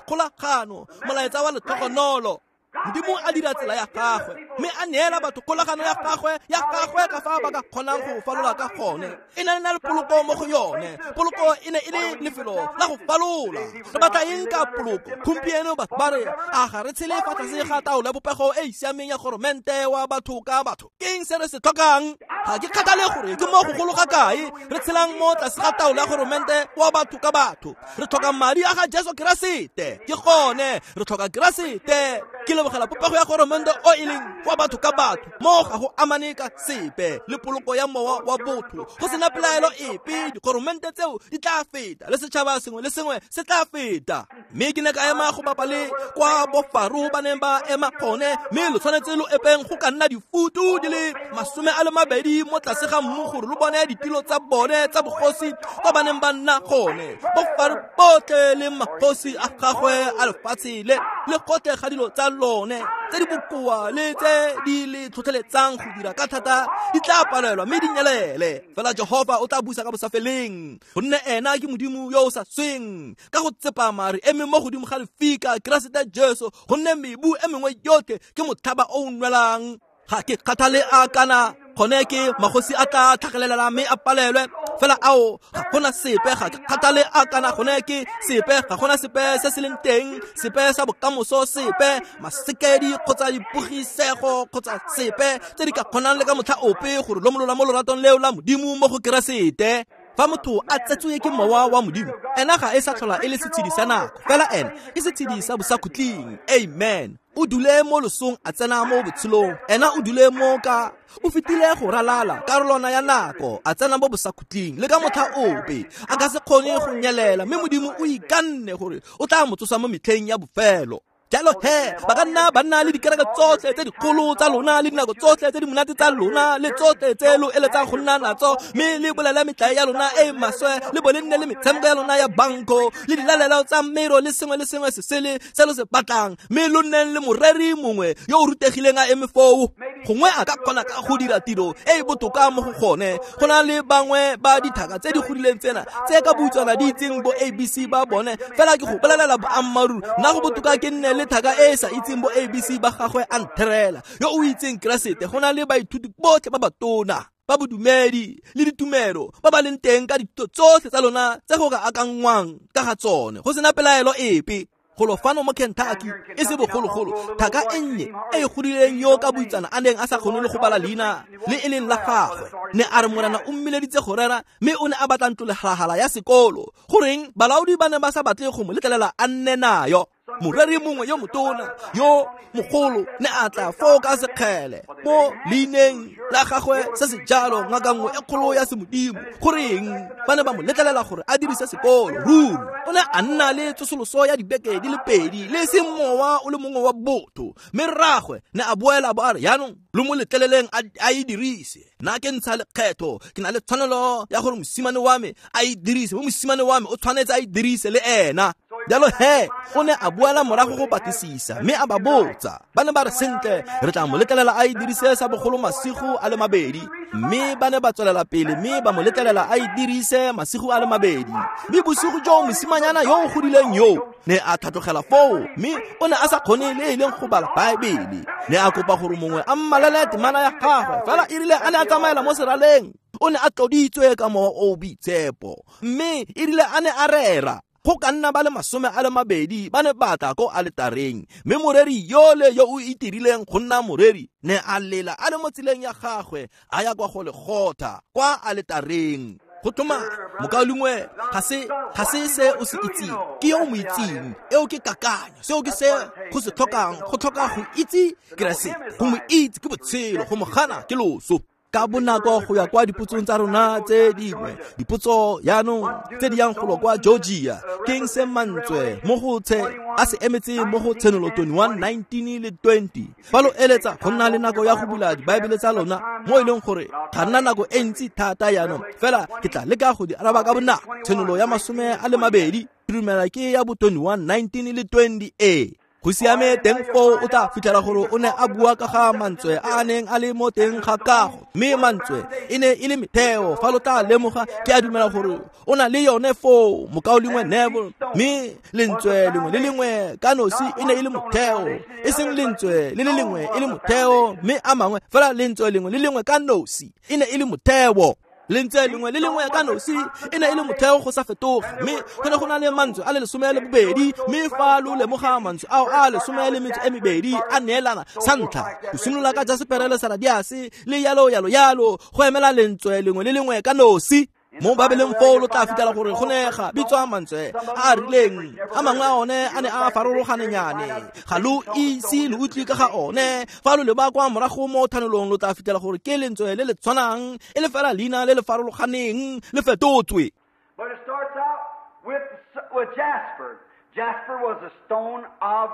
Kgolagano, molaetsa wa letlhogonolo. Modimo a dira tsela ya gagwe, mme a neela batho kgolagano ya gagwe ka fa ba ka kgonang go falola ka gone. E ne e na le poloko mo go yone. Poloko e ne e le lefelo la go falola. Re batla eng ka poloko? Gompieno batho ba re, a ga re tshele fa tlase ga taolo ya popego e e siameng ya goromente wa batho ka batho. Ke eng se re se tlhokang? Ga ke kgathale gore ke mo go golo ga kae re tshelang mo tlase ga taolo ya goromente wa batho ka batho. Re tlhoka madi a ga Jesu Keresete. Ke gone re tlhoka Keresete. Ke lebogela popego ya goromente o e leng wa batho ka batho, mo ga go amane ka sepe le poloko ya mowa wa botho. Go sena pelaelo epe, digoromente tseo di tla feta, le setšhaba sengwe le sengwe se tla feta. Mme ke ne ka ema go bapa le kwa bofaro ba neng ba ema gone, mme lo tshwanetse lo epeng go ka nna difutu di le 20 mo tlase ga mmu gore lo bone ditilo tsa bone tsa bogosi kwa ba neng ba nna gone. Bofaro botlhe le magosi a gagwe a lefatshe le le gotlhe ga dilo tsa lone tse di bokoa le tse di le tlhotlheletsang go dira ka thata di tla palelwa mme di nyelele. Fela Jehofa o tla busa ka bosafeleng, gonne ena ke Modimo yo o sa sweng. Ka go tsepama re eme mo godimo ga lefika, Keresete Jesu, gonne mebu e mengwe yotlhe ke motlhaba o o nwelang. Ga ke kgathale a kana gone ke magosi a tla tlhagelelela mme a palelwe, fela ao ga gona sepe. Ga ke kgathale a kana gone ke sepe, ga gona sepe se se leng teng, sepe sa bokamoso, sepe masekedi kgotsa dipogisego kgotsa sepe tse di ka kgonang le ka motlha ope gore lomolola mo loratong leo la Modimo mo go Keresete. Fa motho a tsetswe ke mowa wa Modimo, ena ga e sa tlhola e le setshedi sa nako, fela ena ke setshedi sa bosakhutleng. Amen. O dule mo losong a tsena mo botshelong, ena o dule mo ka o fetile go ralala karolwana ya nako a tsena mo bosakhutleng. Le ka motlha ope a ka se kgone go nyelela, mme Modimo o ikanne gore o tla mo tsosa mo metlheng ya bofelo. Jalo he, ba ka nna ba nna le dikereke tsotlhe tse dikgolo tsa lona le dinako tsotlhe tse di monate tsa lona le tsotlhe tse lo eletsang go nna natso, mme le bolele metlae ya lona e e maswe, le bo le nne le metshameko ya lona ya banko le dilalelo tsa mero le sengwe le sengwe se sele se lo se batlang, mme lo nneng le moreri mongwe yo o rutegileng a eme foo. Gongwe a ka kgona ka go dira tiro e e botoka mo go gone go na le bangwe ba dithaka tse di godileng tsena tse ka boutswana di itseng bo ABC ba bone. Fela ke go bolelela boammaaruri, nna go botoka ke nne le thaka e e sa itseng bo ABC ba gagwe a ntherela, yo o itseng Keresete, go na le baithuti botlhe ba batona ba bodumedi le ditumelo ba ba leng teng ka dithuto tsotlhe tsa lona tse go ka akanngwang ka ga tsone, go sena pelaelo epe. Golo fano mo Kentucky e se bogologolo, thaka e nnye e e godileng yo ka boitsana a neng a sa kgone le go bala leina le e leng la gagwe, ne a re Morena o mmileditse go rera, mme o ne a batla ntlo legalagala ya sekolo. Goreng balaodi ba ne ba sa batle go mo letlelela a nne nayo? Moreri mongwe yo motona yo mogolo ne a tla foo ka sekgele mo leineng la gagwe se se jalo, ngaka nngwe e kgolo ya semodimo. Goreng ba ne ba mo letlelela gore a dirise sekolo? Ruri o ne a nna le tsosoloso ya dibeke di le pedi le seng mowa o le mongwe wa botho, mme rraagwe ne a boela bo a re, yaanong lo mo letleleleng a e dirise. Nna ke ntsha lekgetho, ke na le tshwanelo ya gore mosimane wa me a e dirise, mo mosimane wa me o tshwanetse a e dirise le ena. Jalo he, o ne a boela morago go batlisisa, mme a ba botsa. Ba ne ba re, sentle, re tla mo letlelela a e dirise sa bogolo masigo a le mabedi. Mme ba ne ba tswelela pele mme ba mo letlelela a e dirise masigo a le mabedi. Mme bosigo jo mosimanyana yo o godileng yo ne a tlhatlogela foo, mme o ne a sa kgone le e leng go bala Baebele. Ne a kopa gore mongwe a mmalele temana ya gagwe, fela e rile a ne a tsamaela mo seraleng, O ne a tloditswe ka Mowa o o Boitshepo, mme e rile a ne a rera, go ka nna ba le 20 ba ne ba tla ko aletareng, mme moreri yole yo o itirileng go nna moreri ne a lela a le mo tseleng ya gagwe a ya kwa go Legotha kwa aletareng. Go tlhoma mokaulengwe, ga se se o se itseng, ke yo o mo itseng. Eo ke kakanyo, seo ke se go se tlhokang, go tlhoka go itse Keresete. Go mo itse ke botshelo, go mo gana ke loso. Ka bonako go ya kwa dipotsong tsa rona tse dingwe, dipotso yaanong tse di yang golo kwa Georgia. Keng se mantswe mo go tshe a se emetse mo go Tshenolo 21, 19 le 20? Fa lo eletsa go nna le nako ya go bula dibaebele tsa lona, mo e leng gore ga nna nako e ntsi thata yaanong, fela ke tla leka go di araba ka bonako. Tshenolo ya 20, ke dumela ke ya bo 21, 19 le 20 e. Go siame teng foo o tla fitlhela gore o ne a bua ka ga mantswe a a neng a le mo teng ga kago, mme mantswe e ne e le metheo. Fa lo tla lemoga, ke a dumela gore o na le yone foo, mokaulengwe Neville, mme lentswe lengwe le lengwe ka nosi e ne e le motheo, e seng lentswe le le lengwe e le motheo mme a mangwe, fela lentswe lengwe le lengwe ka nosi e ne e le motheo. Lentswe lengwe le lengwe ka nosi e ne e le motheo go sa fetoge, mme go ne go na le mantswe a le 12, mme fa lo lemoga mantswe ao a 12 a neelana sa ntlha, go simolola ka jasepere le saradiase le yalo yalo yalo, go emela lentswe lengwe le lengwe ka nosi. Mo Babeleng foo lo tla fitlhela gore go ne ga bitswa mantswe a a rileng, a mangwe a one a ne a farologanenyane, ga lo ise lo utlwe ka ga one. Fa lo leba kwa morago mo thanolong, lo tla fitlhela gore ke lentswe le le tshwanang, e le fela leina le le farologaneng le fetotswe. But it starts out with jasper. Jasper was a stone of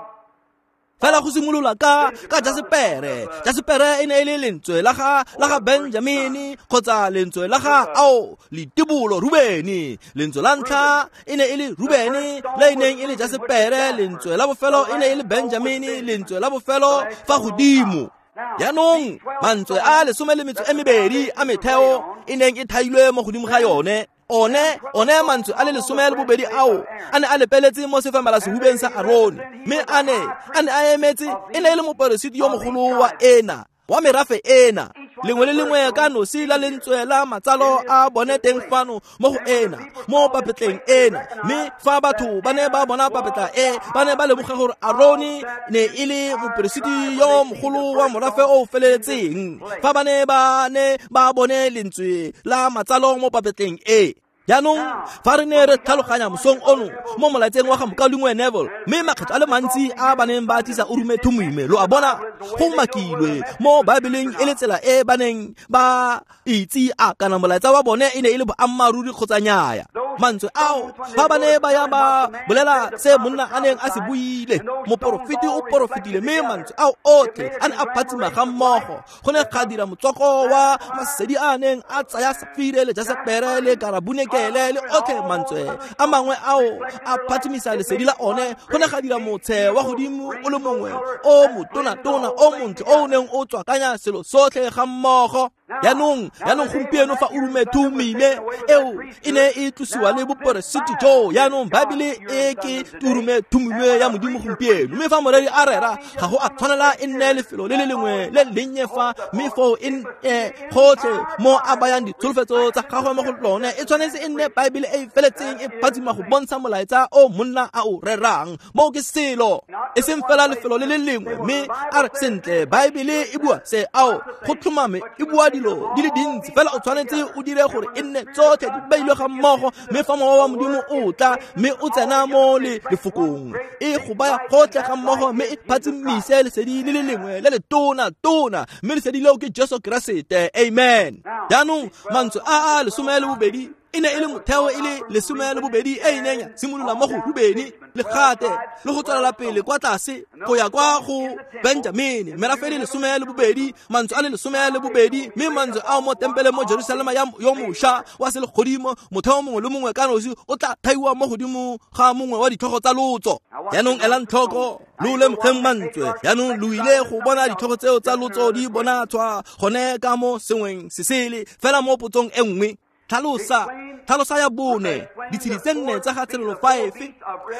Fela go simolola ka jasepere. Jasepere e ne e le lentswe la ga Benjamini, kgotsa lentswe la ga ao letibolo Rubeni. Lentswe la ntlha e ne e le Rubeni, le e neng e le jasepere. Lentswe la bofelo e ne e le Benjamini, lentswe la bofelo fa godimo. Jaanong mantswe a 12 a metheo e neng e thailwe mo godimo ga yone, one mantswe a le 12 ao a ne a lepeletse mo sefamela-sehubeng sa Arone, mme a ne a emetse, e ne e le moperesiti yo mogolo wa ena, wa merafe ena. Lengwe le lengwe ka nosi la lentswe la matsalo a bone teng fano mo go ena, mo papetleng ena. Mme fa batho ba ne ba bona papetla e, ba ne ba lemoga gore Arone ne e le moperesiti yo mogolo wa morafe o feleletseng, fa ba ne ba bone lentswe la matsalo mo papetleng e. Jaanong fa re ne re tlhaloganya mosong ono mo molaetseng wa ga mokaulengwe Neville, mme makgetho a le mantsi a ba neng ba tlisa Urume Thumime, lo a bona go makilwe mo Baebeleng e le tsela e ba neng ba itse a kana molaetsa wa bone e ne e le boammaaruri kgotsa nnyaya. Mantswe ao fa ba ne ba ya ba bolela se monna a neng a se buile, moporofeti o porofetile, mme mantswe ao otlhe a ne a phatsima ga mmogo. Go ne ga dira motswako wa masedi a neng a tsaya safire le jasepere le karabunekele le otlhe mantswe a mangwe ao a phatsimisa lesedi la one. Go ne ga dira motshe wa godimo o le mongwe o motona-tona o montle o o neng o tswakanya selo sotlhe ga mmogo. Jaanong gompieno fa Urume Thumime eo e ne e tlosiwa le boperesiti jo, jaanong Baebele e ke Urume Thumime ya Modimo gompieno. Mme fa moreri a rera, ga go a tshwanela e nne lefelo le le lengwe le lennye fa, mme foo e gotlhe mo a bayang ditsholofetso tsa gagwe mo go lone, e tshwanetse e nne Baebele e e feletseng e phatsima go bontsha molaetsa o monna a o rerang. Moo ke selo, e seng fela lefelo le le lengwe, mme a re sentle Baebele e bua se, ao go tlhomame e bua dilo di le dintsi, fela o tshwanetse o dire gore e nne tsotlhe di beilwe ga mmogo. Mme fa Mowa wa Modimo o tla mme o tsena mo lefokong, e go baya gotlhe ga mmogo, mme e phatsimise lesedi le le lengwe le le tona-tona, mme lesedi leo ke Jesu Keresete. Amen. Jaanong mantswe a a 12 e ne e le motheo e le 12 e e neng ya simolola mo go Rubeni le Gate le go tswelela pele kwa tlase go ya kwa go Benjamini, merafe e le 12, mantswe a le 12, mme mantswe ao mo tempeleng mo Jerusalema yo mošwa wa selegodimo, motheo mongwe le mongwe ka nosi o tla thaiwa mo godimo ga mongwe wa ditlhogo tsa lotso. Jaanong elang tlhoko, lo lemogeng mantswe. Jaanong lo ile go bona ditlhogo tseo tsa lotso di bonatshwa gone ka mo sengweng se sele, fela mo potsong e nngwe. Tlhalosa ya bone, ditshedi tse nne tsa ga Tshenolo 5,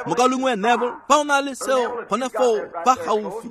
mokaulengwe Neville, fa o na le seo gone foo fa gaufi.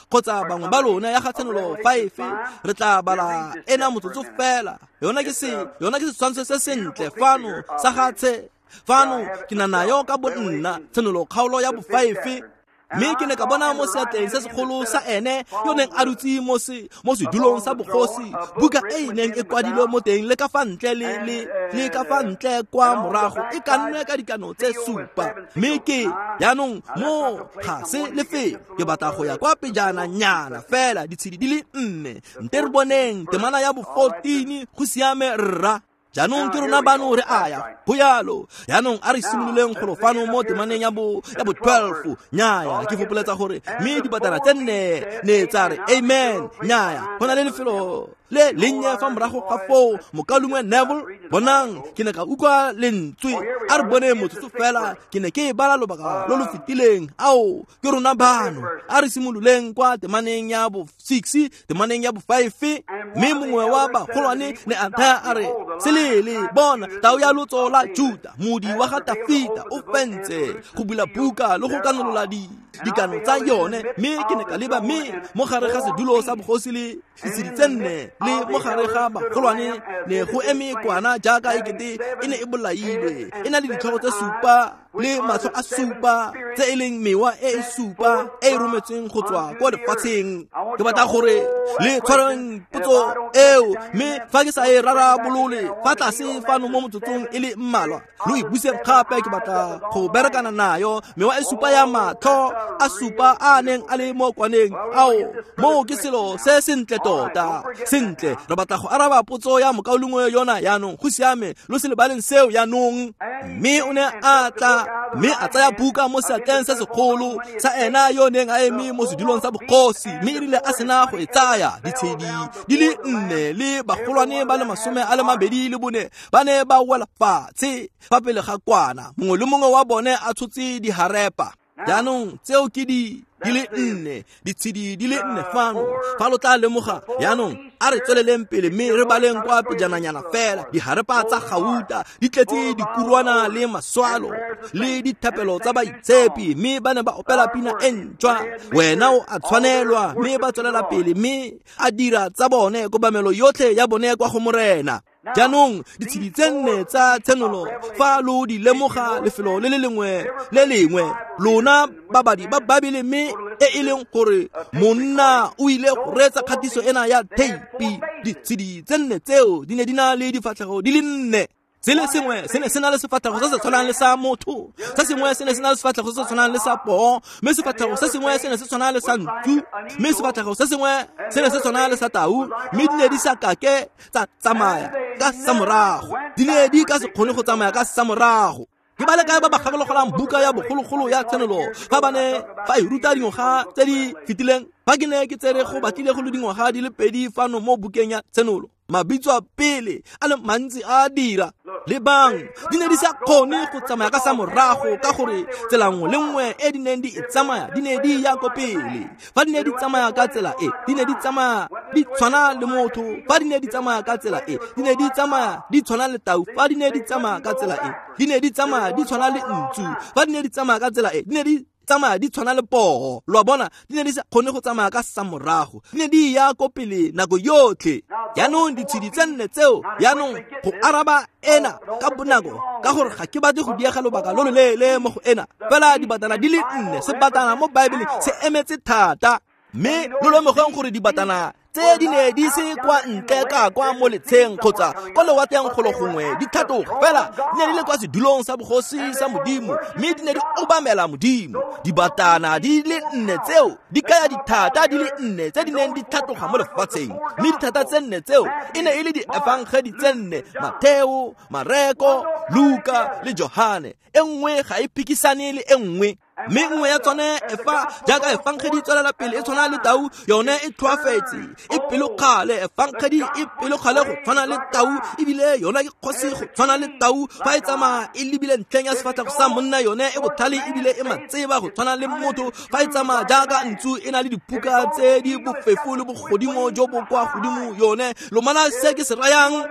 Kgotsa bangwe ba lona ya ga Tshenolo 5 re tla bala ena motsotso fela. Yona ke setshwantsho se sentle fano sa ga tse fano ke na nayo ka bonna Tshenolo kgaolo ya bo 5. Mme ke ne ka bona mo seatleng se segolo sa ene yo neng a dutse mo sedulong sa bogosi buka e e neng e kwadilwe mo teng le ka fa ntle le ka fa ntle kwa morago e kannwe ka dikano tse 7. Mme ke jaanong mo ga se lefelo ke batla go ya kwa pejana nyana fela ditshedi di le 4 nte re boneng temana ya bo 14 go siame rra. Jaanong ke rona bano re aya go yalo. Jaanong a re simololeng golo fano mo temaneng ya bo 12. Nyaya ke fopoletsa gore mme dibatana tse 4 ne tsa re amen. Nyaya go na le lefelo le lennye fa morago ga foo mokalungwe Neville. Bonang ke ne ka utlwa lentswe a re bone motsotso fela ke ne ke e bala lobaka lo lo fetileng. Ao ke rona bano a re simololeng kwa temaneng ya bo 6 temaneng ya bo 5. Mme mongwe wa bagolwane ne a thaya a re selele bona tau ya lotso la Juda modi wa ga Tafita o fentse go bula buka le go kanolola dikano tsa yone. Mme ke ne ka leba mme mo gare ga sedulo sa bogosi le ditshedi tse 4 le mo gare ga bagolwane ne go eme kwana jaaka ekete e ne e bolailwe e na le ditlhogo tse 7 le matlho a 7 tse e leng mewa e e 7 e e rometsweng go tswa kwa lefatsheng. Ke batla gore le tshwareng potso eo mme fa ke sa e rarabolole fa tlase fano mo motsotsong e le mmalwa lo e buseng gape. Ke batla go berekana nayo mewa e 7 ya matlho a 7 a neng a le mo kwaneng. Ao moo ke selo se sentle tota. Sentle re batla go araba potso ya mokaulengwe yona yaanong. Go siame lo se lebaleng seo yaanong. Mme o ne a tla mme a tsaya buka mo seatleng se segolo sa ena yo neng a eme mo sedulong sa bogosi. Mme e rile a sena go e tsaya ditshedi di le 4 le bagolwane ba le 24 ba ne ba wela fatshe fa pele ga kwana, mongwe le mongwe wa bone a tshotse diharepa. Jaanong tseo ke di le 4 ditshedi di le 4 fano fa lo tla lemoga. Jaanong a re tsweleleng pele mme re baleng kwa pejananyana fela. Diharepa tsa gauta di tletse dikurwana le maswalo le dithapelo tsa baitshepi mme ba ne ba opela pina e ntšhwa wena o a tshwanelwa. Mme ba tswelela pele mme a dira tsa bone kobamelo yotlhe ya bone kwa go Morena. Jaanong ditshedi tse 4 tsa Tshenolo fa lo di lemoga lefelo le le lengwe le lengwe lona babadi ba Babele mme e e leng gore monna o ile go reetsa kgatiso ena ya theipi. Ditshedi tse 4 tseo di ne di na le difatlhego di le 4. Se le sengwe se ne se na le sefatlhego se se tshwanang le sa motho, se sengwe se ne se na le sefatlhego se se tshwanang le sa poo, mme sefatlhego se sengwe se ne se tshwana le sa ntsu, mme sefatlhego se sengwe se ne se tshwana le sa tau. Mme di ne di sa kake tsa tsamaya ka sa morago, di ne di ka se kgone go tsamaya ka sa morago. Ke ba le kae ba ba gakologelang buka ya bogologolo ya Tshenolo fa ba ne ba e ruta dingwaga tse di fetileng? Fa ke ne ke tsere go batlile go le dingwaga di le 2 fano mo bukeng ya Tshenolo, mabitso a pele a le mantsi a dira. Lebang di ne di sa kgone go tsamaya ka sa morago ka gore tsela nngwe le nngwe e di neng di e tsamaya di ne di ya ko pele. Fa di ne di tsamaya ka tsela e di ne di tsamaya di tshwana le motho, fa di ne di tsamaya ka tsela e di ne di tsamaya di tshwana le tau, fa di ne di tsamaya ka tsela e di ne di tsamaya di tshwana le ntsu, fa di ne di tsamaya ka tsela e di ne di tsamaya di tshwana le poo. Lo a bona, di ne di sa kgone go tsamaya ka sa morago, di ne di ya ko pele nako yotlhe. Jaanong ditshedi tse 4 tseo jaanong go araba ena ka bonako ka gore ga ke batle go diega lobaka lo lo leele mo go ena. Fela dibatana di le 4, sebatana mo Baebeleng se emetse thata. Mme lo lemogeng gore dibatana tse di ne di se kwa ntle ka kwa mo letsheng kgotsa kwa lewatleng golo gongwe di tlhatloga, fela di ne di le kwa sedulong sa bogosi sa Modimo mme di ne di obamela Modimo. Dibatana di le 4 tseo di kaya dithata di le 4 tse di neng di tlhatloga mo lefatsheng, mme dithata tse 4 tseo e ne e le diefangedi tse 4, Mateo, Mareko, Luka le Johane. E nngwe ga e phikisane le e nngwe. Mme nngwe ya tsone e fa jaaka efangedi tswelela pele e tshwana le tau, yone e tlhoafetse e pelokgale. Efangedi e pelokgale go tshwana le tau, ebile yona ke kgosi go tshwana le tau. Fa e tsamaya e lebile ntlheng ya sefatlhego sa monna, yone e botlhale ebile e matseba go tshwana le motho. Fa e tsamaya jaaka ntsu e na le diphuka tse di bofefo le bogodimo jo bo kwa godimo, yone lomana se ke se rayang.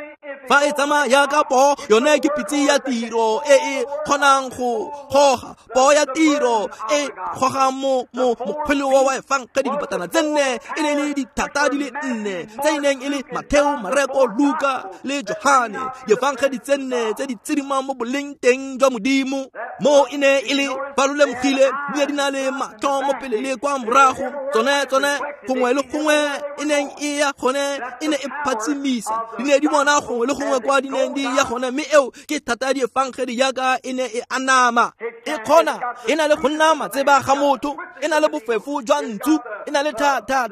Fa e tsamaya ka poo, yone ke pitse ya tiro e e kgonang go goga. Poo ya tiro e goga mo mokgweleo wa efangedi dipatana tse nne, e ne e le dithata di le nne tse e neng e le Matheo, Mareko, Luka le Johane. Diefangedi tse nne tse di tsidimang mo boleng teng jwa Modimo. Mo e ne e le ba lo lemogile, di ne di na le matlho mo pele le kwa morago. Tsone gongwe le gongwe e neng e ya gone e ne e phatsimisa. Di ne di bona gongwe le gongwe kwa di neng di ya gone, mme eo ke thata ya diefangedi jaaka e ne e anama. E kgona, e na le go nna matseba ga motho, e na le bofefo jwa ntsu, e na le thata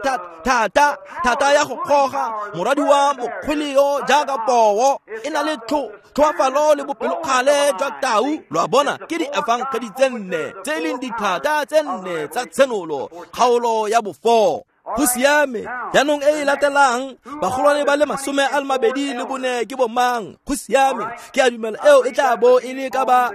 ya go goga moradi wa mokgweleo jaaka poo, e na le tlhoafalo le bopelokgale jwa tau. Lo a bona, ke diefangedi tse nne tse e leng dithata tse nne tsa tshenolo, kgaolo ya bo-4. Go siame. Jaanong e e latelang, bagolwane ba le 24 ke bomang? Go siame. Ke a dumela eo e tla bo e le ka ba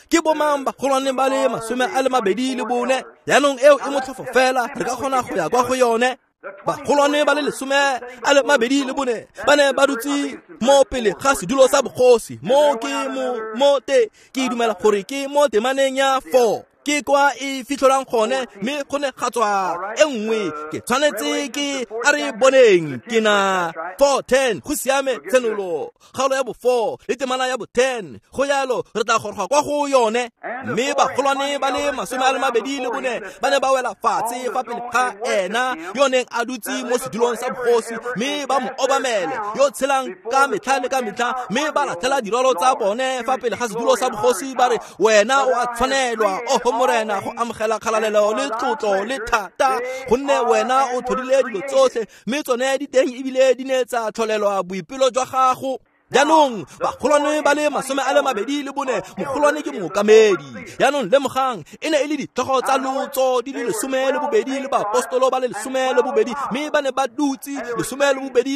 ke bomang bagolwane ba le 24? Jaanong eo e motlhofo fela, re ka kgona go ya kwa go yone. Bagolwane ba le 24 ba ne ba dutse mo pele ga sedulo sa bogosi. Mo ke mo te ke dumela gore ke mo temaneng ya 4. Ke kwa e fitlhelwang gone, mme go ne ga tswa e nngwe. Ke tshwanetse ke a re boneng ke na 4:10. Go siame, tshenolo kgaolo ya bo-4 le temana ya bo-10. Go jalo re tla goroga kwa go yone. Mme bagolwane ba le 24 ba ne ba wela fatshe fa pele ga ena yo neng a dutse mo sedulong sa bogosi, mme ba mo obamele yo tshelang ka metlha le ka metlha, mme ba latlhela dirwalo tsa bone fa pele ga sedulo sa bogosi, ba re, wena o a tshwanelwa, oho Morena, go amogela kgalalelo le tlotlo le thata, gonne wena o tlhodile dilo tsotlhe, mme tsone di teng ebile di ne tsa tlholelwa boipelo jwa gago. Jaanong bagolwane ba le 24, mogolwane ke mookamedi. Jaanong lemogang, e ne e le ditlhogo tsa lotso di le 12 le baapostolo ba le 12, mme ba ne ba dutse 12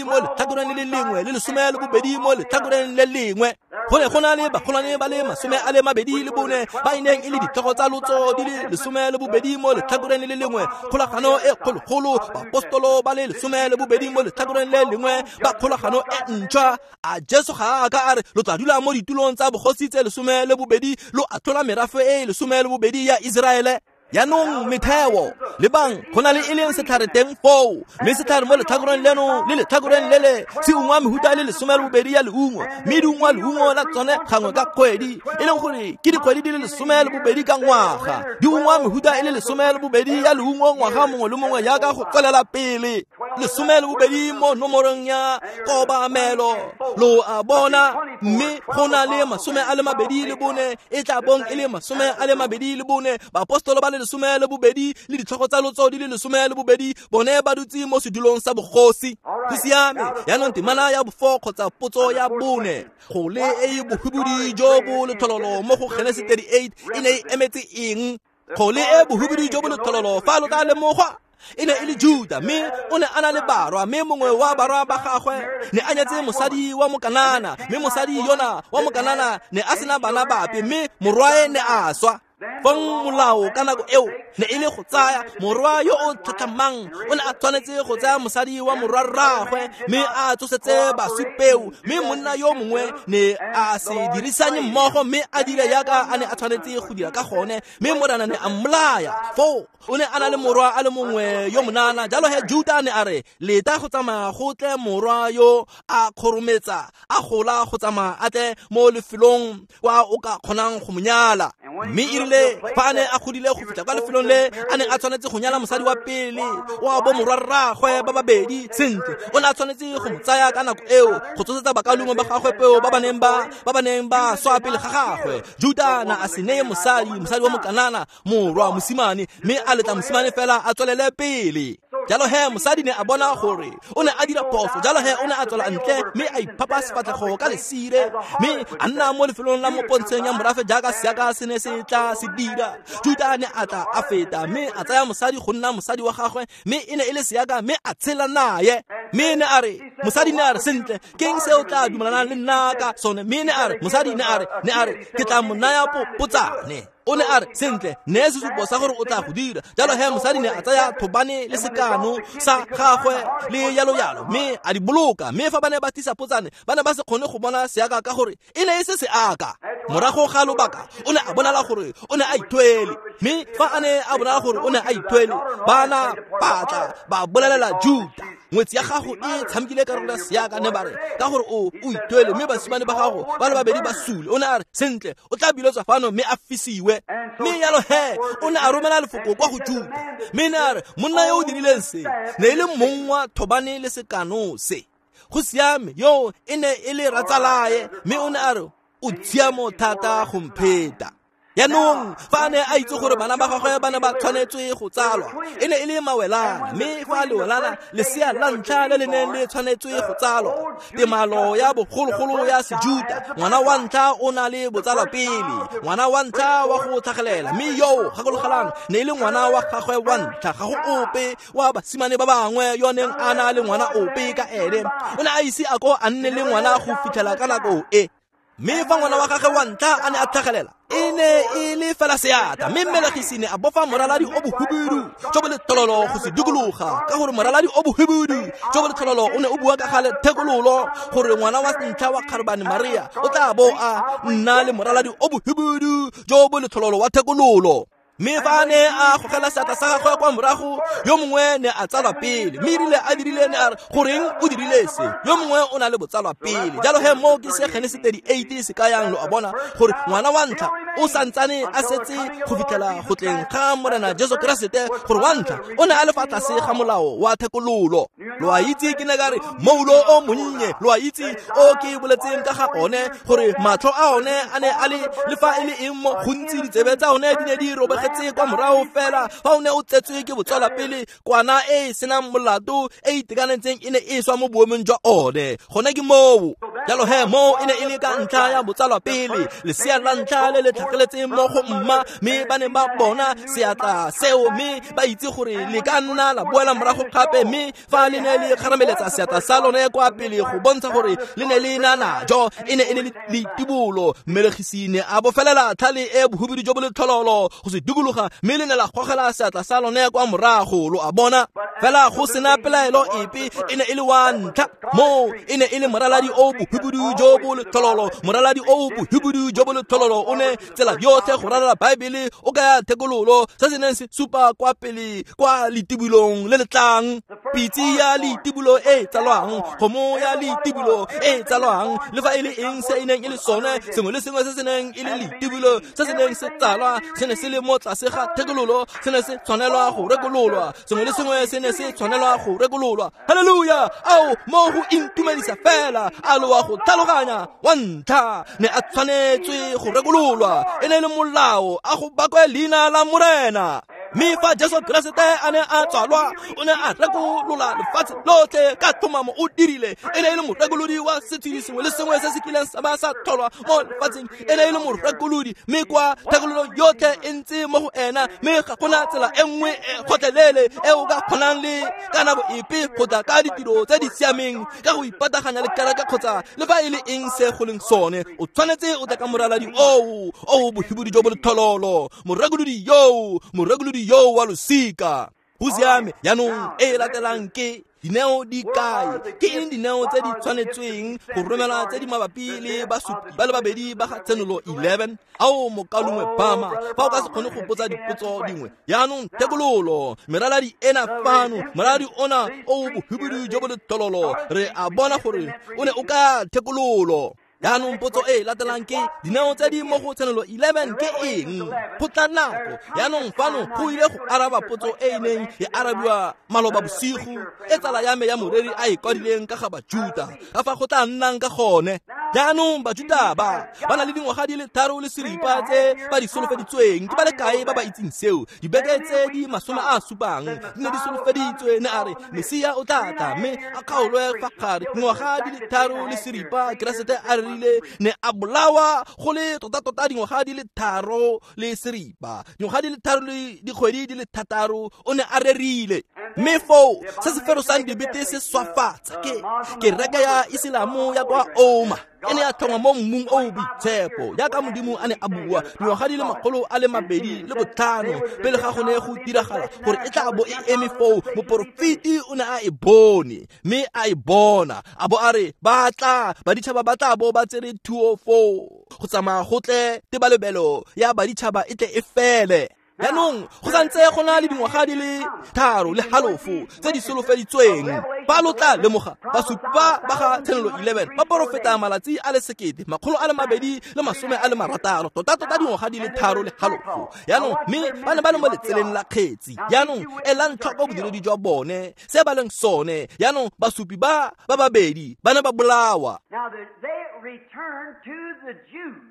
mo letlhakoreng le le lengwe le 12 mo letlhakoreng le lengwe. Go ne go na le bagolwane ba le 24 ba e neng e le ditlhogo tsa lotso di le 12 mo letlhakoreng le le lengwe, kgolagano e kgologolo, baapostolo ba le 12 mo letlhakoreng le lengwe ba kgolagano e ntšhwa. A Jesu ga a ka a re lo tla dula mo ditulong tsa bogosi tse 12 lo atlhola merafe e 12 ya Iseraele? Jaanong metheo, lebang, go na le e leng setlhare teng foo, mme setlhare mo letlhakoreng leno le letlhakoreng lele se ungwa mehuta e le 12 ya leungo, mme di ungwa leungo la tsone gangwe ka kgwedi, e leng gore ke dikgwedi di le 12 ka ngwaga. Di ungwa mehuta e le 12 ya leungo ngwaga mongwe le mongwe jaaka go tswelela pele. 12 mo nomorong ya kobamelo, lo a bona, mme go na le 24 e tla bong e le 24 baapostolo ba le 12 le ditlhogo tsa lotso di le 12 bone ba dutse mo sedulong sa bogosi. Go siame. Jaanong temana ya bo-4 kgotsa potso ya 4, go le e bohubudi jo bo letlhololo mo go Genesis 38 e ne e emetse eng? Go le e bohubudi jo bo letlhololo, fa lo ka lemogwa, e ne e le Juda, mme o ne a na le barwa, mme mongwe wa barwa ba gagwe ne a nyetse mosadi wa Mokanana, mme mosadi yona wa Mokanana ne a sena bana bape, mme morwae ne a swa. Fong molao ka nako eo ne e le go tsaya morwa yo o tlhatlhamang, o ne a tshwanetse go tsaya mosadi wa morwarraagwe mme a tsosetse baswi peo, mme monna yo mongwe ne a se dirisanye mmogo mme a dire jaaka a ne a tshwanetse go dira ka gone, mme Morena ne a mmolaya. Foo o ne a na le morwa a le mongwe yo monana. Jalo he Juda ne a re, leta go tsamaya go tle morwa yo a kgorometsa a gola go tsamaya a tle mo lefelong kwa o ka kgonang go mo nyala. Mme e rile fa a ne a godile go fitlha kwa lefelong le a neng a tshwanetse go nyala mosadi wa pele wa bo morwarraagwe ba babedi, sentle o ne a tshwanetse go mo tsaya ka nako eo go tsosetsa bakaulengwe ba gagwe peo ba ba neng ba swa pele ga gagwe. Juda na a se neye mosadi wa Mokanana morwa mosimane, mme a letla mosimane fela a tswelele pele. Jalo he mosadi ne a bona gore o ne a dira phoso, jalo he o ne a tswela ntle mme a iphapa sefatlhego ka lesire, mme a nna mo lefelong la mo pontsheng ya morafe jaaka seaka se ne se tla se dira. Juda ne a tla a feta mme a tsaya mosadi go nna mosadi wa gagwe, mme e ne e le seaka, mme a tshela naye. Mme ne a re, mosadi ne a re, sentle, ke eng se o tla dumelanang le nna ka sone? Mme ne a re, mosadi ne a re, ke tla mo naya potsane. O ne a re sentle ne sesupo sa gore o tla go dira. Jalo he mosadi ne a tsaya thobane le sekano sa gagwe le yalo yalo mme a di boloka. Mme fa ba ne ba tlisa potsane ba ne ba se kgone go bona seaka ka gore e ne e se seaka. Morago ga lobaka o ne a bonala gore o ne a ithwele, mme fa a ne a bonala gore o ne a ithwele bana batla ba bolelela Juta, ngwetsi ya gago e tshamekile karolo ya seaka, ne ba re ka gore o ithwele mme basimane ba gago ba le babedi ba sule. O ne a re sentle o tla biletswa fano mme a fisiwe. Mme yalo he o ne a romela lefoko kwa go Juta, mme ne a re monna yo o dirileng se ne e le mong wa thobane le sekano se. Go siame, yo e ne e le ratsalae, mme o ne a re o tshiamo thata go mpheta. Yaanong fa a ne a itse gore bana ba gagwe ba ne ba tshwanetswe go tsalwa, e ne e le mawelana, mme fa lewelana lesea la ntlha le le neng le tshwanetswe go tsalwa, temalo ya bogologolo ya Sejuta, ngwana wa ntlha o na le botsalwa pele, ngwana wa ntlha wa go tlhagelela, mme yo gakologelang ne e le ngwana wa gagwe wa ntlha, ga go ope wa basimane ba bangwe yo neng a na le ngwana ope ka ene. O ne a ise a ko a nne le ngwana go fitlhela ka nako e. Mme fa ngwana wa gagwe wa ntlha a ne a tlhagelela, e ne e le fela seatla, mme mmelegisi ne a bofa moraladi o bohubidu jo bo lethololo go se dikologa, ka gore moraladi o bohubidu jo bo lethololo o ne o bua ka ga thekololo, gore ngwana wa ntlha wa kgarebane Maria o tla bo a nna le moraladi o bohubidu jo bo lethololo wa thekololo. Mme fa a ne a gogela seatla sa gagwe kwa morago, yo mongwe ne a tsalwa pele, mme erile a dirile ne a re goreng o dirile se, yo mongwe o na le botsalwa pele. Jalo he mo ke se Genese 38 se kayang, lo a bona gore ngwana wa ntlha o santsane a setse go fitlhela go tleng ga Morena Jesu Keresete, gore wa ntlha o ne a le fa tlase ga molao wa thekololo. Lo a itse ke ne ka re moulo o monnye, lo a itse o ke boletseng ka ga one, gore matlho a one a ne a le le fa e le eng mo gontsi, ditsebe tsa one di ne di robegetse kwa morago fela. Fa o ne o tsetswe ke botswala pele, kwana e e senang molato e itekanetseng e ne e swa mo boemong jwa one. Gone ke moo. Jalo he moo e ne e le ka ntlha ya botsalwa pele, lesea la ntlha le le tlhageletseng mo go mma, mme ba ne ba bona seatla seo, mme ba itse gore le ka nna la boela morago gape. Mme fa le ne le kgarameletsa seatla sa lone kwa pele go bontsha gore le ne le na najo, e ne e le leitibolo. Mmelegisi ne a bofelela tlhale e bohubidu jo bo lethololo go se dikologa, mme le ne la gogela seatla sa lone kwa morago, lo a bona. Fela go sena pelaelo epe, e ne e le wa ntlha moo, e ne e le moraladi o bohubidu jo bo lethololo, moraladi o bohubidu jo bo lethololo o ne tsela yotlhe go ralala Baebele o kaya thekololo, se se neng se supa kwa pele kwa letibolong le le tlang. Pitse ya letibolo e tsalwang, kgomo ya letibolo e tsalwang, le fa e le eng se e neng e le sone, sengwe le sengwe se se neng e le letibolo se se neng se tsalwa se ne se le mo tlase ga thekololo, se ne se tshwanelwa go rekololwa, sengwe le sengwe se ne se tshwanelwa go rekololwa. Haleluya! Ao mo go intumedisa fela, a lo wa go tlhaloganya, wa ntlha ne a tshwanetswe go rekololwa, e ne e le molao, a go bakwe leina la Morena. Mme fa Jesu Keresete a ne a tswalwa, o ne a rekolola lefatshe lotlhe ka tlhomamo o dirile. E ne e le morekolodi wa setshedi sengwe le sengwe se se kileng sa ba sa tlholwa mo lefatsheng, e ne e le morekolodi, mme kwa thekololo yotlhe e ntse mo go ena, mme ga gona tsela e nngwe e kgotlelele e o ka kgonang le ka nako epe go tla ka ditiro tse di siameng, ka go ipataganya le kereke kgotsa le fa e le eng se go leng sone. O tshwanetse o tla ka moraladi oo o bohubidu jo bo lethololo, morekolodi yoo, morekolodi yo wa losika. Go siame. Jaanong e latelang ke dineo di kae? Ke eng dineo tse di tshwanetsweng go romelwa tse di mabapi le basupi ba le babedi ba ga Tshenolo 11? Ao mokalongwe Bama, fa o ka se kgone go botsa dipotso dingwe. Jaanong thekololo, meraladi ena fano, moraladi ona o bohubidu jo bo lethololo, re a bona gore o ne o ka thekololo. Jaanong potso e latelang ke dineo tse di mo go Tshenolo 11 ke eng? Go tla nako. Jaanong fano go ile go araba potso e e neng e arabiwa maloba bosigo, e tsala ya me ya moreri a e kwadileng ka ga Bajuta, ka fa go tla nnang ka gone. Jaanong Bajuta ba na le dingwaga di le 3 le seripa tse ba di solofeditsweng. Ke ba le kae ba ba itseng seo? Dibeke tse di 70 di ne di solofeditswe, ne a re Mesia o tla tla mme a kgaolwe fa gare. Dingwaga di le 3 le seripa, Keresete a rile ne a bolawa go le tota-tota dingwaga di le 3 le seripa, dingwaga di le 3 le dikgwedi di le 6 o ne a rerile. Mme foo se se ferosang dibete se swafatsa ke kereke ya Iselamo ya kwa Oma. e ne ya tlhongwa mo mmung o o boitshepo jaaka Modimo a ne a bua dingwaga di le 250 pele ga go ne go diragala gore e tla bo e eme foo. Moporofeti o ne a e bone mme a e bona a bo a re ba tla baditšhaba ba tla bo ba tsere thuo foo go tsamaya go tle tebalebelo ya baditšhaba e tle e fele. Jaanong go santse go na le dingwaga di le 3.5 tse di solofeditsweng. Fa lo tla lemoga basupa ba ga Tshenolo 11 ba porofeta malatsi a le 1226 tota-tota dingwaga di le 3.5. Jaanong mme ba ne ba le mo letseleng la kgetsi. Jaanong elang tlhoko bodiredi jwa bone se ba leng sone. Jaanong basupi ba ba babedi ba ne ba bolawa.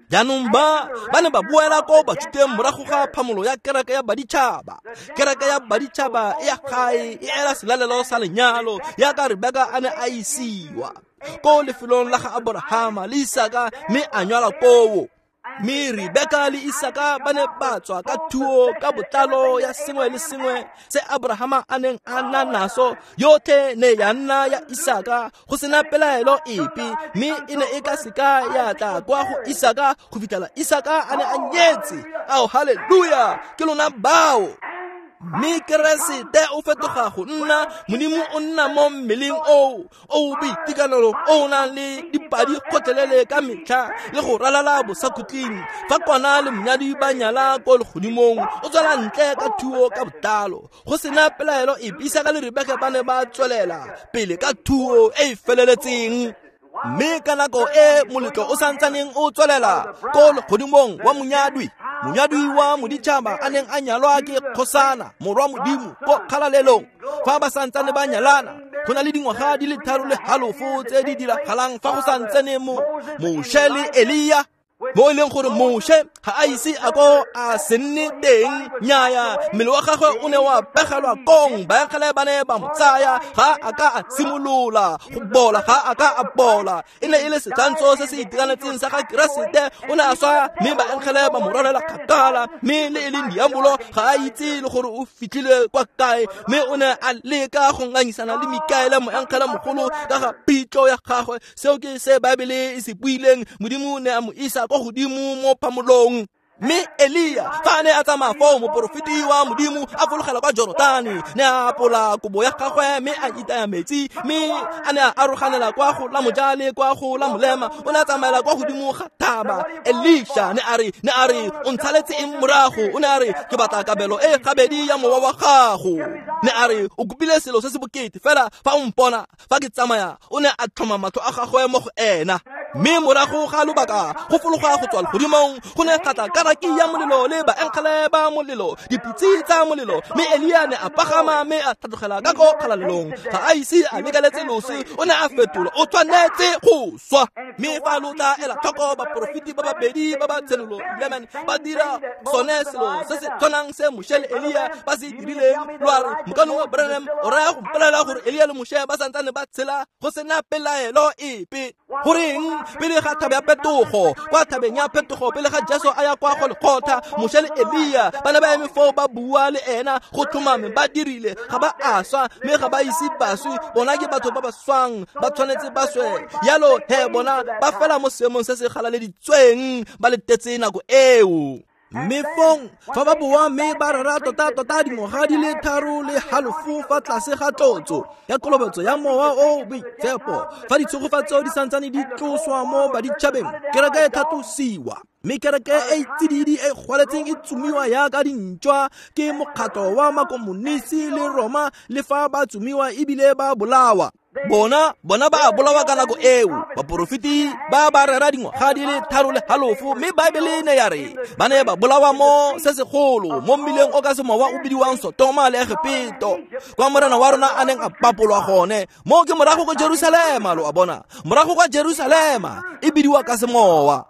Jaanong ba ne ba boela ko Bajuteng morago ga phamolo ya kereke ya baditšhaba. Kereke ya baditšhaba e ya gae e ela selalelo sa lenyalo jaaka Rebeka a ne a isiwa ko lefelong la ga Aborahama le Isaka mme a nyalwa koo. Mme Rebeka le Isaka ba ne ba tswa ka thuo ka botlalo ya sengwe le sengwe se Aborahama a neng a na naso, yotlhe ne ya nna ya Isaka go sena pelaelo epe, mme e ne e ka seka ya tla kwa go Isaka go fitlhela Isaka a ne a nyetse. Ao, haleluya, ke lona bao. Mme Keresete o fetoga go nna Modimo, o nna mo mmeleng o o boitekanelo o nang le dipadi kgotlelele ka metlha le go ralala bosakhutleng. Fa kwana le monyadi ba nyala ko legodimong, o tswela ntle ka thuo ka botlalo go sena pelaelo epe. Isaka le Rebeka ba ne ba tswelela pele ka thuo e e feleletseng. Mme ka nako e moletlo o santsaneng o tswelela ko legodimong wa monyadwi, monyadwi wa moditšhaba a neng a nyalwa ke kgosana morwa Modimo ko kgalalelong, fa ba santsane ba nyalana go na le dingwaga di le 3.5 tse di diragalang fa go santsane mo Moshe le Elia, mo e leng gore Moshe ga a ise a ko a se nne teng. Nnyaya, mmele wa gagwe o ne wa pegelwa kong, baengele ba ne ba mo tsaya, ga a ka a simolola go bola, ga a ka a bola. E ne e le setshwantsho se se itekanetseng sa ga Keresete. O ne a swa mme baengele ba mo rwalela kgakala, mme le e leng diabolo ga a itse le gore o fitlhile kwa kae, mme o ne a leka go ngangisana le Mikaele moengele mogolo ka ga pitlo ya gagwe. Seo ke se Baebele e se buileng. Modimo ne a mo isa kwa godimo mo phamolong. Mme Elia fa a ne a tsamaya foo, moporofeti wa Modimo a fologela kwa Jorotane, ne a apola kobo ya gagwe mme a itaya metsi, mme a ne a aroganela kwa go la moja le kwa go la molema. O ne a tsamaela kwa godimo ga thaba. Elisha ne a re o ntshaletse eng morago? O ne a re ke batla kabelo e gabedi ya mowa wa gago. Ne a re o kopile selo se se bokete fela fa o mpona fa ke tsamaya. O ne a tlhoma matlho a gagwe mo go ena. Mme morago ga lobaka go fologa go tswa legodimong go ne ga tla karaki ya molelo le baengele ba molelo, dipitse tsa molelo, mme Elia ne a pagama mme a tlhatlogela ka ko kgalalelong. Ga a ise a lekaletse loso, o ne a fetola, o tshwanetse go swa. Mme fa lo tla ela tlhoko baporofeti ba babedi ba ba Tshenolo 11 ba dira sone selo se se tshwanang se Moshe le Elia ba se dirileng. Lo a re mokano wa Branham o raya go mpolelela gore Elia le Moshe ba santsane ba tshela go sena pelaelo epe. Goreng pele ga thaba ya phetogo, kwa thabeng ya phetogo pele ga Jesu a ya kwa Golgotha, Moshe le Elia ba ne ba eme foo ba bua le ena go tlhomame ba dirile, ga ba a swa mme ga ba ise baswi. Bona ke batho ba ba swang, ba tshwanetse ba swe. Yalo he bona ba fela mo seemong se se galaleditsweng, ba letetse nako eo. Mme fong fa ba boa mme ba rera tota-tota dingwaga di le 3.5 fa tlase ga tlotso ya kolobetso ya mowa o boitshepo, fa ditshegofatso di santsane di tloswa mo baditšhabeng, kereke e tlhatlosiwa, mme kereke e tsididi e gwaletseng e tsomiwa yaka dintšwa ke mokgatlo wa makomonisi le Roma, le fa ba tsomiwa ebile ba bolawa. Bona ba bolawa ka nako eo. Baporofeti ba ba rera dingwaga di le 3.5, mme Baebele ne ya re ba ne ba bolawa mo se segolo mo mmileng o ka semowa o bidiwang Sotoma le Egepeto, kwa morena wa rona a neng a papolwa gone. Mo ke morago kwa Jerusalema, lo a bona, morago kwa Jerusalema e bidiwa ka semowa.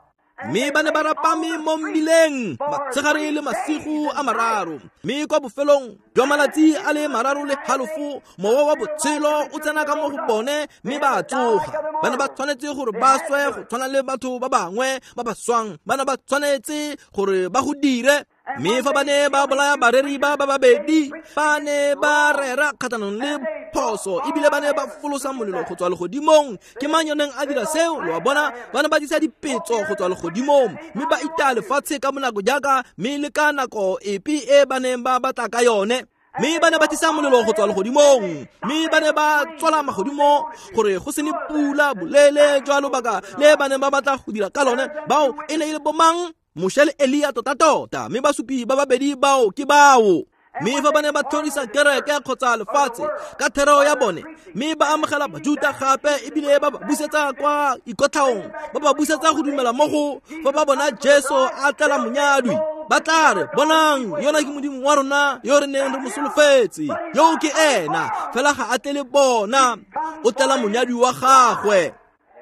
Mme ba ne ba rapame mo mmileng matshegare le masigo a mararo, mme kwa bofelong jwa malatsi a le 3.5 mowa wa botshelo o tsena ka mo go bone mme ba tsoga. Ba ne ba tshwanetse gore ba swe go tshwana le batho ba bangwe ba ba swang, ba ne ba tshwanetse gore ba go dire. Mme fa ba ne ba bolaya bareri ba ba babedi, ba ne ba rera kgatlhanong le phoso, ebile ba ne ba folosa molelo go tswa legodimong. Ke mang yo neng a dira seo? Lo a bona, ba ne ba disa dipetso go tswa legodimong, mme ba itaya lefatshe ka bonako jaaka mme le ka nako epe e ba neng ba batla ka yone. Mme ba ne ba tlisa molelo go tswa legodimong, mme ba ne ba tswala magodimo gore go se ne pula boleele jwa lobaka le ba neng ba batla go dira ka lone. Bao e ne e le bomang? Moshe le Elia tota-tota, mme basupi ba babedi bao ke bao. Mme fa ba ne ba tlhorisa kereke kgotsa lefatshe ka thereo ya bone, mme ba amogela Bajuta gape ebile ba ba busetsa kwa ikotlhaong, ba ba busetsa go dumela mo go fa ba bona Jesu a tlela monyadwi, ba tla re, bonang, yona ke Modimo wa rona yo re neng re mo solofetse, yo ke ena. Fela ga a tlele bona, o tlela monyadwi wa gagwe.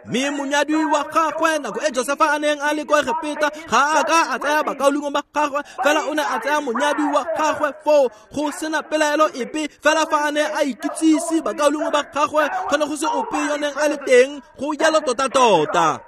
Mme monyadwi wa gagwe, nako e Josefa a neng a le kwa Egepeta, ga a ka a tsaya bakaulengwe ba gagwe, fela o ne a tsaya monyadwi wa gagwe foo go sena pelaelo epe. Fela fa a ne a ikitsise bakaulengwe ba gagwe, go ne go se ope yo neng a le teng go jalo tota-tota.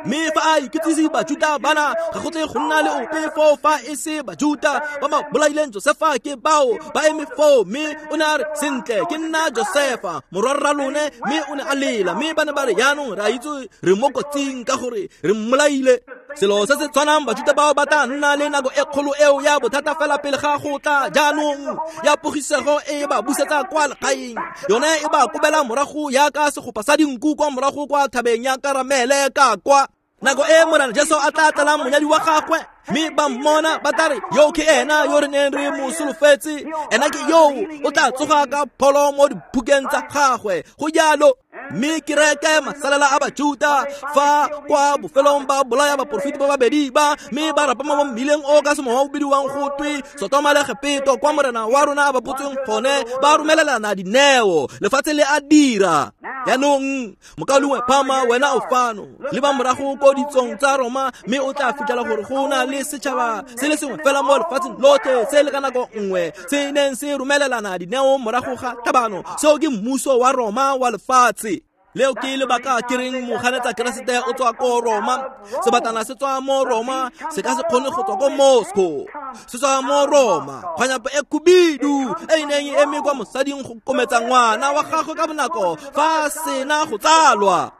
Mme fa a ikitsise Bajuta bana, ga go tle go nna le ope foo fa e se Bajuta ba ba bolaileng Josefa ke bao ba eme foo. Mme o ne a re, sentle, ke nna Josefa morwarra lone. Mme o ne a lela, mme ba ne ba re, jaanong re a itse re mo kotsing ka gore re mmolaile. Selo se se tshwanang, Bajuta bao ba tla nna le nako e kgolo eo ya bothata fela pele ga go tla jaanong ya pogisego e ba busetsa kwa legaeng. Yone e ba kobela morago yaka segopa sa dinku kwa morago kwa thabeng ya Karamele ka kwa. Nako e Morena Jesu a tla tlelang monyadi wa gagwe, mme ba mmona, ba tla re, yo ke ena yo re neng re mo solofetse, ena ke yo o tla tsoga ka pholo mo diphukeng tsa gagwe. Go jalo. Mme kereke masalela a Bajuta fa kwa bofelong ba bolaya baporofeti ba babedi ba, mme ba rapama mo mmileng o ka semowa o bidiwang go twe Sotoma le Egepeto, kwa Morena wa rona a ba botsweng gone, ba romelelana dineo. Lefatshe le a dira. Jaanong mokaulengwe Phama, wena o fano, leba morago ko ditsong tsa Roma, mme o tla fitlhela gore go na le setšhaba se le sengwe fela mo lefatsheng lotlhe se le ka nako nngwe se neng se romelelana dineo morago ga tlhabano. Seo ke mmuso wa Roma wa lefatshe. Leo ke lebaka ke reng moganetsa Keresete o tswa ko Roma. Sebatana se tswa mo Roma, se ka se kgone go tswa ko Moscow. Se tswa mo Roma. Kgwanyape e khubidu e e neng e eme kwa mosading go kometsa ngwana wa gagwe ka bonako fa sena go tsalwa.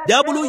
Diabolo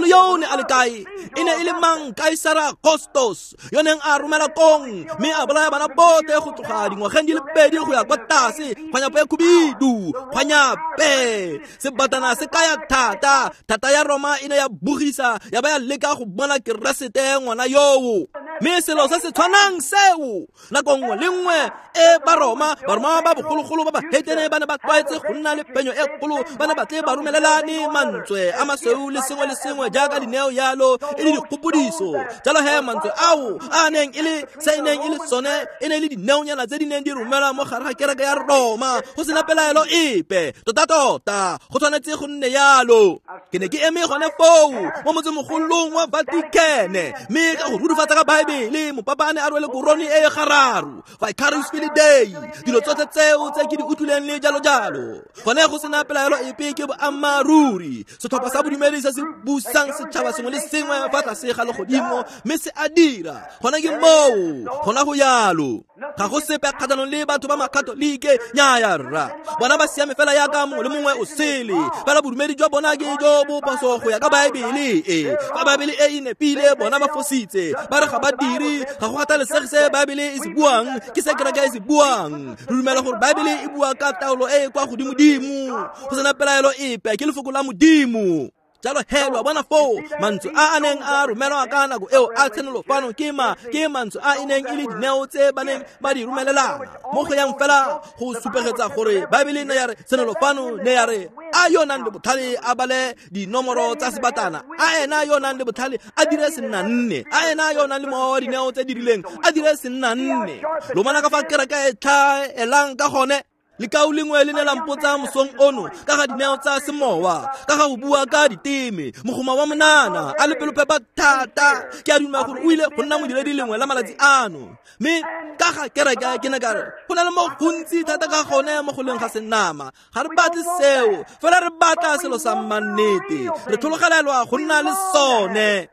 yo ne a le kae? E ne e le mang? Kaisara Augustus yo neng a romela kong mme a bolaya bana botlhe go tloga dingwageng di le pedi go ya kwa tlase. Kgwanyape e khubidu, kgwanyape. Sebatana se kaya thata. Thata ya Roma e ne ya bogisa, ya ba ya leka go bona Keresete ngwana yoo. Mme selo se se tshwanang seo, nako nngwe le nngwe e Baroma ba bogologolo ba bahetene ba ne ba tlwaetse go nna le phenyo e kgolo, ba ne ba tle ba romelelane mantswe a masweu le sengwe le sengwe jaaka dineo yalo e le dikgopodiso. Jalo he mantswe ao a neng e le se e neng e le sone e ne e le dineonyana tse di neng di romelwa mo gare ga kereke ya Roma go sena pelaelo epe. Tota-tota go tshwanetse go nne yalo. Ke ne ke eme gone foo mo motsemogolong wa Vatican, mme ka go rurifatsa ka Baebele, mopapa a ne a rwele korone e e gararo, Vicarius Filii Dei, dilo tsotlhe tseo tse ke di utlwileng le jalo jalo. Gone go sena pelaelo epe ke boammaaruri. Setlhopha sa bodumedi se se busang setšhaba sengwe le sengwe fa tlase ga legodimo, mme se a dira. Gone ke moo, gona go yalo. Ga go sepe kgatlhanong le batho ba Makatolike, nnyaya rra. Bona ba siame fela yaka mongwe le mongwe o sele. Fela bodumedi jwa bona ke jo bo phoso go ya ka Baebele e. Fa Baebele e e nepile, bona ba fositse. Ba re ga ba dire, ga go kgathalesege se Baebele e se buang, ke se kereke e se buang. Re dumela gore Baebele e bua ka taolo e e kwa godimodimo, go sena pelaelo epe, ke lefoko la Modimo. Jalo he lo a bona foo, mantswe a a neng a romelwa ka nako eo a tshenolo fano ke mantswe a e neng e le dineo tse ba neng ba di romelelana. Mo go yang fela go supegetsa gore Baebele ne ya re tshenolo fano ne ya re a yo nang le botlhale a bale dinomoro tsa sebatana, a ena yo nang le botlhale a dire senna nne, a ena yo nang le mowa wa dineo tse di rileng a dire senna nne. Lo bona ka fa kereke e tlhaelang ka gone. Lekau lengwe le ne la mpotsa mosong ono ka ga dineo tsa semowa, ka ga go bua ka diteme. Mogoma wa monana a le pelophepa thata, ke a dumela gore o ile go nna modiredi lengwe la malatsi ano. Mme ka ga kereke ke ne ka re go na le mo gontsi thata ka gone mo go leng ga senama. Ga re batle seo, fela re batla selo sa mmannete. Re tlhologelelwa go nna le sone.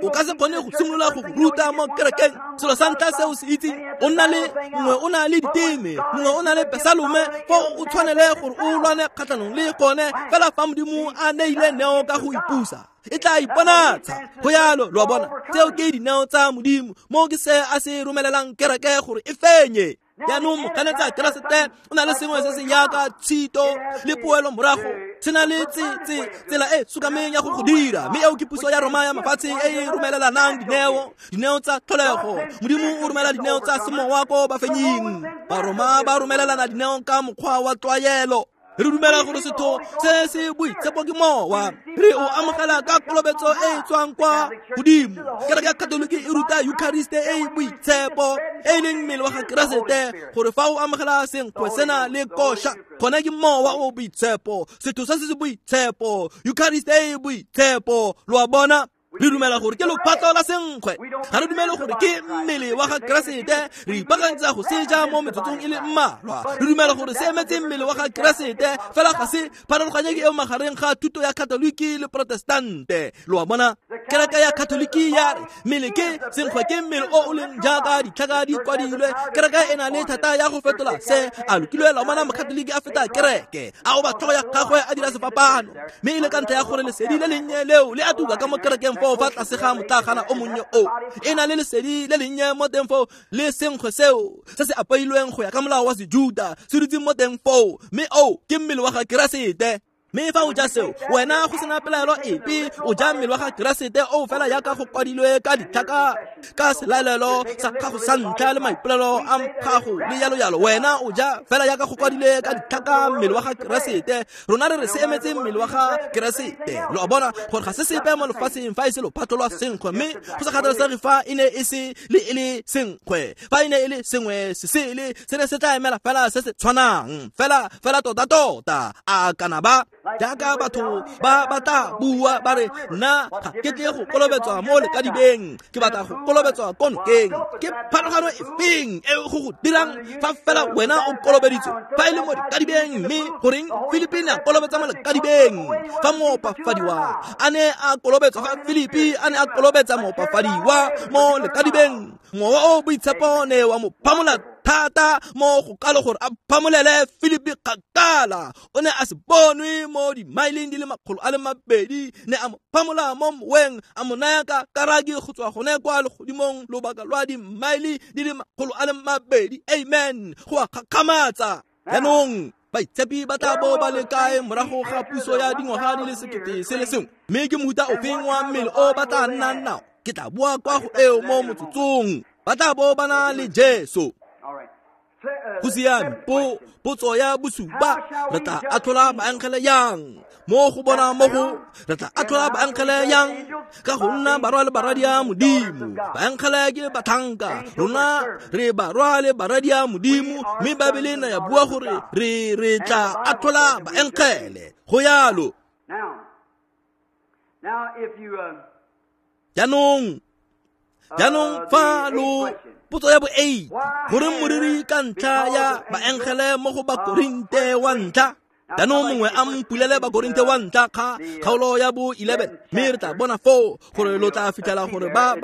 O ka se kgone go simolola go ruta mo kerekeng. Selo sa ntlha se o se itseng, o nna le mongwe o na le diteme, mongwe o na le pesalome, fo o tshwanele gore o lwane kgatlhanong le gone. Fela fa Modimo a neile neo ka go ipusa, e tla iponatsha. Go yalo, lo a bona, tseo ke dineo tsa Modimo, mo ke se a se romelelang kereke gore e fenye. Jaanong moganetsa Keresete o na le sengwe se se yaka tshito le poelo morago, se na le tsela e sokameng ya go go dira, mme eo ke puso ya Roma ya mafatshe e e romelelanang dineo tsa tlholego. Modimo o romela dineo tsa semowa ko bafenying. Baroma ba romelelana dineo ka mokgwa wa tlwaelo. Re dumela gore setho se se boitshepo ke mowa, re o amogela ka kolobetso e e tswang kwa godimo. Kereke ya Katoliki e ruta Eucharist e e boitshepo, e leng mmele wa ga Keresete, gore fa o amogela senkgwe sena le kosha, gone ke mowa o boitshepo, setho se se boitshepo, Eucharist e e boitshepo. Lo a bona? Re dumela gore ke lophatlo la senkgwe, ga re dumele gore ke mmele wa ga Keresete. Re ipaakantsa go seja mo metsotsong e le mmalwa. Re dumela gore se emetse mmele wa ga Keresete, fela ga se pharologanye ke eo magareng ga thuto ya Katoliki le Protestante. Lo a bona? Kereke ya Katoliki ya re mmele ke senkgwe, ke mmele o o leng jaaka ditlhaka di kwadilwe. Kereke e na le thata ya go fetola se. A lokilwe la bona Mokatoliki a feta kereke, a oba tlhogo ya gagwe a dira sefapano, mme e le ka ntlha ya gore lesedi le lennye leo le a tuka ka mo kerekeng foo fa tlase ga motlagana o monnye o e na le lesedi le lennye mo teng foo, le senkgwe seo se se apeilweng go ya ka molao wa Sejuta se dutse mo teng foo, mme o ke mmele wa ga Keresete. Mme fa o ja seo, wena go sena pelaelo epe o ja mmele wa ga Keresete o fela yaka go kwadilwe ka ditlhaka ka selaelelo sa gago sa ntlha le maipolelo a gago le yalo yalo. Wena o ja fela yaka go kwadilwe ka ditlhaka mmele wa ga Keresete. Rona re re se emetse mmele wa ga Keresete. Lo a bona gore ga se sepe mo lefatsheng fa e se lophatlo lwa senkgwe, mme go sa kgathalesege fa e ne e se le e le senkgwe, fa e ne e le sengwe se sele, se ne se tla emela fela se se tshwanang, fela fela tota tota. A kana ba jaaka batho ba batla bua ba re nna ga ke tle go kolobetswa mo lekadibeng, ke batla go kolobetswa ko nokeng. Ke pharologano efeng e go go dirang fa fela wena o kolobeditswe fa e le mo lekadibeng? Mme goreng Filipi ne a kolobetsa mo lekadibeng fa moopafadiwa a ne a kolobetswa? Fa Filipi a ne a kolobetsa moopafadiwa mo lekadibeng, mowa o boitshepo ne wa mo phamola thata mo go kalo gore a phamolele Filipi kgakala. O ne a se bonwe mo dimaileng di le 200, ne a mo phamola mo moweng, a mo naya ka karaki go tswa gone kwa legodimong lobaka lwa dimaile di le 200. Amen. Go a gakgamatsa. Jaanong baitshepi ba tla bo ba le kae morago ga puso ya dingwaga di le 1001? Mme ke mohuta ofeng wa mmele o ba tla nnang nao? Ke tla boa kwa go eo mo motsotsong. Ba tla bo ba na le Jesu. Go siame. Potso ya bosupa, re tla atlhola baengele yang? Mo go bona mo go re tla atlhola baengele yang? Ka go nna barwa le baradi a Modimo. Baengele ke batlhanka, rona re barwa le baradi a Modimo, mme Baebele na ya bua gore re tla atlhola baengele. Go yalo. Jaanong fa lo potso ya bo 8, gore moriri ka ntlha ya baengele mo go Bakorinte wa ntlha. Jaanong mongwe a mpulele Bakorinte wa ntlha kgaolo ya bo 11, mme re tla bona foo gore lo tla fitlhela gore ba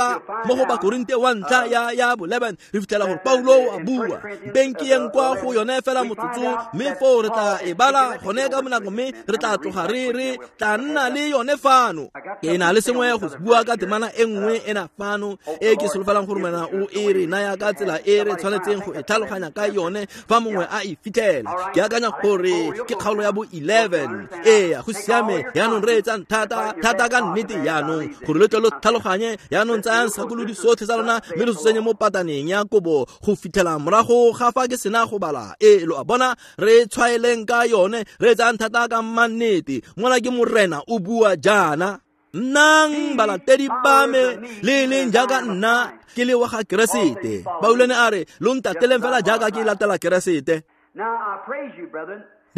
mo go Bakorinte wa ntlha ya bo 11, re fitlhela gore Paulo a bua. Mpeng ke yeng kwa go yone fela motsotso, mme foo re tla e bala gone ka bonako, mme re tla tloga re tla nna le yone fano. Ke na le sengwe go bua ka temana e nngwe ena fano e ke solofelang gore wena o e re naya ka tsela e re tshwanetseng go e tlhaloganya ka yone fa mongwe a e fitlhela. Ke akanya gore ke kgaolo ya bo 11. Ee, go siame. Jaanong re etsang thata thata ka nnete jaanong gore lo tle lo tlhaloganye. Jaanong tsayang segakolodi sotlhe sa lona mme lo se tsenye mo pataneng ya kobo go fitlhela morago ga fa ke sena go bala. Ee, lo a bona, re tshwaeleng ka yone, re etsang thata ka mannete. Mona ke Morena o bua jaana: nnang balatedi ba me le leng jaaka nna ke le wa ga Keresete. Paulo ne a re lo ntateleng fela jaaka ke latela Keresete.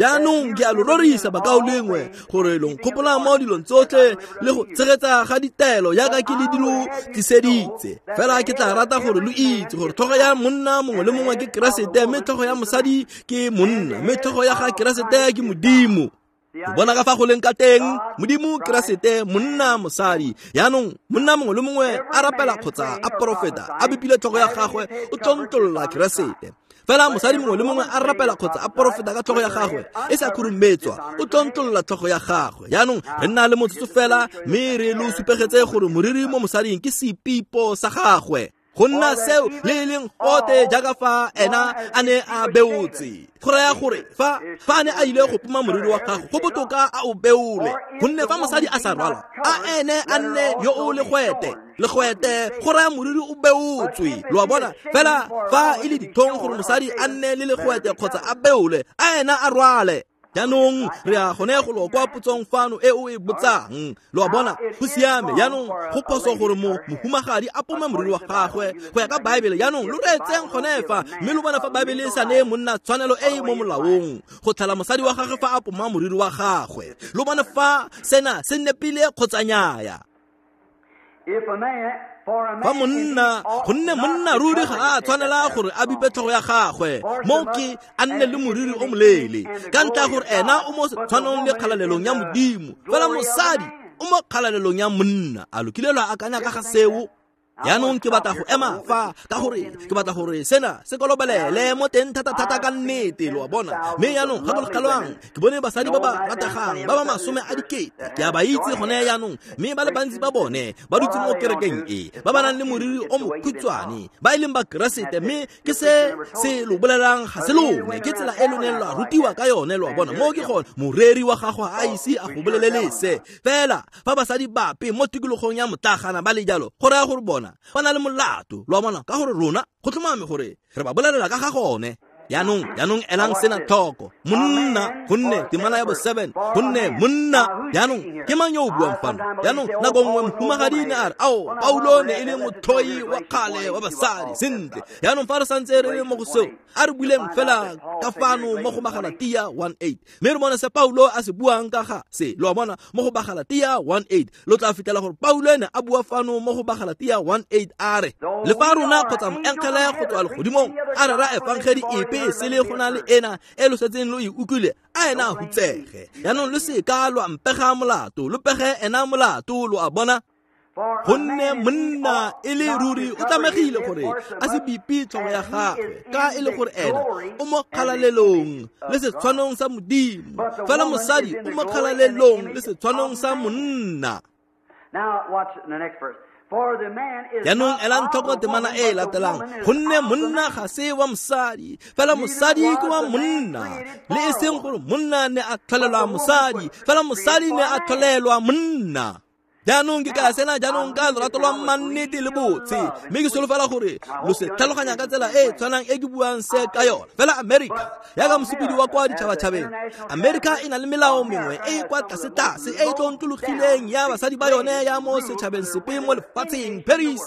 Jaanong ke a lo rorisa bakaulengwe gore lo nkgopola mo dilong tsotlhe le go tshegetsa ga ditaelo jaaka ke le di lo tliseditse. Fela ke tla rata gore lo itse gore tlhogo ya monna mongwe le mongwe ke Keresete, mme tlhogo ya mosadi ke monna, mme tlhogo ya ga Keresete ke Modimo. Lo bona ka fa go leng ka teng, Modimo Keresete, monna mosadi. Jaanong monna mongwe le mongwe a rapela kgotsa a porofeta a bipile tlhogo ya gagwe, o tlontlolla Keresete. Fela mosadi mongwe le mongwe a rapela kgotsa a porofeta ka tlhogo ya gagwe e sa khurumetswa, o tlontlolla tlhogo ya gagwe. Jaanong re nna le motsotso fela, mme re lo supegetse gore moriri mo mosading ke sepipo sa gagwe. Go nna seo le e leng gote jaaka fa ena a ne a beotse. Go raya gore fa a ne a ile go poma moriri wa gagwe, go botoka a o beole. Gonne fa mosadi a sa rwala, a ene a nne yo o legwete. Legwete go raya moriri o beotswe. Lo a bona? Fela fa e le ditlhong gore mosadi a nne le legwete kgotsa a beole, a ena a rwale. Jaanong re a gone go lo kwa potsong fano e o e botsang. Lo a bona? Go siame. Jaanong go phoso gore mohumagadi a pome moriri wa gagwe go ya ka Baebele. Jaanong lo reetseng gone fa, mme lo bona fa Baebele e sa neye monna tshwanelo e e mo molaong go tlhala mosadi wa gagwe fa a poma moriri wa gagwe. Lo bone fa sena se nepile kgotsa nnyaya. Fa monna, gonne monna ruri ga a tshwanela gore a bipe tlhogo ya gagwe, mo ke a nne le moriri o moleele, ka ntlha gore ena o mo tshwanong le kgalalelong ya Modimo, fela mosadi o mo kgalalelong ya monna. A lo kile lwa akanya ka ga seo? Jaanong ke batla go ema fa, ka gore ke batla gore sena se kolobelele mo teng thata-thata ka nnete, lo a bona. Mme jaanong gakologelwang, ke bone basadi ba ba rategang ba ba 10,000, ke a ba itse gone jaanong, mme ba le bantsi ba bone ba dutse mo kerekeng e, ba ba nang le moriri o mokhutshwane, ba e leng ba Keresete. Mme ke se se lo bolelang ga se lone, ke tsela e lo neng lwa rutiwa ka yone, lo a bona. Mo ke gone moreri wa gago a ise a go bolelele se. Fela fa basadi bape mo tikologong ya motlagana ba le jalo, go raya gore bona ba na le molato, lo a bona, ka gore rona go tlhomame gore re ba bolelela ka ga gone. Jaanong elang sena tlhoko. Monna, gonne temana ya bo 7, gonne monna. Jaanong ke mang yo o buang fano? Jaanong nako nngwe mohumagadi ne a re, ao, Paulo ne e le motlhoi wa kgale wa basadi. Sentle, jaanong fa re santse re le mo go seo, a re buleng fela ka fano mo go Bagalatia 1:8, mme re bone se Paulo a se buang ka ga se. Lo a bona, mo go Bagalatia 1:8 lo tla fitlhela gore Paulo ene a bua fano mo go Bagalatia 1:8 a re, le fa rona kgotsa moengele go tswa legodimong a rera efangedi epe sele go na le ena e lo setseng lo e utlwile, a ena a hutsege. Jaanong lo seka lwa mpega molato, lo pege ena molato, lo a bona. Gonne monna e le ruri o tlamegile gore a se bipe tlhogo ya gagwe, ka e le gore ena o mo kgalalelong le setshwanong sa Modimo, fela mosadi o mo kgalalelong le setshwanong sa monna. Jaanong elang tlhoko temana e e latelang. Gonne monna ga se wa mosadi, fela mosadi ke wa monna. Le e seng gore monna ne a tlholelwa mosadi, fela mosadi ne a tlholelwa monna. Jaanong ke ka sena jaanong ka lorato lwa mannete le botse, mme ke solofela gore lo se tlhaloganya ka tsela e e tshwanang e ke buang se ka yone. Fela America, jaaka mosepedi wa kwa ditšhabatšhabeng, America e na le melao mengwe e e kwa tlase-tlase e e tlontlologileng ya basadi ba yone ya mo setšhabeng sepe mo lefatsheng. Paris,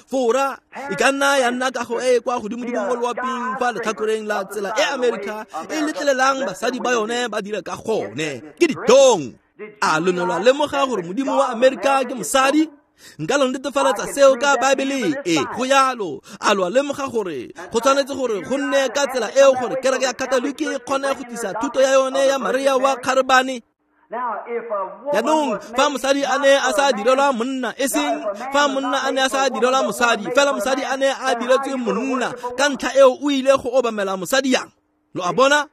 Fora e ka nna ya nna kago e e kwa godimo-dimo mo loaping fa letlhakoreng la tsela e America e letlelelang basadi ba yone ba dira ka gone. Ke ditong. A lo ne lwa lemoga gore Modimo wa Amerika ke mosadi? Nka lo netefaletsa seo ka Baebele e go yalo. A lo lemoga gore go tshwanetse gore go nne ka tsela eo gore kereke ya Katoliki e kgone go tlisa thuto ya yone ya Maria wa Kgarebane? Jaanong fa mosadi a ne a sa direlwa monna, e seng fa monna a ne a sa direlwa mosadi, fela mosadi a ne a diretswe monna, ka ntlha eo o ile go obamela mosadi yang? Lo a bona?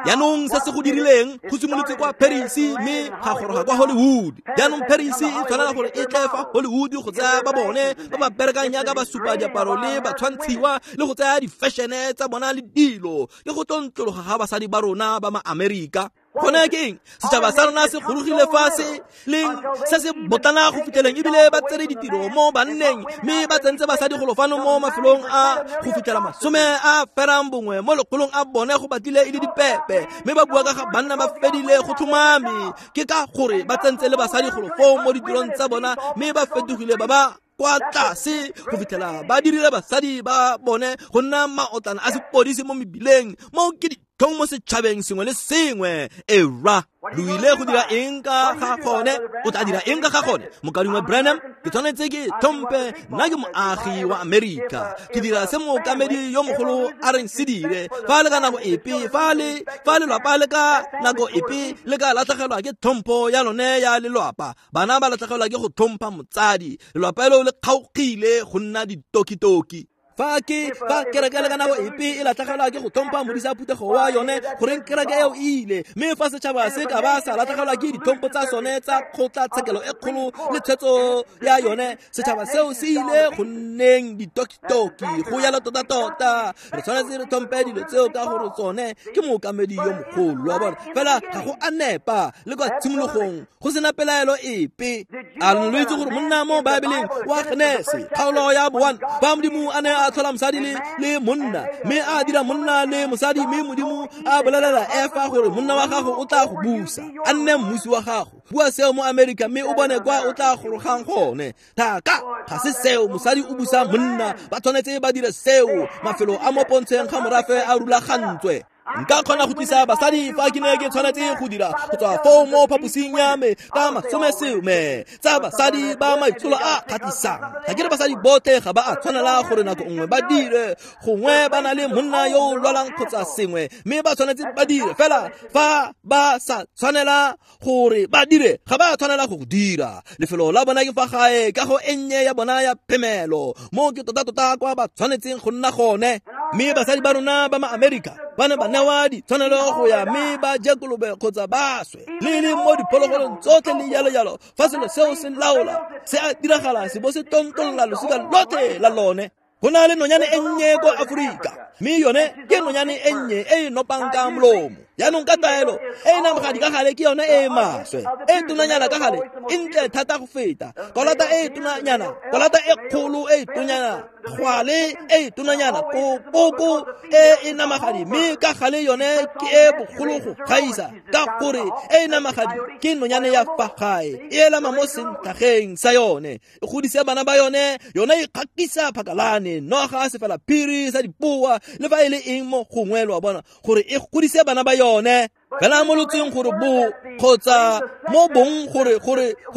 Jaanong se se go dirileng go simolotse kwa Paris mme ga goroga kwa Hollywood. Jaanong Paris e tshwanela gore e tle fa Hollywood go tsaya ba bone ba ba berekang jaaka ba supa diaparo le ba tshwantshiwa le go tsaya di-fashion-e tsa bona le dilo, le go tlontlologa ga basadi ba rona ba ma-Amerika. Gone ke eng? Setšhaba sa rona se gorogile fa se leng se se botlana go fitlheleng, ebile ba tsere ditiro mo banneng, mme ba tsentse basadi golo fano mo mafelong a go fitlhela 91 mo lekgolong a bone go batlile e le dipepe, mme ba bua ka ga banna ba fedile go tlhomame. Ke ka gore ba tsentse le basadi golo foo mo ditirong tsa bona, mme ba fetogile ba ba kwa tlase go fitlhela ba dirile basadi ba bone go nna maotlana a sepodisi mo mebileng. Mo ke ditlhong mo setšhabeng sengwe le sengwe. Era lo ile go dira eng ka ga gone? O tla dira eng ka ga gone? Mokaulengwe Branham, ke tshwanetse ke tlhompe, nna ke moagi wa Amerika, ke dira se mookamedi yo mogolo a reng se dire. Fa le ka nako epe, fa lelwapa le ka nako epe le ka latlhegelwa ke tlhompho ya lone ya lelwapa, bana ba latlhegelwa ke go tlhompha motsadi, lelwapa leo le kgaogile go nna ditokitoki. Fa kereke le ka nako epe e latlhegelwa ke go tlhompha modisa phuthego wa yone, goreng kereke eo e ile. Mme fa setšhaba se ka ba sa latlhegelwa ke ditlhompho tsa sone tsa kgotlatshekelo e kgolo le tshwetso ya yone, setšhaba seo se ile go nneng ditokitoki. Go yalo tota-tota re tshwanetse re tlhompe dilo tseo ka gore tsone ke mookamedi yo mogolo wa bona. Fela ga go a nepa le kwa tshimologong go sena pelaelo epe. A lo itse gore monna mo Baebeleng wa Genese kgaolo ya bo 1, fa Modimo a ne a tlhola mosadi le monna, mme a dira monna le mosadi, mme Modimo a bolelela Efa gore monna wa gago o tla go busa, a nne mmusi wa gago. Bua seo mo Amerika mme o bone kwa o tla gorogang gone. Thaka ga se seo, mosadi o busa monna, ba tshwanetse ba dire seo. Mafelo a mo pontsheng ga morafe a rulagantswe. Nka kgona go tlisa basadi fa ke ne ke tshwanetse go dira go tswa foo mo phaposing ya me ka masomesome tsa basadi ba maitsholo a kgatlhisang. Ga ke re basadi botlhe ga ba a tshwanela gore nako nngwe ba dire, gongwe ba na le monna yo o lwalang kgotsa sengwe, mme ba tshwanetse ba dire. Fela fa ba sa tshwanela gore ba dire, ga ba tshwanela go dira. Lefelo la bona ke fa gae, kago e nnye ya bona ya phemelo, mo ke tota-tota kwa ba tshwanetseng go nna gone. Mme basadi ba rona ba ma-Amerika ba ne ba newa ditshwanelo go ya mme ba je kolobe kgotsa ba swe, le le mo diphologolong tsotlhe le jalo-jalo. Fa selo seo se laola, se a diragala, se bo se tontolola losika lotlhe la lone. Go na le nonyane e nnye ko Aforika, mme yone ke nonyane e nnye e e nopang ka molomo. Jaanong ka taelo e e namagadi ka gale ke yone e e maswe, e tonanyana ka gale e ntle thata go feta kolata e tonanyana, kolata e kgolo e tonyana, gwale e tonanyana, koko e e namagadi, mme ka gale yone ke e bogolo go gaisa, ka gore e e namagadi ke nonyane ya fa gae, e elama mo sentlhageng sa yone, e godisa bana ba yone, yone e kgakisa phakalane, noga sefela phiri sa dipoa le fa e le eng mo gongwe, lo a bona, gore e godise bana ba yone. Fela mo lotseng gore bo kgotsa mo bong gore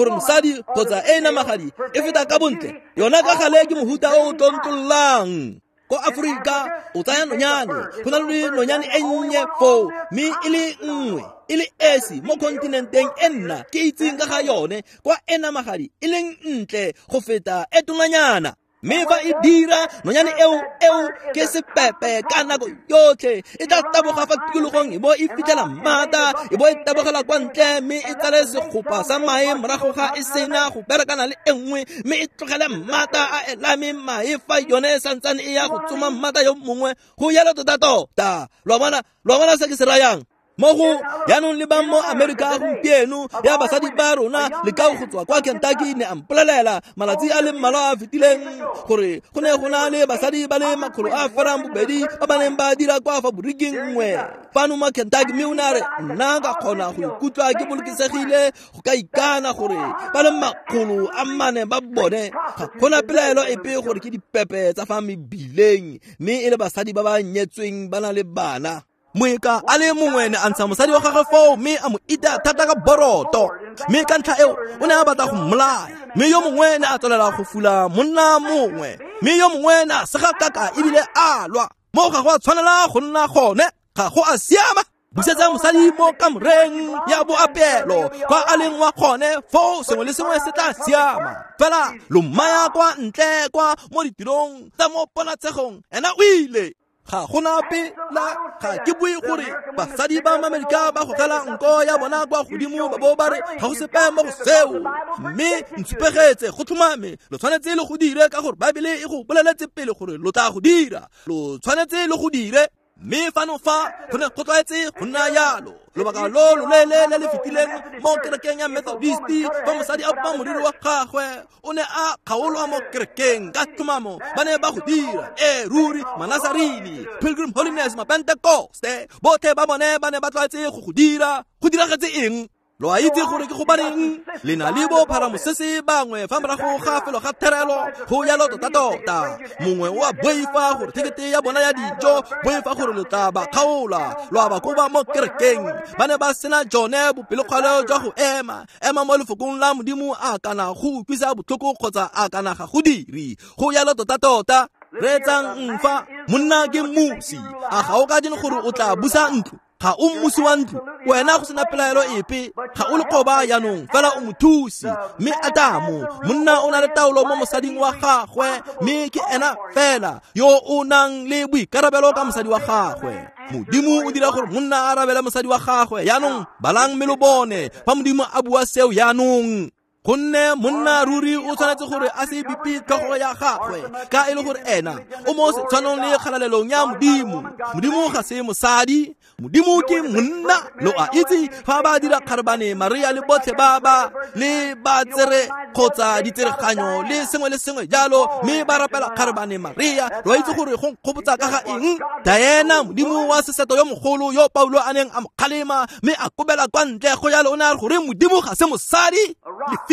mosadi kgotsa e namagadi e feta ka bontle, yona ka gale ke mohuta o o tlontlollang. Ko Aforika o tsaya nonyane, go na le nonyane e nnye foo, mme e le nngwe e le esi mo kontinenteng e nna ke itseng ka ga yone, kwa e namagadi e leng ntle go feta e tonanyana. Mme fa e dira, nonyane eo ke sepepe ka nako yotlhe, e tla taboga fa tikologong e bo e fitlhela mmata, e bo e tabogela kwa ntle, mme e tsale segopa sa mae morago ga e sena go berekana le e nngwe, mme e tlogele mmata a elame mae fa yone e santsane e ya go tsoma mmata yo mongwe. Go yalo tota-tota. Lo bona se ke se rayang? Mo go jaanong le ba mo Amerika gompieno ya basadi ba rona, le ka go tswa kwa Kentucky ne a mpolelela malatsi a le mmalwa a fetileng gore go ne go na le basadi ba le 202 ba ba neng ba dira kwa faboriking nngwe fano mo Kentucky, mme o ne a re nna ka kgona go ikutlwa ke bolokesegile go ka ikana gore ba le 400 ba bone ga gona pelaelo epe gore ke dipepe tsa fa mebileng, mme e le basadi ba ba nyetsweng ba na le bana. Moeka a le mongwe ne a ntsha mosadi wa gagwe foo mme a mo ita thata ka boroto, mme ka ntlha eo o ne a batla go mmolaya. Mme yo mongwe ne a tswelela go fula monna mongwe, mme yo mongwe ne a sega kaka ebile a lwa. Mo ga go a tshwanela go nna gone, ga go a siama. Busetsa mosadi mo kamoreng ya boapeelo kwa a leng wa gone, foo sengwe le sengwe se tla siama. Fela lo mmaya kwa ntle kwa mo ditirong tsa mo ponatshegong, ena o ile. Ga gona pela, ga ke bue gore basadi ba Amerika ba gogela nko ya bona kwa godimo ba bo ba re ga go sepe mo go seo, mme ntshupegetse go tlhomame lo tshwanetse le go dire ka gore Baebele e go boleletse pele gore lo tla go dira, lo tshwanetse le go dire. Mme fano fa go ne go tlwaetse go nna yalo lobaka lo loleele le le fetileng mo kerekeng ya Methodist, fa mosadi a bopa moriri wa gagwe o ne a kgaolwa mo kerekeng ka tlhomamo, ba ne ba go dira. E ruri, Manazarini, Pilgrim Holiness, Mapentekoste, botlhe ba bone ba ne ba tlwaetse go go dira. Go diragetse eng? Lo a itse gore ke gobaneng le na le bo pharamosese bangwe fa morago ga felo ga therelo go yalo tota-tota. Mongwe o a boifa gore thekete ya bona ya dijo, boifa gore lo tla ba kgaola, lo a ba koba mo kerekeng. Ba ne ba sena jone bopelokgale jwa go ema mo lefokong la Modimo a kana go utlwisa botlhoko kgotsa a kana ga go dire. Go yalo tota-tota. Reetsang mfa, monna ke mmusi, a ga o ka jene gore o tla busa ntlo? Ga o mmusi wa ntlo, wena go sena pelaelo epe, ga o lekgoba jaanong, fela o mothusi. Mme Adamo, monna o na le taolo mo mosading wa gagwe, mme ke ena fela yo o nang le boikarabelo ka mosadi wa gagwe. Modimo o dira gore monna a arabele mosadi wa gagwe. Jaanong balang mme lo bone fa Modimo a bua seo jaanong. Gonne monna ruri o tshwanetse gore a se bipe tlhogo ya gagwe, ka e le gore ena o mo setshwanong le kgalalelong ya Modimo. Modimo ga se mosadi, Modimo ke monna. Lo a itse fa ba dira kgarebane Maria le botlhe ba ba le ba tsere kgotsa ditsereganyo le sengwe le sengwe jalo, mme ba rapela kgarebane Maria. Lo a itse gore go nkgopotsa ka ga eng? Diana, modimo wa seseto yo mogolo yo Paulo a neng a mo kgalema mme a kobela kwa ntle. Go jalo o ne a re gore Modimo ga se mosadi.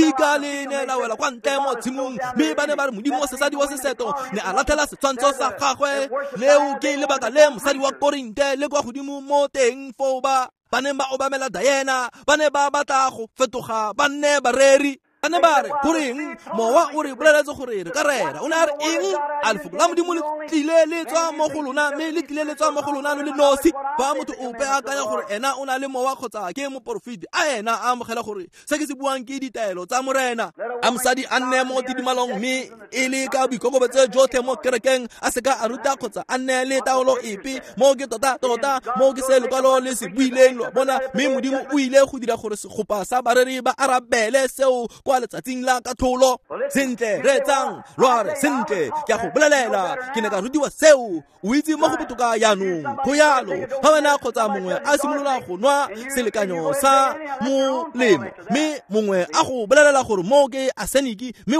Lefika le ne la wela kwa ntle mo tshimong, mme ba ne ba re modimo wa sesadi wa seseto ne a latlhela setshwantsho sa gagwe. Leo ke lebaka le mosadi wa Korinte le kwa godimo mo teng foo ba neng ba obamela Diana, ba ne ba batla go fetoga ba nne bareri. Ba ne ba re goreng mowa o re boleletse gore re ka rera? O ne a re eng? A lefoko la Modimo le tlile le tswa mo go lona, mme le tlile le tswa mo go lona lo le nosi. Fa motho ope a akanya gore ena o na le mowa kgotsa ke moporofeti, a ena a amogela gore se ke se buang ke ditaelo tsa Morena. A mosadi a nne mo tidimalong mme e le ka boikokobetso jotlhe mo kerekeng, a seka a ruta kgotsa a nne le taolo epe. Mo ke tota-tota, mo ke se lekwalo le se buileng, lo a bona. Mme Modimo o ile go dira gore segopa sa bareri ba arabele seo kwa letsatsing la katlholo. Sentle, reetsang, lo a re sentle, ke a go bolelela, ke ne ka rutiwa seo. O itse mo go botoka jaanong. Go yalo, fa wena kgotsa mongwe a simolola go nwa selekanyo sa molemo, mme mongwe a go bolelela gore mo ke arsenic, mme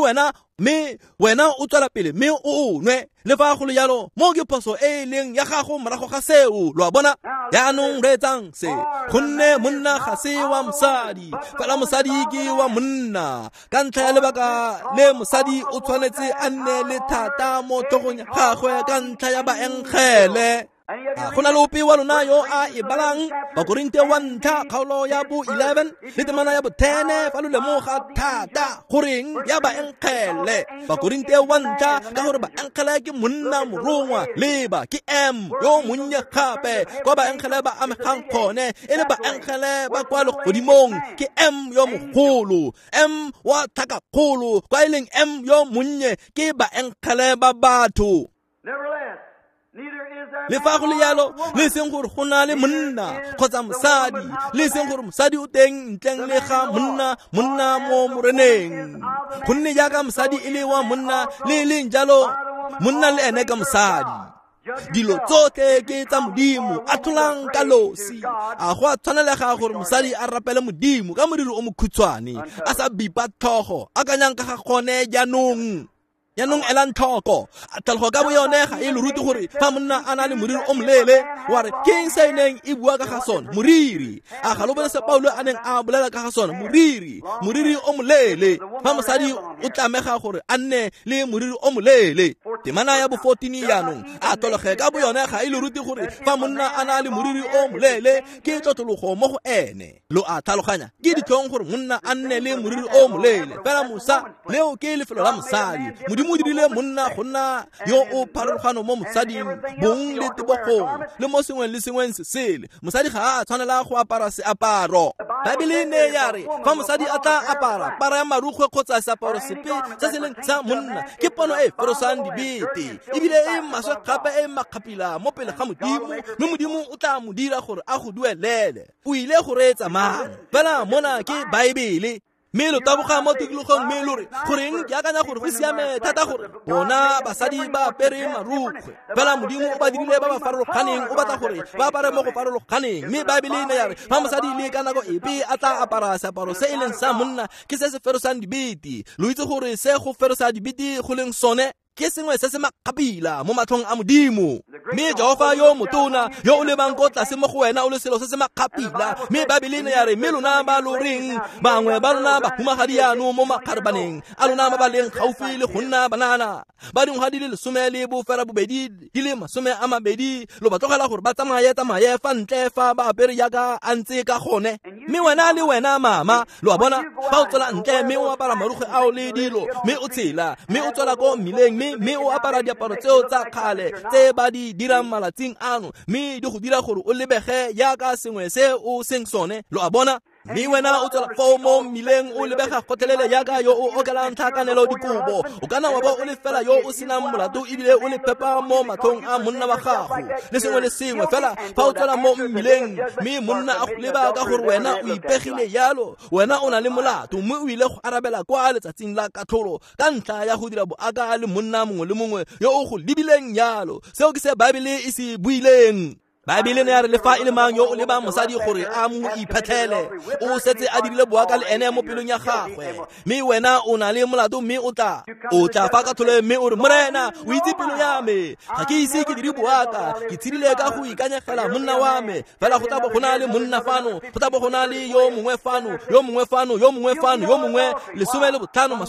wena o tswela pele mme o nwe, le fa go le jalo mo ke phoso e e leng ya gago morago ga seo. Lo a bona? Jaanong reetsang se, gonne monna ga se wa mosadi, fela mosadi ke wa monna. Ka ntlha ya lebaka le mosadi o tshwanetse a nne le thata mo tlhogong ya gagwe ka ntlha ya baengele. A go na le ope wa lona yo a e balang Bakorinte wa ntlha kgaolo ya bo 11 le temana ya bo 10 fa lo lemoga thata goreng ya baengele? Bakorinte wa ntlha, ka gore baengele ke monna morongwa, leba ke M yo monnye gape. Kwa baengele ba amegang gone e le baengele ba kwa legodimong ke M yo mogolo, M wa tlhakakgolo, kwa e leng M yo monnye ke baengele ba batho. Le fa go le jalo, le seng gore go na le monna kgotsa mosadi, le seng gore mosadi o teng ntleng le ga monna, monna mo moreneng. Gonne jaaka mosadi e le wa monna, le leng jalo monna le ene ka mosadi. Dilo tsotlhe ke tsa Modimo, a tlholang ka losi. A go a tshwanelega gore mosadi a rapele Modimo ka moriri o mokhutshwane, a sa bipa tlhogo, akanyang ka ga gone jaanong. Jaanong elang tlhoko, tlhalogo ka boyone ga e lo rute gore fa monna a na le moriri o moleele, wa re ke eng se e neng e bua ka ga sone? Moriri. A ga lo bone se Paulo a neng a bolela ka ga sone? Moriri, moriri o moleele. Fa mosadi o tlamega gore a nne le moriri o moleele. Temana ya bo 14 jaanong, a tlhologe ka boyone ga e lo rute gore fa monna a na le moriri o moleele ke tlotlologo mo go ene. Lo a tlhaloganya, ke ditlhong gore monna a nne le moriri o moleele, fela mosa leo ke lefelo la mosadi. Modimo o dirile monna go nna yo o pharologano mo mosading, bong le tebogong le mo sengweng le sengweng se sele. Mosadi ga a tshwanela go apara seaparo. Baebele ne ya re fa mosadi a tla apara para ya marukgwe kgotsa seaparo sepe se se leng sa monna, ke pono e ferosang dibete, ebile e maswe gape e makgapila mo pele ga Modimo, mme Modimo o tla mo dira gore a go duelele. O ile go reetsa mang? Fela mona ke Baebele. Mme lo taboga mo tikologong mme lo re goreng ke akanya gore go siame thata gore bona basadi ba apere marukgwe, fela Modimo o ba dirile ba ba farologaneng, o batla gore ba apare mo go farologaneng. Mme Baebele ne ya re fa mosadi le ka nako epe a tla apara seaparo se e leng sa monna, ke se se ferosang dibete. Lo itse gore se go ferosa dibete go leng sone ke sengwe se se makgapila mo matlhong a Modimo. Mme Jehofa yo motona yo o lebang ko tlase mo go wena o le selo se se makgapila. Mme Baebele ne ya re, mme lona ba lo reng bangwe ba lona bahumagadi jaanong mo makgarebaneng a lona ba ba leng gaufi le go nna banana ba dingwaga di le 18 di le 20, lo ba tlogela gore ba tsamaye fa ntle fa ba apere jaaka a ntse ka gone. Mme wena le wena mama, lo a bona, fa o tswela ntle mme o apara marukgwe ao le dilo, mme o tshela, mme o tswela ko mmileng, mme o apara diaparo tseo tsa kgale tse ba di dirang malatsing ano, mme di go dira gore o lebege jaaka sengwe se o seng sone, lo a bona. Mme wena o tswela foo mo mmileng o lebega gotlhelele jaaka yo o okelang tlhakanelo dikobo. O kana wa bo o le fela yo o senang molato ebile o le phepa mo matlhong a monna wa gago le sengwe le sengwe fela. Fa o tswela mo mmileng mme monna a go leba ka gore wena o ipegile jalo, wena o na le molato mme o ile go arabela kwa letsatsing la katlholo ka ntlha ya go dira boaka le monna mongwe le mongwe yo o go lebileng jalo. Seo ke se Baebele e se buileng. Baebele ne ya re le fa e le mang yo o lebang mosadi gore a mo iphetlhele, o setse a dirile boaka le ene mo pelong ya gagwe. Mme wena o na le molato mme o tla fa katlholo mme o re, Morena, o itse pelo ya me, ga ke ise ke dire boaka, ke tshedile ka go ikanyegela monna wa me. Fela go tla bo go na le monna fano, go tla bo go na le yo mongwe fano, yo mongwe fano, yo mongwe fano, yo mongwe, 15, 20, 30,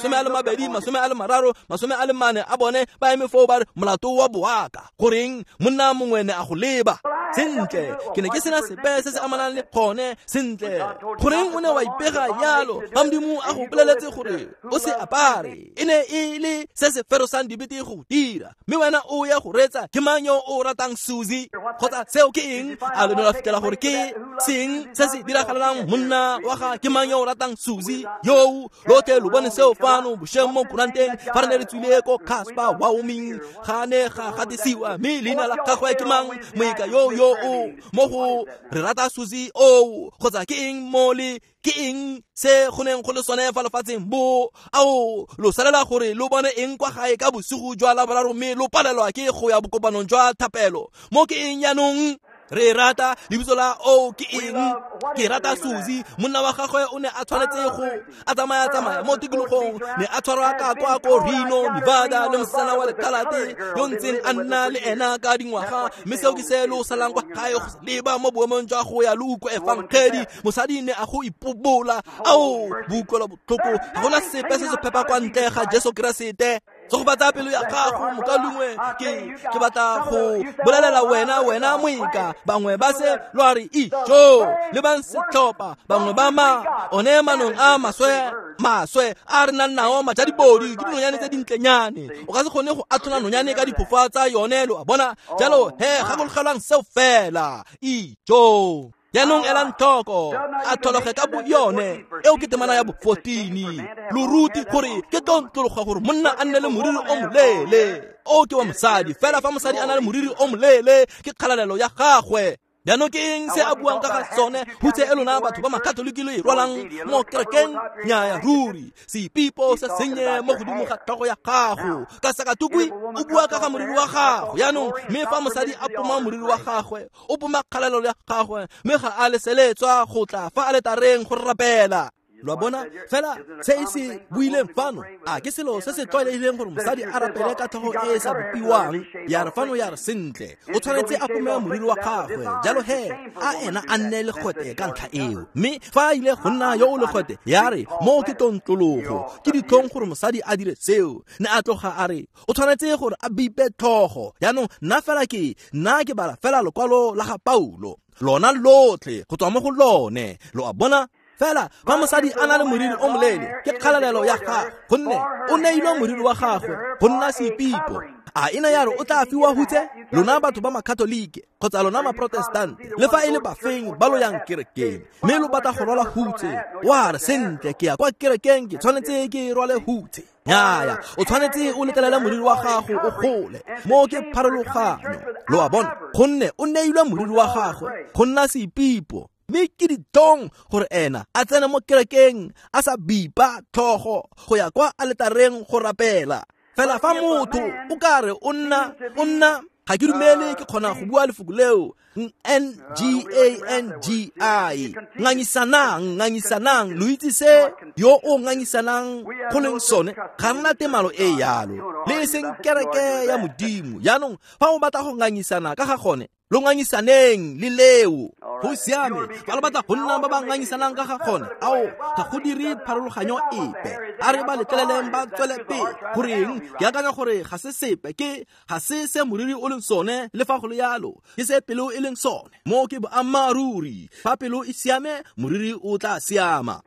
40 a bone ba eme foo ba re molato wa boaka. Goreng monna mongwe ne a go leba? Sentle, ke ne ke sena sepe se se amanang le gone. Sentle, goreng o ne wa ipega jalo fa Modimo a go boleletse gore o se apare? E ne e le se se ferosang dibete go dira, mme wena o ya go reetsa ke mang yo o ratang Susie? Kgotsa seo ke eng? A lo ne lwa fitlhela gore ke seng se se diragalelang monna wa ga ke mang yo o ratang Susie? Yo lotlhe lo bone seo fano bošeng mo kuranteng fa re ne re tswile ko Casper, Wyoming, ga ne ga gatisiwa mme leina la gagwe ke mang? Moeka yo yo o mo go re rata Susie o, kgotsa ke eng mo le ke eng se go neng go le sone fa lefatsheng bo? Ao, lo salela gore lo bone eng kwa gae ka bosigo jwa Laboraro mme lo palelwa ke go ya bokopanong jwa thapelo. Mo ke eng jaanong? Re rata lebitso la o ke eng? Ke rata Susie. Monna wa gagwe o ne a tshwanetse go a tsamaya mo tikologong, ne a tshwarwa ka kwa ko Reno, Nevada, le mosetsana wa lekalate yo ntseng a nna le ena ka dingwaga. Mme seo ke se lo salang kwa gae go leba mo boemong jwa go ya lo utlwa efangedi. Mosadi ne a go ipobola. Ao, boutlwelo botlhoko, ga gona sepe se se phepa kwa ntle ga Jesu Keresete. Tsogobatsa pelo ya gago, mokaulengwe. Ke batla go bolelela wena moeka. Bangwe ba se lo a re ijo, lebang setlhopha, bangwe ba ma one manong a maswe a re nang nao majadibodi ke dinonyane tse dintlenyane. O ka se kgone go atlhola nonyane ka diphofa tsa yone, lo a bona. Jalo he, gakologelwang seo fela. Ijo. Jaanong elang tlhoko, a tlhologe ka bo yone. Eo ke temana ya bo 14. Lo rute gore ke tlontlologa gore monna a nne le moriri o moleele. O ke wa mosadi, fela fa mosadi a na le moriri o moleele ke kgalalelo ya gagwe. Jaanong ke eng se a buang ka ga sone? Hutse e lona batho ba makatoliki lo e rwalang mo kerekeng? Nnyaya ruri, sepipo se sennye mo godimo ga tlhogo ya gago. Ka sakatukwi o bua ka ga moriri wa gago. Jaanong mme fa mosadi a poma moriri wa gagwe, o poma kgalalelo ya gagwe, mme ga a leseletswa go tla fa aletareng go rapela. Lo a bona? Fela se e se buileng fano, a ke selo se se tlwaelegileng gore mosadi a rapele ka tlhogo e e sa bopiwang? Ya re fano ya re sentle, o tshwanetse a pome moriri wa gagwe. Jalo he, a ena a nne legwete ka ntlha eo. Mme fa a ile go nna yo o legwete, ya re mo ke tlontlologo, ke ditlhong gore mosadi a dire seo. Ne a tloga a re o tshwanetse gore a bipe tlhogo. Jaanong nna fela ke nna ke bala fela lokwalo la ga Paulo, lona lotlhe go tswa mo go lone, lo a bona. Fela fa mosadi a na le moriri o moleele ke kgalalelo ya gagwe, gonne o neilwe moriri wa gagwe go nna sepipo. A ena ya re o tla fiwa hutse? Lona batho ba makatolike kgotsa lona maprotestante, le fa e le bafeng ba lo yang kerekeng mme lo batla go rwala hutse, wa re sentle ke ya kwa kerekeng ke tshwanetse ke rwale hutse. Nnyaya, o tshwanetse o letlelele moriri wa gago o gole. Mo ke pharologanyo, lo a bona, gonne o neilwe moriri wa gagwe go nna sepipo. Mme ke ditlhong gore ena a tsene mo kerekeng a sa bipa tlhogo go ya kwa aletareng go rapela. Fela fa motho o ka re o nna Ga ke dumele ke kgona go bua lefoko leo N G A N G I. Ngangisanang, ngangisanang, lo itse se yo o ngangisanang go leng sone, ga nna temalo e yalo le e seng kereke ya Modimo. Jaanong fa o batla go ngangisana ka ga gone, lo ngangisaneng le leo. Go siame, fa lo batla go nna ba ba ngangisanang ka ga gone, ao ga go dire pharologanyo epe. A re ba letleleleng ba tswele pele. Goreng ke akanya gore ga se sepe, ke ga se se moriri o leng sone, le fa go le yalo ke se pelo e leng sone. Mo ke boammaaruri, fa pelo e siame, moriri o tla siama.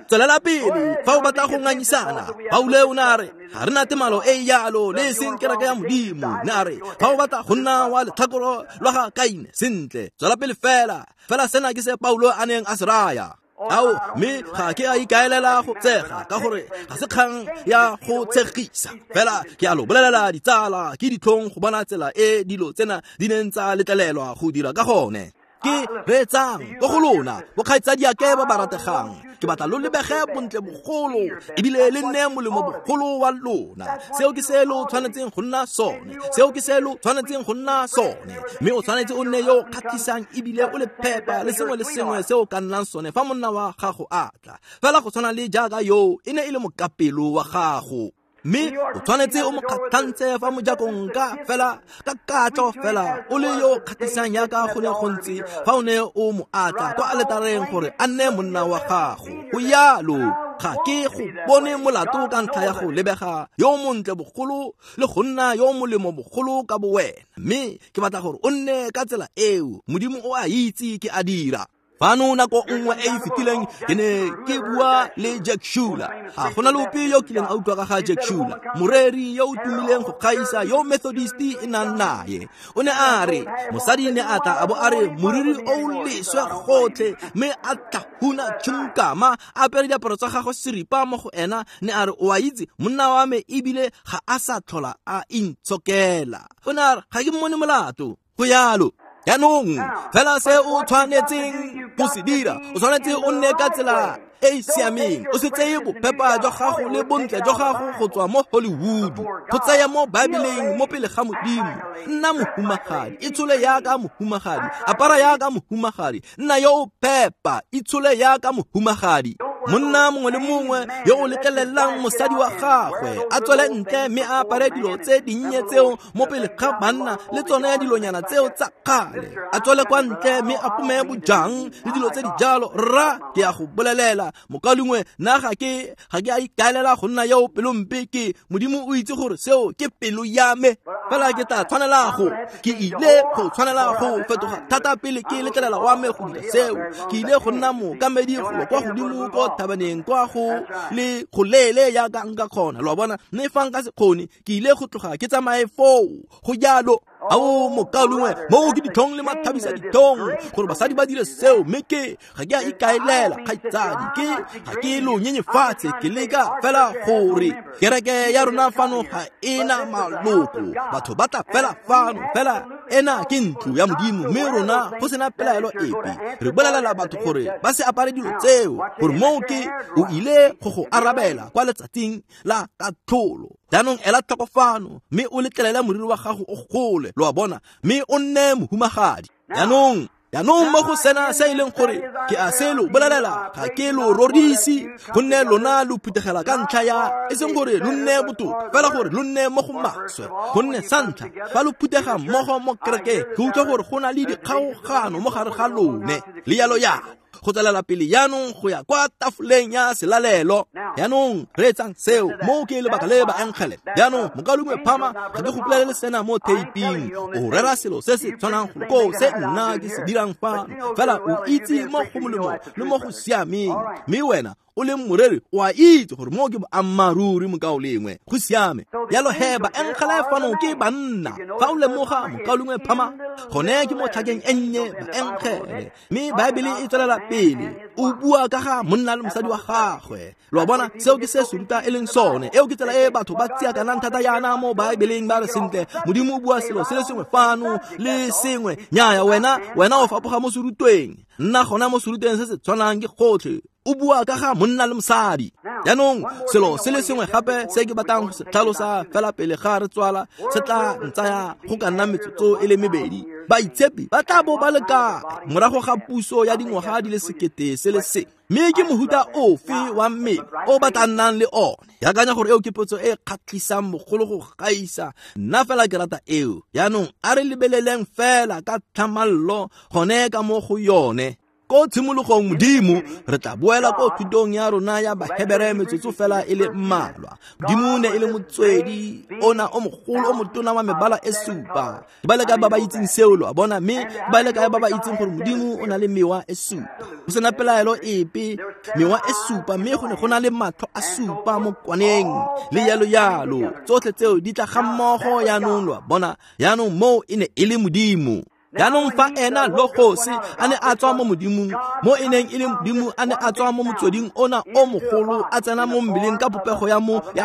Tswelela pele fa o batla go ngangisana. Paulo o ne a re ga re na temalo e yalo le e seng kereke ya Modimo. Ne a re fa o batla go nna wa letlhakoro lwa ga Kaine, sentle, tswela pele fela. Fela sena ke se Paulo a neng a se raya. Ao, mme ga ke a ikaelela go tsega, ka gore ga se kgang ya go tshegisa. Fela ke a lo bolelela ditsala, ke ditlhong go bona tsela e dilo tsena di neng tsa letlelelwa go dira ka gone. Ke reetsang ko go lona bokgaitsadiake ba ba rategang, ke batla lo lebege bontle bogolo ebile le nne molemo bogolo wa lona. Seo ke se lo tshwanetseng go nna sone, seo ke se lo tshwanetseng go nna sone. Mme o tshwanetse o nne yo o kgatlhisang ebile o le phepa le sengwe le sengwe se o ka nnang sone fa monna wa gago a tla. Fela go tshwana le jaaka yo e ne e le mokapelo wa gago, mme o tshwanetse o mo kgatlhantse fa mojakong ka fela ka katlo fela o le yo kgatlhisang yaka go ne go ntse fa o ne o mo atla kwa aletareng gore a nne monna wa gago. Go yalo, ga ke go bone molato ka ntlha ya go lebega yo montle bogolo le go nna yo molemo bogolo ka bowena, mme ke batla gore o nne ka tsela eo. Modimo o a itse ke a dira. Fano nako nngwe e e fetileng ke ne ke bua le Jack Schuler. Ga gona le ope yo kileng a utlwa ka ga Jack Schuler, moreri yo o tumileng go gaisa yo Methodist e nang naye. O ne a re mosadi ne a tla a bo a re moriri o leswe gotlhe, mme a tlhahuna tšhunkama, a apere diaparo tsa gagwe seripa mo go ena. Ne a re o a itse monna wa me ebile ga a sa tlhola a intshokela. O ne a re ga ke mmone molato. Go yalo. Jaanong fela se o tshwanetseng go se dira, o tshwanetse o nne ka tsela e e siameng. O se tseye bophepa jwa gago le bontle jwa gago go tswa mo Hollywood, go tsaya mo Baebeleng mo pele ga Modimo. Nna mohumagadi, itshole yaka mohumagadi, apara yaka mohumagadi, nna yo o phepa, itshole yaka mohumagadi. Monna mongwe le mongwe yo o letlelelang mosadi wa gagwe a tswele ntle mme a apare dilo tse dinnye tseo mo pele ga banna le tsone dilonyana tseo tsa kgale, a tswele kwa ntle mme a pome bojang le dilo tse di jalo, rra ke a go bolelela mokalengwe, nna ga ke a ikaelela go nna yo pelompe. Ke Modimo o itse gore seo ke pelo ya me, fela ke tla tshwanela go ke ile go tshwanela go fetoga thata pele ke letlelela wa me go dira seo. Ke ile go nna mookamedi golo kwa godimo ko thabaneng kwa go le go lele yaka nka kgona, lo a bona. Mme fa nka se kgone, ke ile go tloga ke tsamaye foo. Go jalo. Ao mokalengwe, moo ke ditlhong le mathabisa ditlhong gore basadi ba dire seo, mme ke ga ke a ikaelela kgaitsadi, ke ga ke lo nyenyefatse, ke leka fela gore kereke ya rona fano ga ena maloko, batho ba tla fela fano, fela ena ke ntlo ya Modimo, mme rona go sena pelaelo epe re bolelela batho gore ba se apare dilo tseo, gore moo ke o ile go go arabela kwa letsatsing la katlholo. Jaanong ela tlhoko fano, mme o letlelele moriri wa gago o gole, lo a bona, mme o nne mohumagadi. Jaanong mo go sena se e leng gore ke a se lo bolelela, ga ke lo rorise, gonne lona lo phuthegela ka ntlha ya e seng gore lo nne botoka, fela gore lo nne mo go maswe. Gonne sa ntlha fa lo phuthega mmogo mo kerekeng, ke utlwa gore go na le dikgaogano mo gare ga lone, le yalo yalo. Go tswelela pele jaanong go ya kwa tafoleng ya selalelo. Jaanong reetsang seo, moo ke lebaka le baengele. Jaanong mokalengwe Phama, ga ke go bolelele sena mo theiping, o rera selo se se tshwanang go koo se nna ke se dirang fano, fela o itse mo go molemo le mo go siameng, mme wena o leng moreri o a itse gore moo ke boammaaruri mokaulengwe. Go siame. Jalo he baengele fano ke banna. Fa o lemoga mokaulengwe Phama, gone ke mo tlhakeng e nnye baengele. Mme Baebele e tswelela pele o bua ka ga monna le mosadi wa gagwe. Lo a bona, seo ke se seruta e leng sone. Eo ke tsela e batho ba tsiakanang thata yana mo Baebeleng, ba re sentle Modimo o bua selo se le sengwe fano le sengwe. Nnyaya, wena o fapoga mo serutweng. Nna gona mo serutweng se se tshwanang ke gotlhe. O bua ka ga monna le mosadi. Jaanong selo se le sengwe gape se ke batlang go se tlhalosa fela pele ga re tswala se tla ntsaya go ka nna metsotso e le mebedi. Baitshepi ba tla bo ba le kae morago ga puso ya dingwaga di le 1000 se le sengwe? Mme ke mohuta ofe wa mmele o ba tla nnang le one? Ke akanya gore eo ke potso e kgatlhisang bogolo go gaisa. Nna fela ke rata eo. Jaanong a re lebeleleng fela ka tlhamallo gone ka mo go yone. Ko tshimologong Modimo, re tla boela ko thutong ya rona ya Bahebere metsotso fela e le mmalwa. Modimo ne e le motswedi ona o mogolo o motona wa mebala e supa. Ke ba le kae ba ba itseng seo, lo a bona? Mme ke ba le kae ba ba itseng gore Modimo o na le mewa e supa? Go sena pelaelo epe, mewa e supa, mme go ne go na le matlho a supa mo kwaneng le yalo yalo. Tsotlhe tseo di tla ga mmogo jaanong, lo a bona? Jaanong moo e ne e le Modimo. Jaanong fa ena Logos a ne a tswa mo Modimong, mo e neng e le Modimo a ne a tswa mo motsweding ona o mogolo, a tsena mo mmeleng ka popego ya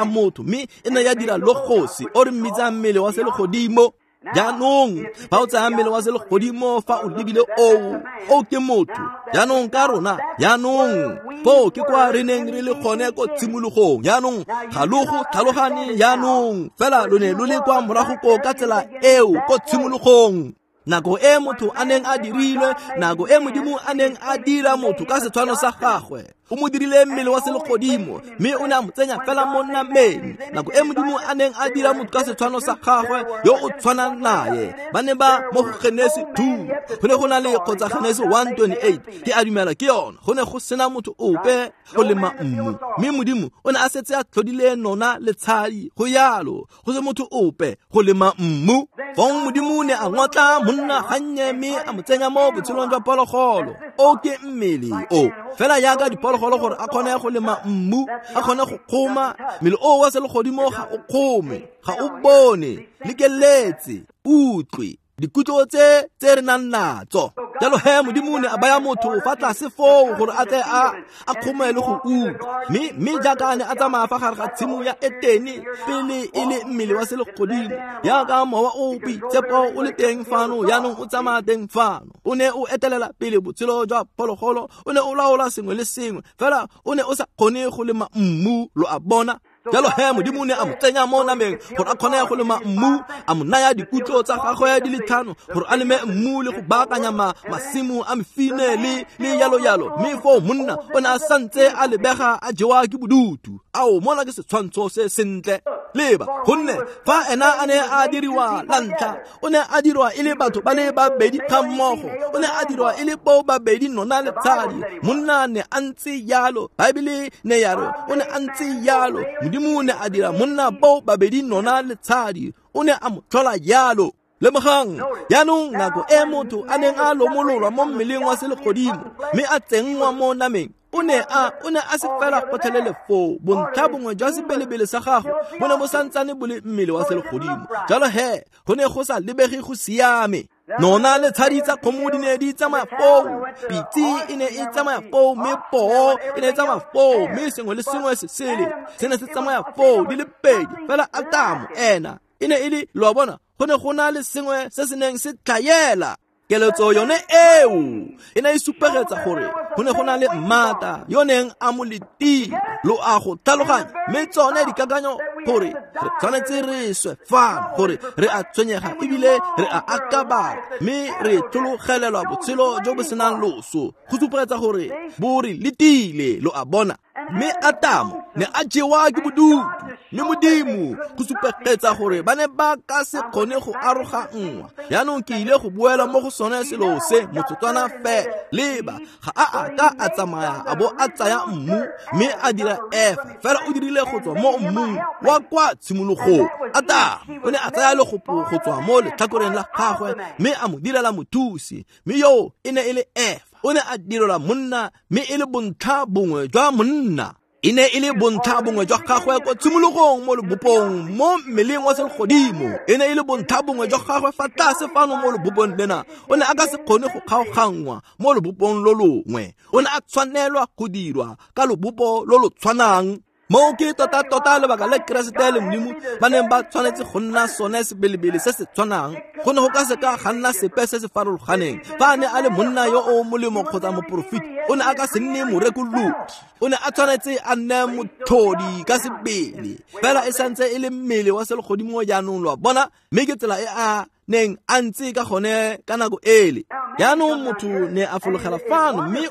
motho, mme e ne ya dira Logos o re mmitsang mmele wa selegodimo. Jaanong fa o tsaya mmele wa selegodimo, fa o lebile oo ke motho. Jaanong ka rona, jaanong foo ke kwa re neng re le gone ko tshimologong. Jaanong ga lo go tlhalogane jaanong, fela lo ne lo le kwa morago ko ka tsela eo ko tshimologong. Nako e motho a neng a dirilwe, nako e Modimo a neng a dira motho ka setshwano sa gagwe, o mo dirile mmele wa selegodimo, mme o ne a mo tsenya fela mo nameng. Nako e Modimo a neng a dira motho ka setshwano sa gagwe yo o tshwanang naye, ba ne ba mo go Genesi 2, go ne go na le kgotsa Genesi 1:28, ke a dumela ke yone, go ne go sena motho ope go lema mmu, mme Modimo o ne a setse a tlhodile nona le tshadi, go yalo, go se motho ope go lema mmu. Fong Modimo ne a ngotla monna gannye mme a mo tsenya mo botshelong jwa phologolo. O ke mmele o fela jaaka diphologolo gore a kgone go lema mmu, a kgone go kgoma. Mmele o wa selegodimo ga o kgome, ga o bone, lekeletse, utlwe dikutlo tse re nang natso. Jalo he Modimo ne a baya motho fa tlase foo gore a tle a kgome le go utlwa. Mme jaaka a ne a tsamaya fa gare ga tshimo ya Etene pele e le mmele wa selegodimo, jaaka mowa o boitshepo o le teng fano, jaanong o tsamaya teng fano. O ne o etelela pele botshelo jwa phologolo, o ne o laola sengwe le sengwe, fela o ne o sa kgone go lema mmu, lo a bona. Jalo he Modimo ne a mo tsenya mo nameng gore a kgone go lema mmu, a mo naya dikutlo tsa gagwe di le 5 gore a leme mmu le go baakanya masimo a mefine le yalo yalo. Mme foo monna o ne a santse a lebega a jewa ke bodutu. Ao, mona ke setshwantsho se sentle. Leba, gonne fa ena a ne a diriwa la ntlha, o ne a dirwa e le batho ba le babedi ga mmogo, o ne a dirwa e le bo babedi nona le tshadi. Monna ne a ntse yalo, Baebele ne ya re o ne a ntse yalo. Modimo ne a dira monna bo babedi nona le tshadi, o ne a mo tlhola yalo. Lemogang, jaanong nako e motho a neng a lomololwa mo mmeleng wa selegodimo mme a tsenngwa mo nameng, o ne a se fela gotlhelele foo. Bontlha bongwe jwa sebelebele sa gago bo ne bo santsane bo le mmele wa selegodimo. Jalo he go ne go sa lebege go siame. Nona le tshadi tsa kgomo di ne di tsamaya foo, pitse e ne e tsamaya foo, mme poo e ne e tsamaya foo, mme sengwe le sengwe se sele se ne se tsamaya foo di le pedi. Fela Atamo ena e ne e le, lo a bona, go ne go na le sengwe se se neng se tlhaela. Keletso yone eo e ne e supegetsa gore go ne go na le mmata yo neng a mo letile, lo a go tlhaloganya. Mme tsone dikakanyo gore re tshwanetse re swe fano, gore re a tshwenyega ebile re a akabala, mme re tlhologelelwa botshelo jo bo senang loso, go supegetsa gore bo re letile, lo a bona. Mme Atamo ne a jewa ke bodutu, mme Modimo go supegetsa gore ba ne ba ka se kgone go aroganngwa. Jaanong ke ile go boela mo go sone selo se motsotswana fela. Leba, ga a a ka a tsamaya a bo a tsaya mmu mme a dira Efa, fela o dirile go tswa mo mmung wa kwa tshimologong. Atamo o ne a tsaya legopo go tswa mo letlhakoreng la gagwe mme a mo direla mothusi, mme yo e ne e le Efa. O ne a direlwa monna, mme e le bontlha bongwe jwa monna. E ne e le bontlha bongwe jwa gagwe ko tshimologong mo lebopong, mo mmeleng wa selegodimo. E ne e le bontlha bongwe jwa gagwe fa tlase fano mo lebopong lena. O ne a ka se kgone go kgaoganngwa mo lebopong lo longwe. O ne a tshwanelwa go dirwa ka lobopo lo lo tshwanang. Moo ke tota-tota lebaka le Keresete le Modimo ba neng ba tshwanetse go nna sone sebelebele se se tshwanang. Go ne go ka seka ga nna sepe se se farologaneng. Fa a ne a le monna yo o molemo kgotsa moporofeti, o ne a ka se nne morekolodi. O ne a tshwanetse a nne motlhodi ka sebele, fela e santse e le mmele wa selegodimo jaanong, lo a bona, mme ke tsela e a neng a ntse ka gone ka nako ele. Jaanong motho ne a fologela fano mme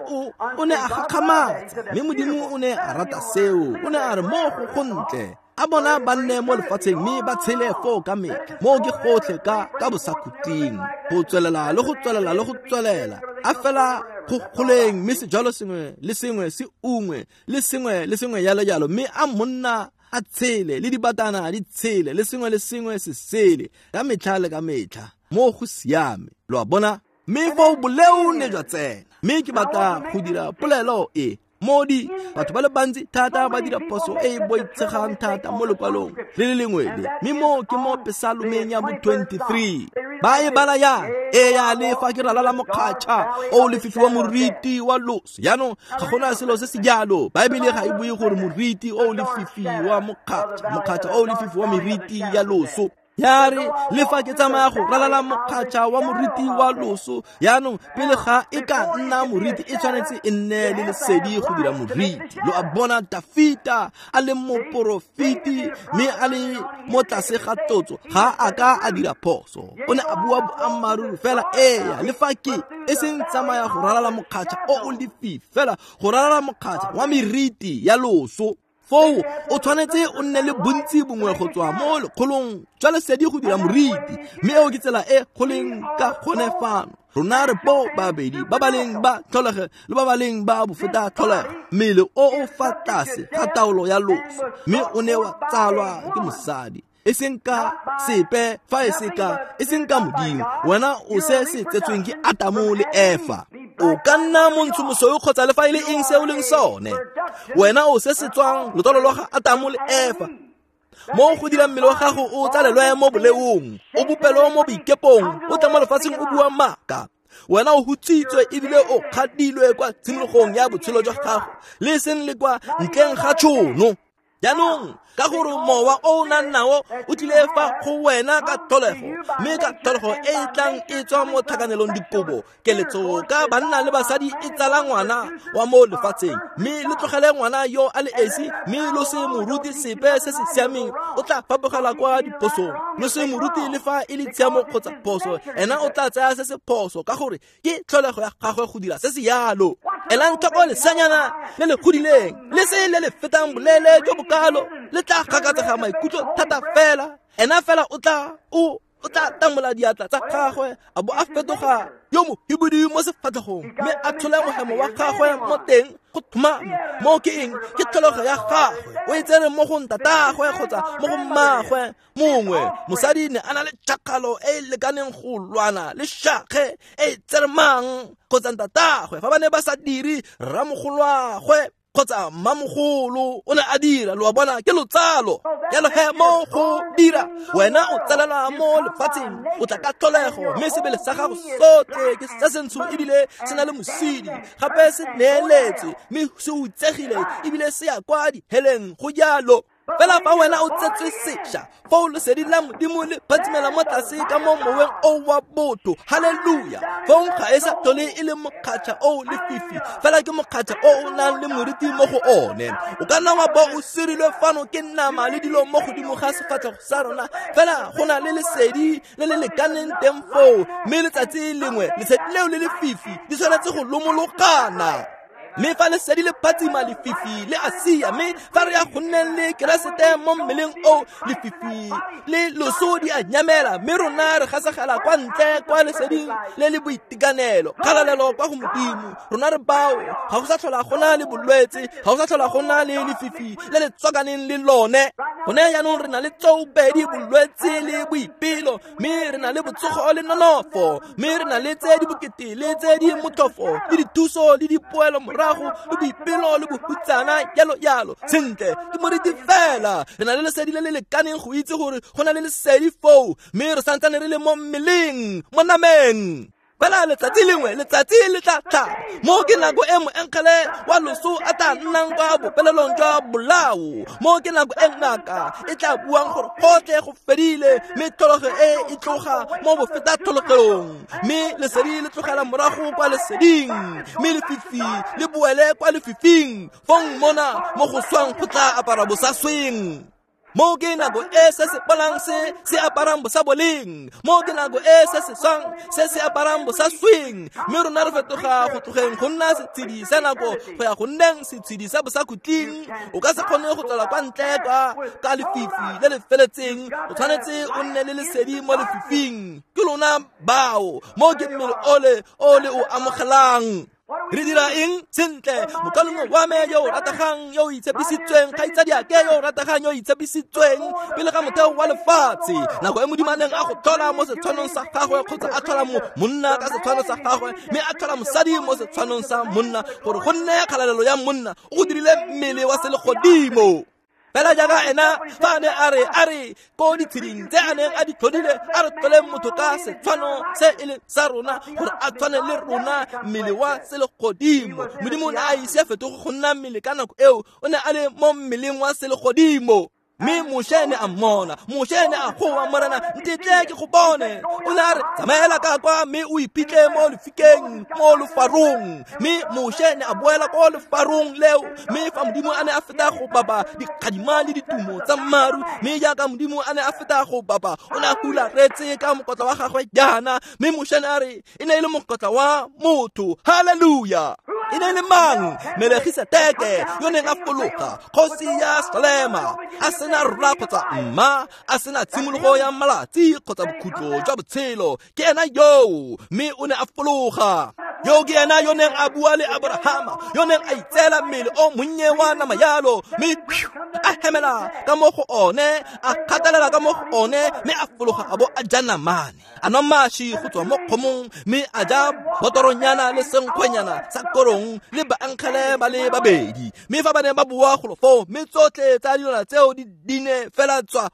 o ne a gakgamatsa, mme Modimo o ne a rata seo. O ne a re mo go gontle a bona ba nne mo lefatsheng mme ba tshele foo ka metlha. Moo ke gotlhe ka bosakhutleng, go tswelela le go tswelela le go tswelela, a fela go goleng, mme sejalo sengwe le sengwe se ungwe le sengwe le sengwe jalo jalo, mme a monna a tshele le dibatana di tshele le sengwe le sengwe se sele ka metlha le ka metlha. Mo go siame, lo a bona. Mme foo boleo ne jwa tsena. Mme ke batla go dira polelo e modi batho ba le bantsi thata ba dira phoso e e boitshegang thata mo lekwalong le le lengwe le, mme mo ke mo Pesalomeng ya bo 23 ba e bala yang e ya le fa ke ralala mokgatšha o lefifi wa moriti wa loso. Jaanong ga gona selo se se jalo. Baebele ga e bue gore moriti o lefifi wa mokgatšha, mokgatšha o lefifi wa meriti ya loso. Ya re le fa ke tsamaya go ralala mokgatšha wa moriti wa loso. Jaanong pele ga e ka nna moriti, e tshwanetse e nne le lesedi go dira moriti. Lo a bona, Dafita a le moporofeti mme a le mo tlase ga tlotso, ga a ka a dira phoso. O ne a bua boammaaruri fela. Eya, le fa ke e seng tsamaya go ralala mokgatšha o o lefifi, fela go ralala mokgatšha wa meriti ya loso. Foo o tshwanetse o nne le bontsi bongwe go tswa mo lekgolong jwa lesedi go dira moriti, mme eo ke tsela e go leng ka gone fano. Rona re bo babedi ba ba leng ba tlholego le ba ba leng ba bofeta tlholego, mmele o o fa tlase ga taolo ya loso, mme o ne wa tsalwa ke mosadi, e seng ka sepe fa e se ka, e seng ka Modimo. Wena o se se tsetsweng ke Atamo le Efa. O ka nna montsho mosweu kgotsa le fa e le eng se o leng sone. Wena o se se tswang lotsalo lwa ga Atamo le Efa. Mo go dira mmele wa gago o tsalelwe mo boleong, o bopelwe mo boikepong, o tla mo lefatsheng o bua maaka. Wena o hutsitswe ebile o kgadilwe kwa tshimologong ya botshelo jwa gago, le seng le kwa ntleng ga tšhono. Jaanong ka gore mowa o o nang nao o tlile fa go wena ka tlholego, mme ka tlholego e e tlang e tswa mo tlhakanelong dikobo, keletso ka banna le basadi e tsala ngwana wa mo lefatsheng, mme le tlogele ngwana yo a le esi, mme lo se moruti sepe se se siameng, o tla fapogela kwa diphosong. Lo se moruti le fa e le tshiamo kgotsa phoso, ena o tla tsaya se se phoso ka gore ke tlholego ya gagwe go dira se se yalo. Elang tlhoko lesanyana le le godileng le se le le fetang boleele jo bokalo, le tla gakatsega maikutlo thata fela. Ena fela o tla tamola diatla tsa gagwe a bo a fetoga yo mohibidu mo sefatlhegong, mme a tshole mohemo wa gagwe mo teng go thomame. Mo ke eng? Ke tlholego ya gagwe. O e tsere mo go ntatagwe kgotsa mo go mmagwe mongwe. Mosadi ne a na le tšhakgalo e e lekaneng go lwana le shakge e e tseremang kgotsa ntatagwe. Fa ba ne ba sa dire, rramogolwagwe kgotsa mmamogolo o ne a dira. Lo a bona, ke lotsalo. Jalo he mo go dira, wena o tsalelwa mo lefatsheng, o tla ka tlholego, mme sebele sa gago sotlhe ke se sentsho ebile se na le mosidi, gape se neeletswe mme se utsegile ebile se ya kwa diheleng. Go jalo. Fela fa wena o tsetswe sešwa, foo lesedi la Modimo le phatsimela mo tlase ka mo moweng o wa botho. Haleluya! Fong ga e sa tlhole e le mokgatšha o lefifi, fela ke mokgatšha o o nang le moriti mo go one. O ka nna wa bo o sirilwe fano ke nama le dilo mo godimo ga sefatlhego sa rona, fela go na le lesedi le le lekaneng teng foo, mme letsatsi lengwe lesedi leo le lefifi di tshwanetse go lomologana. Mme fa lesedi le phatsima, lefifi le a sia. Mme fa re ya go nneng le Keresete mo mmeleng o, lefifi le loso di a nyamela, mme rona re gasegela kwa ntle kwa leseding le le boitekanelo. Kgalalelo kwa go Modimo. Rona re bao, ga go sa tlhola go na le bolwetse, ga go sa tlhola go na le lefifi le le tswakaneng le lone. Gone jaanong re na le tsoopedi bolwetse le boipelo, mme re na le botsogo le nonofo, mme re na le tse di bokete le tse di motlhofo le dithuso le dipoelo morago le boipelo le bohutsana jalo jalo. Sentle, ke moriti fela. Re na le lesedi le le lekaneng go itse gore go na le lesedi foo, mme re santsane re le mo mmeleng, mo nameng. Fela letsatsi lengwe letsatsi le tla tlhaba mo ke nako e moengele wa loso a tla nnang kwa bopelelong jwa bolao, mo ke nako e ngaka e tla buang gore gotlhe go fedile, mme tlholego e e tloga mo bofeta tlholegelong, mme lesedi le tlogela morago kwa leseding, mme lefifi le boele kwa lefifing. Fong mona mo go swang go tla apara bosasweng. Mo ke nako e se se bolang se se aparang bosaboleng, mo ke nako e se se swang se se aparang bosasweng. Mme rona re fetoga go tlogeng go nna setshedi sa nako go ya go nneng setshedi sa bosakhutleng. O ka se kgone go tswela kwa ntle ka lefifi le le feletseng, o tshwanetse o nne le lesedi mo lefifing. Ke lona bao mo ke mmele ole o le o amogelang. Re dira eng? Sentle, mokalengwe wa me yo o rategang yo o itshepisitsweng, kgaitsadiake yo o rategang yo o itshepisitsweng pele ga motheo wa lefatshe, nako e Modimo a neng a go tlhola mo setshwanong sa gagwe, kgotsa a tlhola monna ka setshwano sa gagwe, mme a tlhola mosadi mo setshwanong sa monna, gore go nne kgalalelo ya monna, o go dirile mmele wa selegodimo. Fela jaaka ena fa a ne a re ko ditsheding tse a neng a di tlhodile, a re tlholeng motho ka setshwano se e leng sa rona, gore a tshwane le rona, mmele wa selegodimo. Modimo o ne a ise a fetoge go nna mmele ka nako eo, o ne a le mo mmeleng wa selegodimo. Mme Moshe ne a mmona, Moshe ne a goa, Morena ntetle ke go bone. O ne a re tsamaela ka kwa mme o iphitlhe mo lefikeng, mo lefarong. Mme Moshe ne a boela ko lefarong leo, mme fa Modimo a ne a feta go bapa dikgadima le ditumo tsa maru, mme jaaka Modimo a ne a feta go bapa, o ne a hularetse ka mokotla wa gagwe jaana. Mme Moshe ne a re e ne e le mokotla wa motho. Haleluya! E ne e le mang? Melegiseteke yo neng a fologa, kgosi ya Salema, a sena rra kgotsa mma, a sena tshimologo ya malatsi kgotsa bokhutlo jwa botshelo. Ke ena yoo, mme o ne a fologa. Yo ke ena yo neng a bua le Abrahama, yo neng a itseela mmele o monnye wa nama yalo, mme a hemela ka mo go one, a kgatelela ka mo go one, mme a fologa a bo a ja namane, a nwa maši go tswa mo kgomong, mme a ja botoronyana le senkgwenyana sa korong le baangele ba le babedi. Mme fa ba ne ba boa golo foo, mme tsotlhe tsa dilwana tseo di ne fela tswa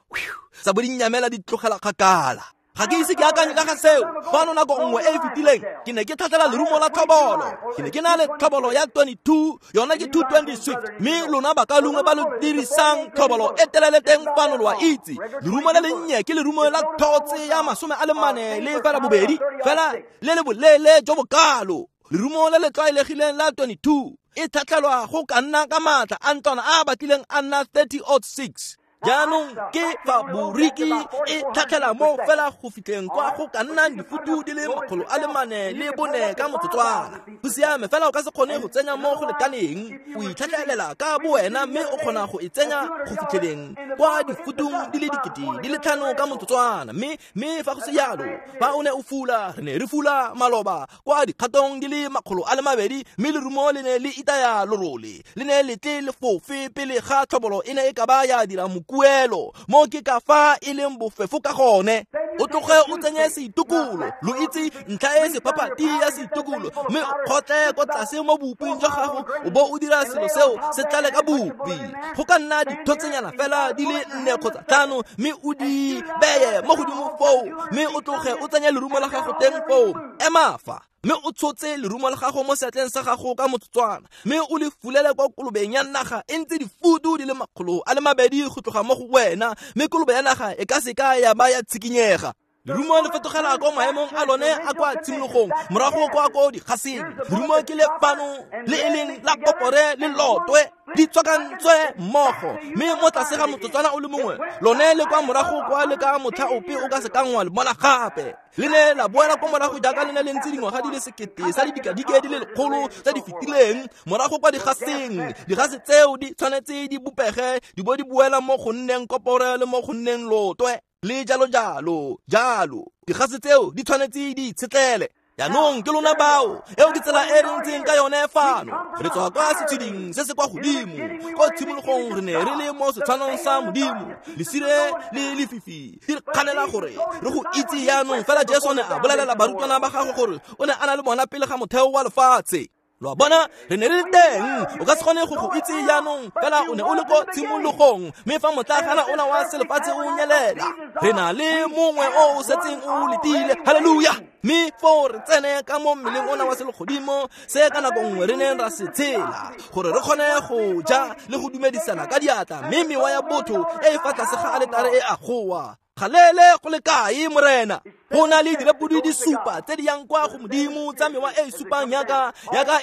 tsa bo di nyamela di tlogela kgakala. Ga ke ise ke akanye ka ga seo. Fano nako nngwe e e fetileng ke ne ke tlhatlhela lerumo la tlhobolo. Ke ne ke na le tlhobolo ya 22, yona ke 220 Swift, mme lona bakalungwe ba lo dirisang tlhobolo e telele teng fano lo a itse. Lerumo le lennye ke lerumo la thotse ya 42, fela le le boleele jo bokalo. Lerumo le le tlwaelegileng la 22 e tlhatlhelwa go ka nna ka maatla a ntlwana a batlileng a nna 30-06. Jaanong ke faboriki e tlhatlhela mo fela go fitlheng kwa go ka nnang difutu di le 404 ka motsotswana. Go siame, fela o ka se kgone go tsenya mo go lekaneng. O itlhatlhelela ka bowena mme o kgona go e tsenya go fitlheleng kwa difutung di le 5,000 ka motsotswana. Mme fa go se jalo, fa o ne o fula, re ne re fula maloba kwa dikgatong di le 200, mme lerumo le ne le itaya lorole, le ne le tle le fofe pele ga tlhobolo e ne e ka ba ya dira mokuelo. Mo ke ka fa e leng bofefo ka gone. O tloge o tsenye seitukulo, lo itse ntlha e sephaphathi ya seitukulo, mme o kgotle ko tlase mo boping jwa gago, o bo o dira selo seo se tlale ka bopi. Go ka nna dithotsenyana fela di le 4 kgotsa 5, mme o di beye mo godimo foo, mme o tloge o tsenye lerumo la gago teng foo. Ema fa, mme o tshotse lerumo la gago mo seatleng sa gago ka motsotswana, mme o le fulele kwa kolobeng ya naga e ntse difutu di le 200 go tloga mo go wena, mme kolobe ya naga e ka se ka ya ba ya tshikinyega. Lerumo le fetogela ko maemong a lone a kwa tshimologong, morago kwa ko digaseng. Lerumo ke le fano le e leng la kopore le lotwe di tswakantswe mmogo, mme mo tlase ga motsotswana o le mongwe lone le kwa morago kwa le ka motlha ope o ka se kang wa le bona gape. Le ne la boela ko morago jaaka le ne le ntse dingwaga di le 1000 sa didikadike di le 100 tse di fetileng, morago kwa digaseng. Digase tseo di tshwanetse di bopege di bo di boela mo go nneng kopore le mo go nneng lotwe le jalo jalo jalo. Digase tseo di tshwanetse di itshetlele. Jaanong ke lona bao, eo ke tsela e re ntseng ka yone fano. Re tswa kwa setsheding se se kwa godimo. Ko tshimologong re ne re le mo setshwanong sa Modimo. Lesire le lefifi di re kganela gore re go itse jaanong. Fela Jesu ne a bolelela barutwana ba gagwe gore o ne a na le bona pele ga motheo wa lefatshe. Lo a bona, re ne re le teng. O ka se kgone go go itse jaanong, fela o ne o le ko tshimologong. Mme fa motlakgana ona wa selefatshe o nyelela, re na le mongwe o o setseng o letile. Haleluya! Mme foo re tsene ka mo mmeleng ona wa selegodimo se ka nako nngwe re neng ra se tshela, gore re kgone go ja le go dumedisana ka diatla, mme mewa ya botho e e fa tlase ga aletare e a goa. Galele go le kae, Morena? Go na le direpodi di supa tse di yang kwa go Modimo tsa mewa e e supang yaka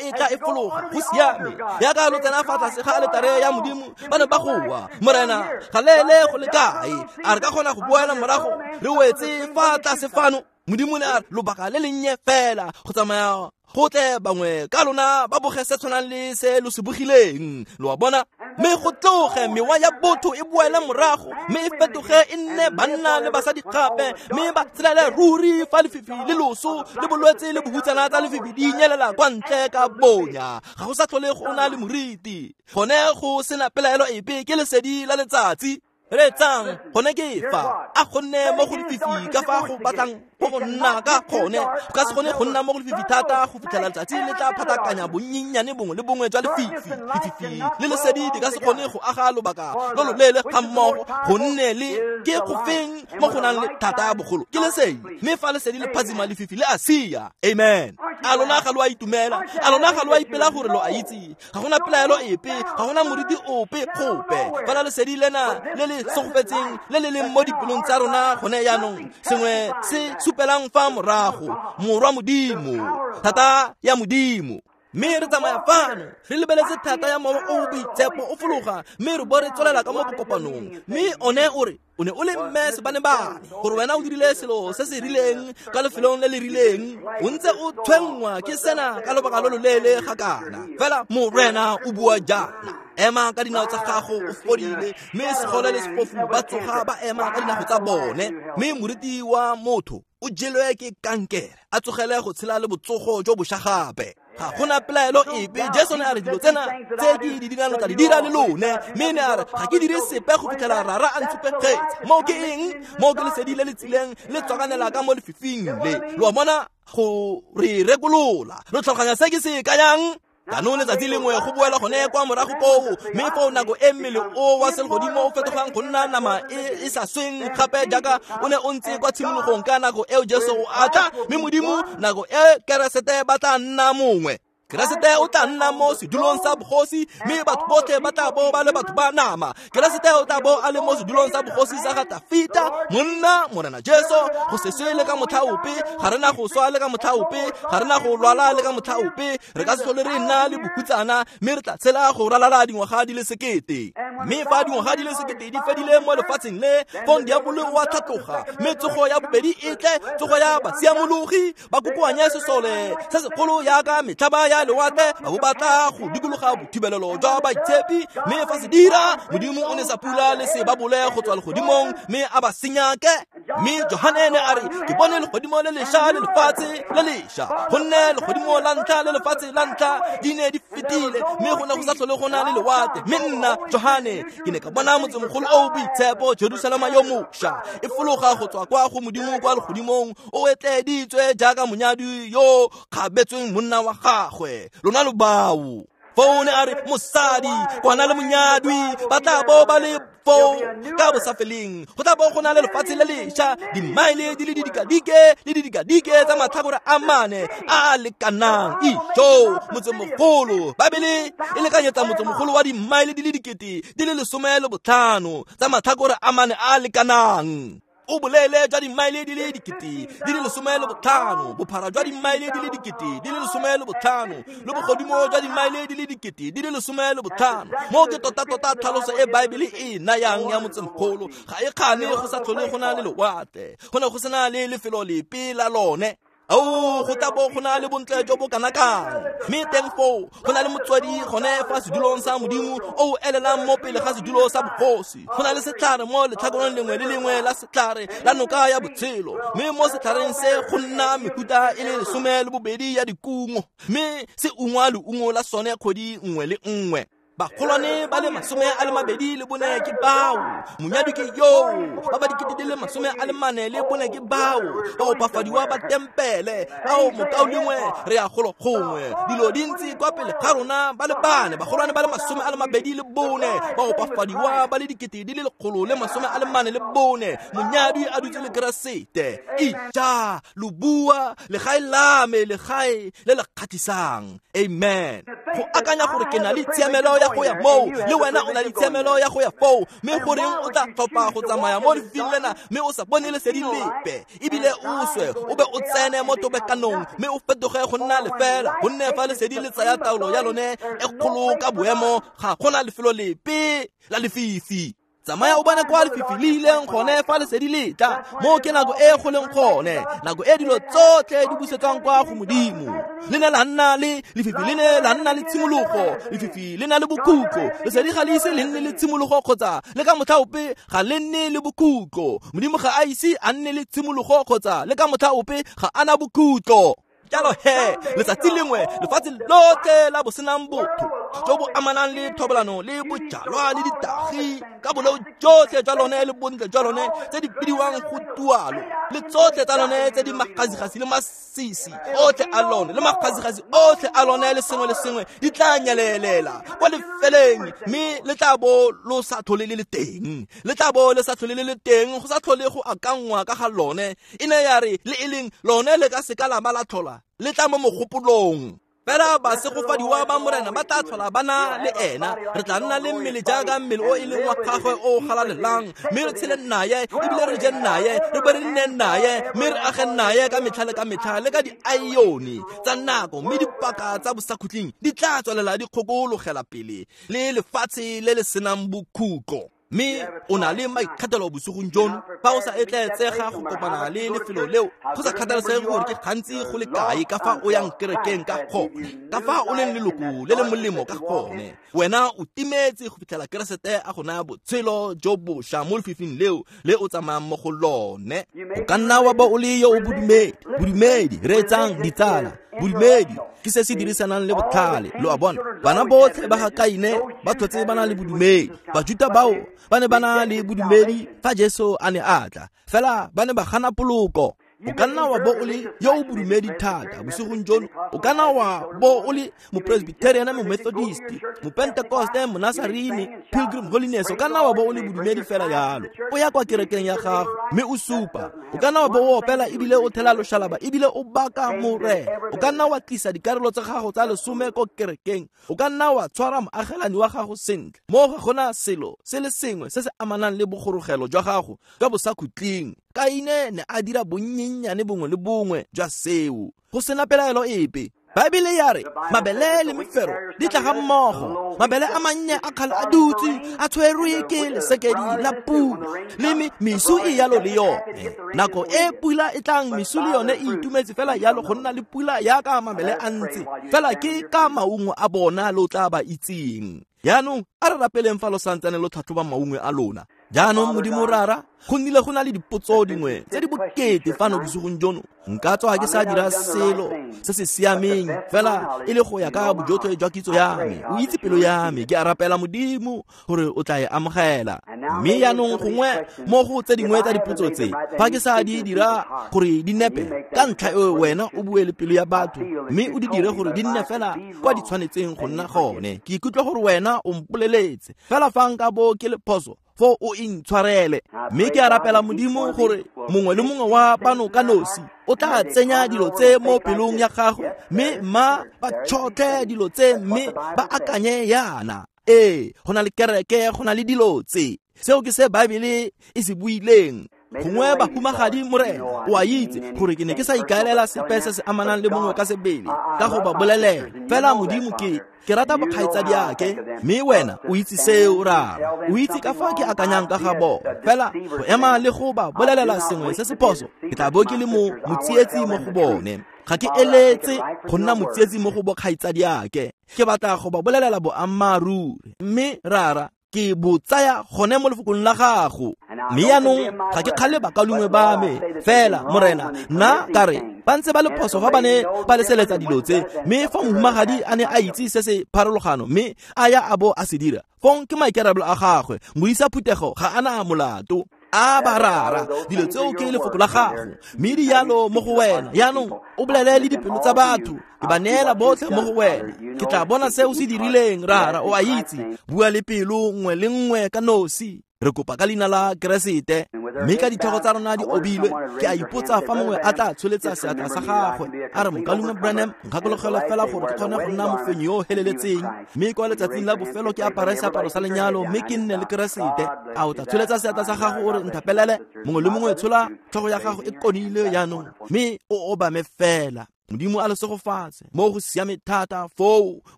e tla e fologa. Go siame. Yaka lo tsena fa tlase ga aletare ya Modimo, ba ne ba goa, Morena, galele go le kae? A re ka kgona go boela morago re wetse fa tlase fano? Modimo ne a re lobaka le lennye fela go tsamaya go tle bangwe ka lona ba boge se tshwanang le se lo se bogileng. Lo a bona? Mme go tloge mewa ya botho e boele morago, mme e fetoge e nne banna le basadi gape, mme ba tshelele ruri fa lefifi le loso le bolwetse le bohutsana tsa lefifi di nyelela kwa ntle ka bonya. Ga go sa tlhole go na le moriti, gone go sena pelaelo epe ke lesedi la letsatsi. Reetsang, gone ke fa a gonne mo go lefifi ka fa go batlang go nna ka gone. Go ka se kgone go nna mo go lefifi thata go fitlhela letsatsi le tla phatakanya bonnyennyane bongwe le bongwe jwa lefifi. Lefifi le lesedi di ka se kgone go aga lobaka lo loleele ga mmogo, gonne le ke go feng mo go nang le thata bogolo ke lesedi, mme fa lesedi le phazima lefifi le a sia. Amen. A lona ga lo a itumela? A lona ga lo a ipela gore lo a itse? Ga gona pelaelo epe, ga gona moriti ope gope. Fela lesedi lena le le segofetseng le le leng mo dipelong tsa rona gone jaanong, sengwe se supelang fa morago, Morwa Modimo, thata ya Modimo. Mme re tsamaya fano re lebeletse thata ya Mowa o o Boitshepo o fologa, mme re bo re tswelela ka mo bokopanong. Mme one o re o ne o le mme sebanebane, gore wena o dirile selo se se rileng ka lefelong le le rileng, o ntse o tshwenngwa ke sena ka lobaka lo loleele ga kana. Fela Morena o bua jaana, ema ka dinao tsa gago o fodile. Mme segole le sefofu ba tsoga ba ema ka dinao tsa bone. Mme moriti wa motho o jelwe ke kankere, a tsogele go tshela le botsogo jo bošwa gape. Ga gona pelaelo epe. Jesu ne a re dilo tsena tse ke di dirang lo tla di dira le lone, mme ne a re ga ke dire sepe go fitlhela Rara a ntshupegetse. Moo ke eng? Moo ke lesedi le le tsileng le tswakanela ka mo lefifing le. Lo a bona, go re rekolola. Lo tlhaloganya se ke se kayang? Jaanong letsatsi lengwe go boela gone kwa morago koo, mme foo nako e mmele o wa selegodimo o fetogang go nna nama e e sa sweng gape jaaka o ne o ntse kwa tshimologong ka nako eo Jesu o a tla, mme Modimo nako e Keresete ba tla nna mongwe. Keresete o tla nna mo sedulong sa bogosi, mme batho botlhe ba tla bo ba le batho ba nama. Keresete o tla bo a le mo sedulong sa bogosi sa ga Tafita, monna Morena Jesu. Go se swe le ka motlha ope, ga re na go swa le ka motlha ope, ga re na go lwala le ka motlha ope, re ka se tlhole re nna le bohutsana, mme re tla tshela go ralala dingwaga di le 1000. Mme fa dingwaga di le 1000 di fedile mo lefatsheng le, fong diabolo o a tlhatloga, mme tsogo ya bobedi e tle, tsogo ya basiamologi, ba kokoanye sesole se segolo yaka metlhaba ya lewatle, ba bo batla go dikologa bothibelelo jwa baitshepi. Mme fa se dira, Modimo o ne sa pula le se ba bole go tswa legodimong, mme a ba senyake. Mme Johane ne a re, ke bone legodimo le lešwa le lefatshe le lešwa, gonne legodimo la ntlha le lefatshe la ntlha di ne di fetile, mme go ne go sa tlhole go na le lewatle. Mme nna Johane ke ne ka bona motsemogolo o o boitshepo, Jerusalema yo mošwa, e fologa go tswa kwa go Modimo kwa legodimong, o etleeditswe jaaka monyadi yo kgabetsweng monna wa gagwe. Lona lo bao. Foo ne a re mosadi kwana le monyadwi ba tla bo ba le foo ka bosafeleng. Go tla bo go na le lefatshe le lešwa, dimaele di le didikadike le didikadike tsa matlhakore a mane a a lekanang. Ijo, motsemogolo. Baebele e lekanyetsa motsemogolo wa dimaele di le 15,000 tsa matlhakore a mane a a lekanang. O bolele jwa dimaele di le 15,000, bophara jwa dimaele di le 15,000, le bogodimo jwa dimaele di le 15,000. Moo ke tota-tota tlhaloso e Baebele e nayang ya motsemogolo. Ga e kgane go sa tlhole go na le lewatle, go ne go sena le lefelo lepe la lone. Ao, go tla bo go na le bontle jo bo kana kang. Mme teng foo go na le motswedi gone fa sedulong sa Modimo o elelang mo pele ga sedulo sa bogosi. Go na le setlhare mo letlhakoreng lengwe le lengwe la setlhare la noka ya botshelo, mme mo setlhareng se go nna mefuta e le 12 ya dikungo, mme se ungwa leungo la sone kgwedi nngwe le nngwe. Bagolwane ba le 24 ke bao, monyadi ke yoo, ba ba 44,000 ke bao, ba opafadiwa ba tempele, ao mokaulengwe re ya golo gongwe, dilo dintsi kwa pele ga rona ba le bane, bagolwane ba le 24, ba opafadiwa ba le 144,000, monyadi a dutse le Keresete. Ija lo bua legae la me, legae le le kgatlhisang. Amen. Go akanya gore ke na le tshiamelo ya go ya moo, le wena o na le tshiamelo ya go ya foo, mme goreng o tla tlhopha go tsamaya mo lefifing lena mme o sa bone lesedi lepe, ebile o swe o be o tsene mo tobekanong mme o fetoge go nna lefela, gonne fa lesedi le tsaya taolo ya lone e kgolo ka boemo, ga gona lefelo lepe la lefifi. Tsamaya o bone kwa lefifi le ileng gone fa lesedi le tla, moo ke nako e go leng gone, nako e dilo tsotlhe di busetswang kwa go Modimo. Le ne la nna le lefifi, le ne la nna le tshimologo, lefifi le na le bokhutlo, lesedi ga le ise le nne le tshimologo kgotsa le ka motlha ope ga le nne le bokhutlo. Modimo ga a ise a nne le tshimologo kgotsa le ka motlha ope ga a na bokhutlo. Jalo he, letsatsi lengwe lefatshe lotlhe la bosenang botho jo bo amanang le thobalano le bojalwa le ditagi ka boleo jotlhe jwa lone le bontle jwa lone tse di bidiwang go tualo, le tsotlhe tsa lone tse di magasigasi le masisi otlhe a lone le magasigasi otlhe a lone le sengwe le sengwe di tla nyelelela kwa lefeleng, mme le tla bo lo sa tlhole le le teng, le tla bo le sa tlhole le le teng, go sa tlhole go akanngwa ka ga lone. E ne ya re le e leng lone le ka seka la ba la tlhola le tla mo mogopolong. Fela basegofadiwa ba Morena ba tla tlhola ba na le ena, re tla nna le mmele jaaka mmele o e leng wa gagwe o galalelang, mme re tshele naye, ebile re je naye, re be re nne naye, mme re age naye ka metlha le ka metlha le ka diaione tsa nako, mme dipaka tsa bosakhutleng di tla tswelela di kgokologela pele le lefatshe le le senang bokhutlo. Mme o na le maikgethelo bosigong jono, fa o sa etleetsega go kopana le lefelo leo, go sa kgathalesege gore ke gantsi go le kae ka fa o yang kerekeng ka gone, ka fa o leng leloko le le molemo ka gone, wena o timetse go fitlhela Keresete a go naya botshelo jo bošwa mo lefifing leo le o tsamayang mo go lone. O ka nna wa ba o le yo o bodumedi, bodumedi, reetsang ditsala, bodumedi ke se se dirisanang le botlhale. Lo a bona, bana botlhe ba ga Kaine ba tlhotse ba na le bodumedi. Bajuta bao ba ne ba na le bodumedi fa Jesu a ne a tla, fela ba ne ba gana poloko. O ka nna wa bo o le yo o bodumedi thata bosigong jono, o ka nna wa bo o le mopresbyterian, momethodist, mopentecoste, monasarene, Pilgrim Holiness, o ka nna wa bo o le bodumedi fela yalo. O ya kwa kerekeng ya gago mme o supa, o ka nna wa bo o opela ebile o thela loshalaba ebile o baka Morena, o ka nna wa tlisa dikarolo tsa gago tsa lesome ko kerekeng, o ka nna wa tshwara moagelani wa gago sentle, mo ga gona selo se le sengwe se se amanang le bogorogelo jwa gago jwa bosakhutleng. Kaine ne a dira bonnyennyane bongwe le bongwe jwa seo, go sena pelaelo epe. Baebele ya re mabele le mefero di tla ga mmogo, mabele a mannye a kgale a dutse a tshwerwe ke lesekedi la pula, le mesu e yalo le yone. Nako e pula e tlang, mesu le yone e itumetse fela yalo go nna le pula yaka mabele a ntse, fela ke ka maungo a bona lo tla ba itseng. Jaanong a re rapeleng fa lo santsane lo tlhatlhoba maungo a lona. Jaanong Modimo Rara, go nnile go na le dipotso dingwe tse di bokete fano bosigong jono. Nka tswa ke sa dira selo se se siameng fela e le go ya ka bojotlhe jwa kitso ya me. O itse pelo ya me, ke a rapela Modimo gore o tla e amogela. Mme jaanong gongwe mo go tse dingwe tsa dipotso tse, fa ke sa di dira gore di nepe, ka ntlha eo wena o bue le pelo ya batho mme o di dire gore di nne fela kwa di tshwanetseng go nna gone. Ke ikutlwa gore wena o mpoleletse, fela fa nka bo ke le phoso, fo o intshwarele. Mme ke a rapela Modimo gore mongwe le mongwe wa bano ka nosi o tla tsenya dilo tse mo pelong ya gagwe, mme mma ba tšhotlhe dilo tse mme ba akanye yana. Ee, go na le kereke, go na le dilo tse. Seo ke se Baebele e se buileng. Gongwe bahumagadi Morena, o a itse gore ke ne ke sa ikaelela sepe se se amanang le mongwe ka sebele ka go ba bolelela, fela Modimo ke rata bokgaitsadiake, mme wena o itse seo Rara, o itse ka fa ke akanyang ka ga bona. Fela go ema le go ba bolelela sengwe se se phoso, ke tla bo ke le mo motsietsi mo go bone. Ga ke eletse go nna motsietsi mo go bokgaitsadiake, ke batla go ba bolelela boammaaruri. Mme Rara, Ke bo tsaya gone mo lefokong la gago. Mme jaanong ga ke kgale bakaulengwe ba me fela, Morena, nna ka re ba ntse ba le phoso fa ba ne ba leseletsa dilo tse, mme fa mohumagadi a ne a itse se se pharologano mme a ya a bo a se dira, fong ke maikarabelo a gagwe. Modisa phuthego ga a na molato. A ba rara, dilo tseo ke lefoko la gago, mme di yalo mo go wena. Jaanong o bolele le dipelo tsa batho, ke ba neela botlhe mo go wena. Ke tla bona se o se dirileng, rara, o a itse. Bua le pelo nngwe le nngwe ka nosi. Re kopa ka leina la Keresete. Mme ka ditlhogo tsa rona di obilwe, ke a ipotsa fa mongwe a tla tsholetsa seatla sa gagwe a re, Mokaulengwe Branham, nkgakologelwe fela gore ke kgone go nna mofenyi yo o heleletseng, mme kwa letsatsing la bofelo ke apare seaparo sa lenyalo mme ke nne le Keresete. A o tla tsholetsa seatla sa gago o re nthapelele? Mongwe le mongwe tshola tlhogo ya gago e konile jaanong mme o obame fela. Modimo a le segofatse mo go siame thata foo.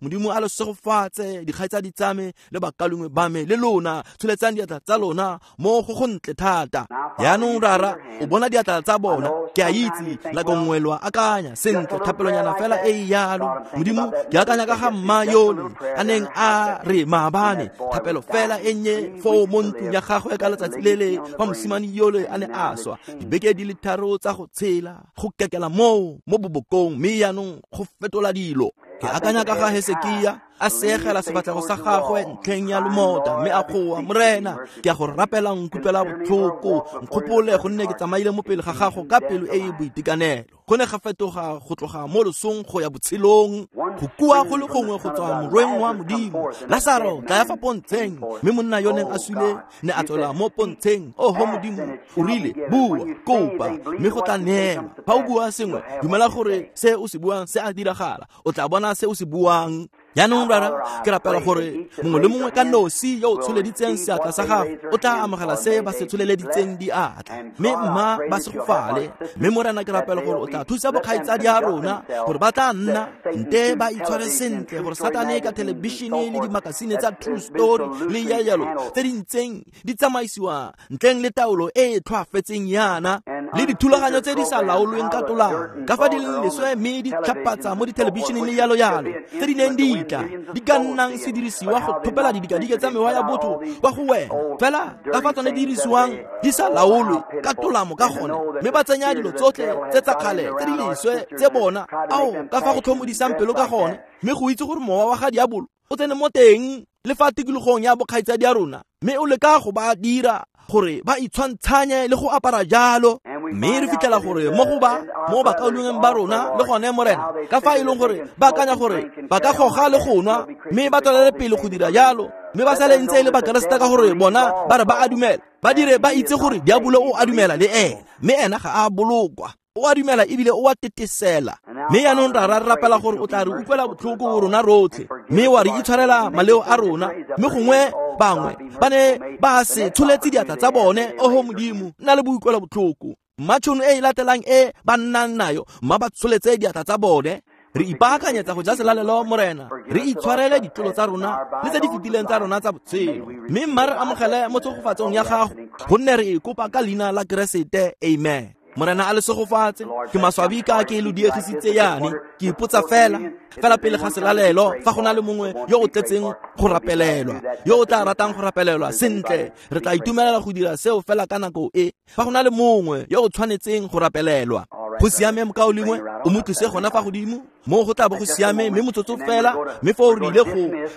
Modimo a le segofatse, dikgaitsadi tsa me le bakaulengwe ba me le lona. Tsholetsang diatla tsa lona mo go gontle thata. Jaanong rara, o bona diatla tsa bona. Ke a itse nako nngwe lo akanya sentle, thapelonyana fela e e yalo. Modimo, ke akanya ka ga mma yole a neng a re maabane, thapelo fela e nnye foo mo ntlong ya gagwe ka letsatsi lele fa mosimane yole a ne a swa, dibeke di le 3 tsa go tshela, go kekela moo mo bobokong, mme jaanong go fetola dilo. Ke akanya ka ga Hesekia a seegela sefatlhego sa gagwe ntlheng ya lomota mme a goa, Morena, ke a go rapela, nkutlwela botlhoko, nkgopole gonne ke tsamaile mo pele ga gago ka pelo e e boitekanelo. Go ne ga fetoga go tloga mo losong go ya botshelong, go kua go le gongwe go tswa morweng wa Modimo. Lasaro, tla ya fa pontsheng. Mme monna yo neng a sule ne a tswela mo pontsheng. Oho Modimo, o rile, bua, kopa, mme go tla neelwa. Fa o bua sengwe, dumela gore se o se buang se a diragala, o tla bona se o se buang. Jaanong rara, ke rapela gore mongwe le mongwe ka nosi yo o tsholeditseng seatla sa gago o tla amogela se ba se tsholeleditseng diatla, mme mma ba segofale. Mme Morena, ke rapela gore o tla thusa bokgaitsadi a rona gore ba tla nna nte ba itshware sentle, gore Satane ka thelebišene le dimakasine tsa True Story le yalo tse di ntseng di tsamaisiwa ntleng le taolo e e tlhoafetseng yana, le dithulaganyo tse di sa laolweng ka tolamo, ka fa di leng leswe mme di tlhapatsa mo dithelebišeneng le yalo yalo, tse di neng di tla di ka nnang sedirisiwa go thopela didikadike tsa mewa ya botho kwa go wena, fela ka fa tsone di dirisiwang di sa laolwe ka tolamo ka gone, mme ba tsenya dilo tsotlhe tse tsa kgale tse di leswe tse bona, ao ka fa go tlhomodisang pelo ka gone, mme go itse gore mowa wa ga diabolo o tsene mo teng le fa tikologong ya bokgaitsadi ya rona, mme o leka go ba dira gore ba itshwantshanye le go apara jalo. Mme re fitlhela gore mo go ba mo bakaulengweng ba rona le gone, Morena, ka fa e leng gore ba akanya gore ba ka goga le go nwa, mme ba tswelele pele go dira jalo, mme ba sale ntse e le bakeresete ka gore bona ba re ba a dumela, ba dire ba itse gore diabolo o a dumela le ena, mme ena ga a bolokwa, o a dumela ebile o a tetesela. Mme jaanong rara, re rapela gore o tla re utlwela botlhoko rona rotlhe, mme wa re itshwarela maleo a rona. Mme gongwe bangwe ba ne ba se tsholetse diatla tsa bone. Oho Modimo, nna le boikuelo botlhoko. Mma tšhono e e latelang e ba nnang nayo, mma ba tsholetse diatla tsa bone. Re ipaakanyetsa go ja selalelo, Morena, re itshwarele ditlolo tsa rona le tse di fetileng tsa rona tsa botshelo, mme mma re amogele mo tshegofatsong ya gago, gonne re e kopa ka leina la Keresete. Amen. Morena a le segofatse. Ke maswabi ka ke lo diegisitse yane. Ke ipotsa fela fela pele ga selalelo fa go na le mongwe yo o tletseng go rapelelwa, yo o tla ratang go rapelelwa sentle, re tla itumelela go dira seo fela ka nako e. Fa go na le mongwe yo o tshwanetseng go rapelelwa, go siame mokaulengwe, o mo tlise gona fa godimo mo go tla bo go siame, mme motsotso fela, mme foo re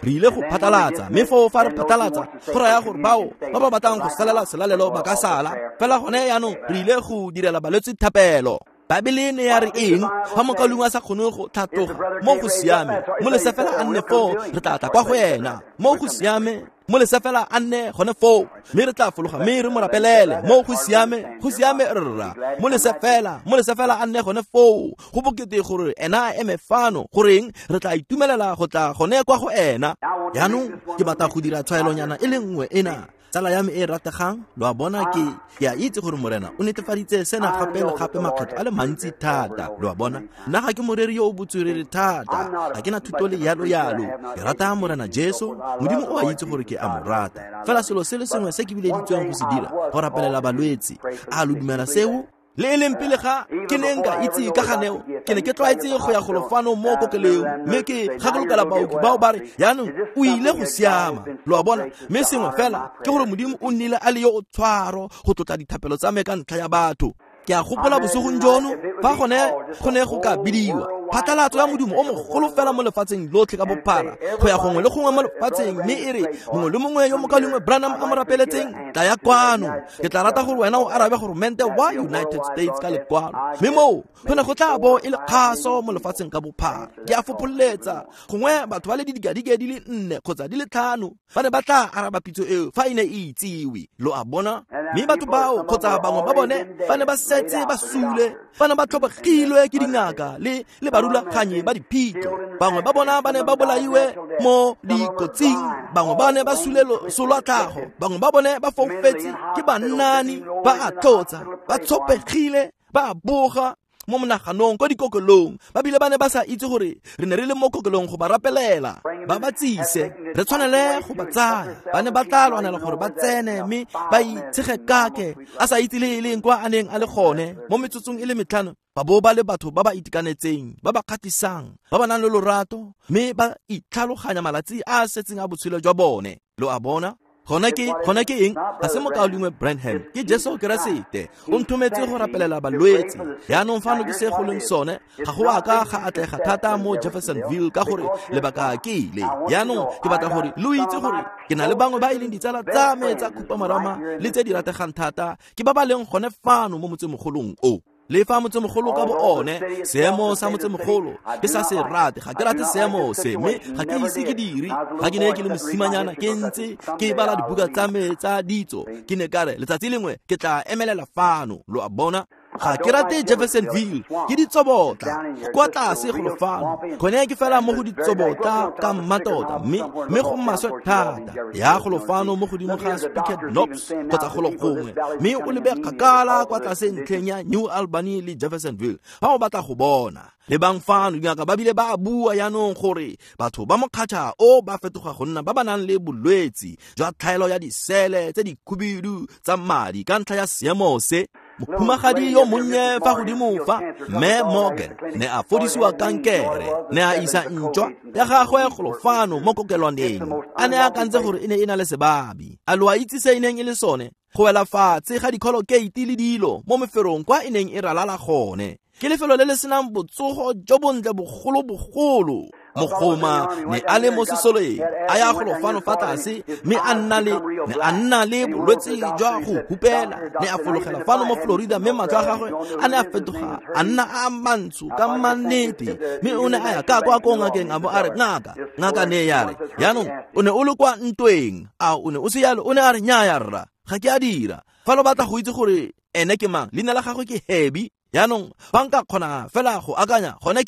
ile go phatlalatsa, mme foo fa re phatlalatsa go raya gore bao ba ba batlang go salela selalelo ba ka sala fela. Gone jaanong re ile go direla balwetse thapelo. Baebele ne ya re eng? Fa mokaulengwe a sa kgone go tlhatloga, mo go siame, mo lese fela a nne foo, re tla tla kwa go ena. Mo go siame, mo lese fela a nne gone foo, mme re tla fologa mme re mo rapelele. Mo go siame, go siame rra, mo lese fela a nne gone foo. Go bokete gore ena a eme fano, goreng re tla itumelela go tla gone kwa go ena. Jaanong ke batla go dira tshwaelonyana e le nngwe ena. Tsala ya me e rategang, lo a bona, ke a itse gore Morena o netefaditse sena gape le gape makgetlo a le mantsi thata. Lo a bona, nna ga ke moreri yo o botswerere thata, ga ke na thuto le yalo yalo. Ke rata Morena Jesu, Modimo o a itse gore ke a mo rata. Fela selo se le sengwe se ke bileditsweng go se dira, go rapelela balwetse. A lo dumela seo? Le e leng pele ga ke ne nka itse ka ganeo, ke ne ke tlwaetse go ya golo fano mo kokelong, mme ke gakolokela baoki bao ba re jaanong o ile go siama, lo a bona. Mme sengwe fela ke gore Modimo o nnile a le yo o tshwaro go tlotla dithapelo tsa me ka ntlha ya batho. Ke a gopola bosigong jono fa gone go ne go ka bidiwa phatlalatso ya modumo o mogolo fela mo lefatsheng lotlhe ka bophara go ya gongwe le gongwe mo lefatsheng, mme e re mongwe le mongwe yo mokaulengwe Branham a mo rapeletseng, tla ya kwano, ke tla rata gore wena o arabe goromente wa United States ka lekwalo. Mme moo go ne go tla bo e le kgaso mo lefatsheng ka bophara. Ke a fopholetsa gongwe batho ba le didikadike di le 4 kgotsa di le 5 ba ne ba tla araba pitso eo fa e ne e itsiwe, lo a bona. Mme batho bao kgotsa bangwe ba bone ba ne ba setse ba sule, ba ne ba tlhobogilwe ke dingaka le barulaganyi ba diphito. Bangwe ba bona ba ne ba bolaiwe mo dikotsing, bangwe ba ne ba sule loso lwa tlhago, bangwe ba bone ba foufetse ke bannani, ba a tlotsa, ba tshopegile, ba boga mo monaganong ko dikokelong, ba bile ba ne ba sa itse gore re ne re le mo kokelong go ba rapelela, ba ba tsise, re tshwanele go ba tsaya. Ba ne ba tla lwanela gore ba tsene mme ba itshegekake a sa itse le e leng kwa a neng a le gone mo metsotsong e le 5, ba bo ba le batho ba ba itekanetseng, ba ba kgatlhisang, ba ba nang le lorato, mme ba itlhaloganya malatsi a a setseng a botshelo jwa bone, lo a bona. Gone ke eng? Ga se mokaulengwe Branham, ke Jesu Keresete. O nthometse go rapelela balwetse. Jaanong fano ke se go leng sone, ga go a ka ga atlega thata mo Jeffersonville ka gore lebaka ke ile. Jaanong ke batla gore lo itse gore ke na le bangwe ba e leng ditsala tsa me tsa khupamarama le tse di rategang thata, ke ba ba leng gone fano mo motsemogolong o. Le fa motsemogolo ka bo one, seemo sa motsemogolo ke sa se rate, ga ke rate seemo se, mme ga ke ise ke dire. Ga ke ne ke le mosimanyana ke ntse ke bala dibuka tsa me tsa ditso, ke ne ka re letsatsi lengwe ke tla emelela fano, lo a bona. Ga ke rate Jeffersonville, ke ditsobotla kwa tlase golo fano, gone ke fela mo go ditsobotla ka mmatota, mme go maswe thata. Ya golo fano mo godimo ga Spicket Knobs kgotsa golo gongwe, mme o lebe kgakala kwa tlase ntlheng ya New Albany le Jeffersonville fa o batla go bona. Lebang fano, dingaka ba bile ba bua jaanong gore batho ba mokgatšha o ba fetoga go nna ba ba nang le bolwetse jwa tlhaelo ya disele tse dikhubidu tsa madi ka ntlha ya seemo se. Mohumagadi yo monnye fa godimo fa, Mme Morgan, ne a fodisiwa kankere, ne a isa ntšwa ya gagwe golo fano mo kokelwaneng, a ne a akantse gore e ne e na le sebabi. A lo a itse se e neng e le sone? Go wela fatshe ga dikholokate le dilo mo meferong kwa e neng e ralala gone. Ke lefelo le le senang botsogo jo bontle bogolo-bogolo. Mogoma ne a le mo sesoleng, a ya golo fano fa tlase, mme a nna le bolwetse jwa go hupela. Ne a fologela fano mo Florida, mme matlho a gagwe a ne a fetoga a nna a mantsho ka mannete. Mme o ne a ya ka kwa ko ngakeng a bo a re, ngaka ne ya re, jaanong o ne o le kwa ntweng, a o ne o se yalo? O ne a re, nnyaya rra, ga ke a dira. Fa lo batla go itse gore ene ke mang, leina la gagwe ke Hebi. Jaanong fa nka kgona fela go akanya, gone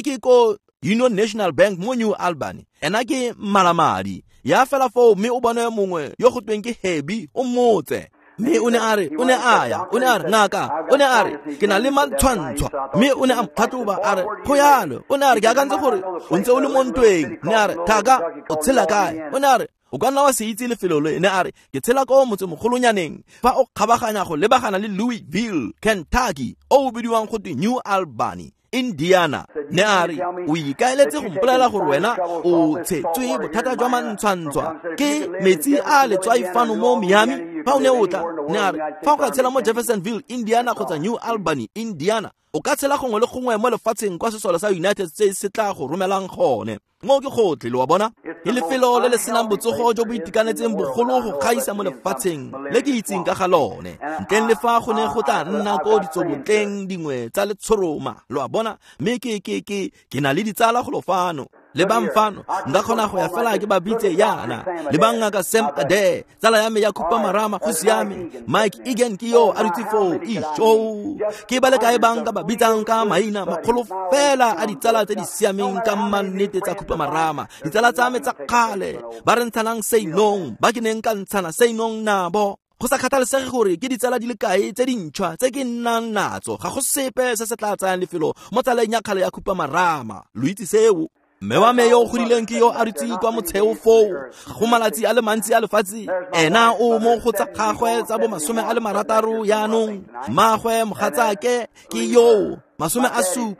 ke ko Union National Bank mo New Albany, ena ke malamadi. Ya fela foo mme o bone mongwe yo go tweng ke Hebi, o mmotse. Mme o ne a re, o ne a ya, o ne a re, ngaka, o ne a re, ke na le mantshwantshwa. Mme o ne a mphatlhoba a re, go yalo. O ne a re, ke akantse gore o ntse o le mo ntweng. Ne a re, thaka, o tshela kae? O ne a re, o ka nna wa se itse lefelo le. Ne a re, ke tshela ko motsemogolonyaneng fa o kgabaganya go lebagana le Louisville, Kentucky, o o bidiwang go twe New Albany, Indiana. Ne a re, o ikaeletse go mpolelela gore wena o tshetswe bothata jwa mantshwantshwa ke metsi a letswai fano mo Miami fa o ne o tla? Ne a re, fa o ka tshela mo Jeffersonville, Indiana kgotsa New Albany, Indiana, o ka tshela gongwe le gongwe mo lefatsheng kwa sesole sa United States se tla go romelang gone. Mo ke gotlhe, lo a bona. Ke lefelo le le senang botsogo jo bo itekanetseng bogolo go gaisa mo lefatsheng le ke itseng ka ga lone, ntleng le fa go ne go tla nna ko ditsobotleng dingwe tsa letshoroma, lo a bona. Mme ke na le ditsala golo fano. Le bang fano, nka kgona go ya fela ke ba bitse yana. Le bang ngaka Sam Adair, tsala ya me ya khupamarama, go siame. Mike Egan ke yo a dutse foo, isho. Ke ba le kae bang ka ba bitsang ka maina makgolo fela a ditsala tse di siameng ka mannete tsa khupamarama. Ditsala tsa me tsa kgale, ba re ntshanang seinong, ba ke neng ka ntshana seinong nabo. Go sa kgathalesege gore ke ditsala di le kae tse dintšhwa tse ke nnang natso, ga go sepe se se tla tsayang lefelo mo tsaleng ya kgale ya khupamarama. Lo itse seo. Mme wa me yo o godileng ke yo a dutse kwa motsheo foo, ga go malatsi a le mantsi a lefatshe, ena o mo go tsa gagwe tsa bo 60 jaanong. Mmagwe mogatsake ke yo 70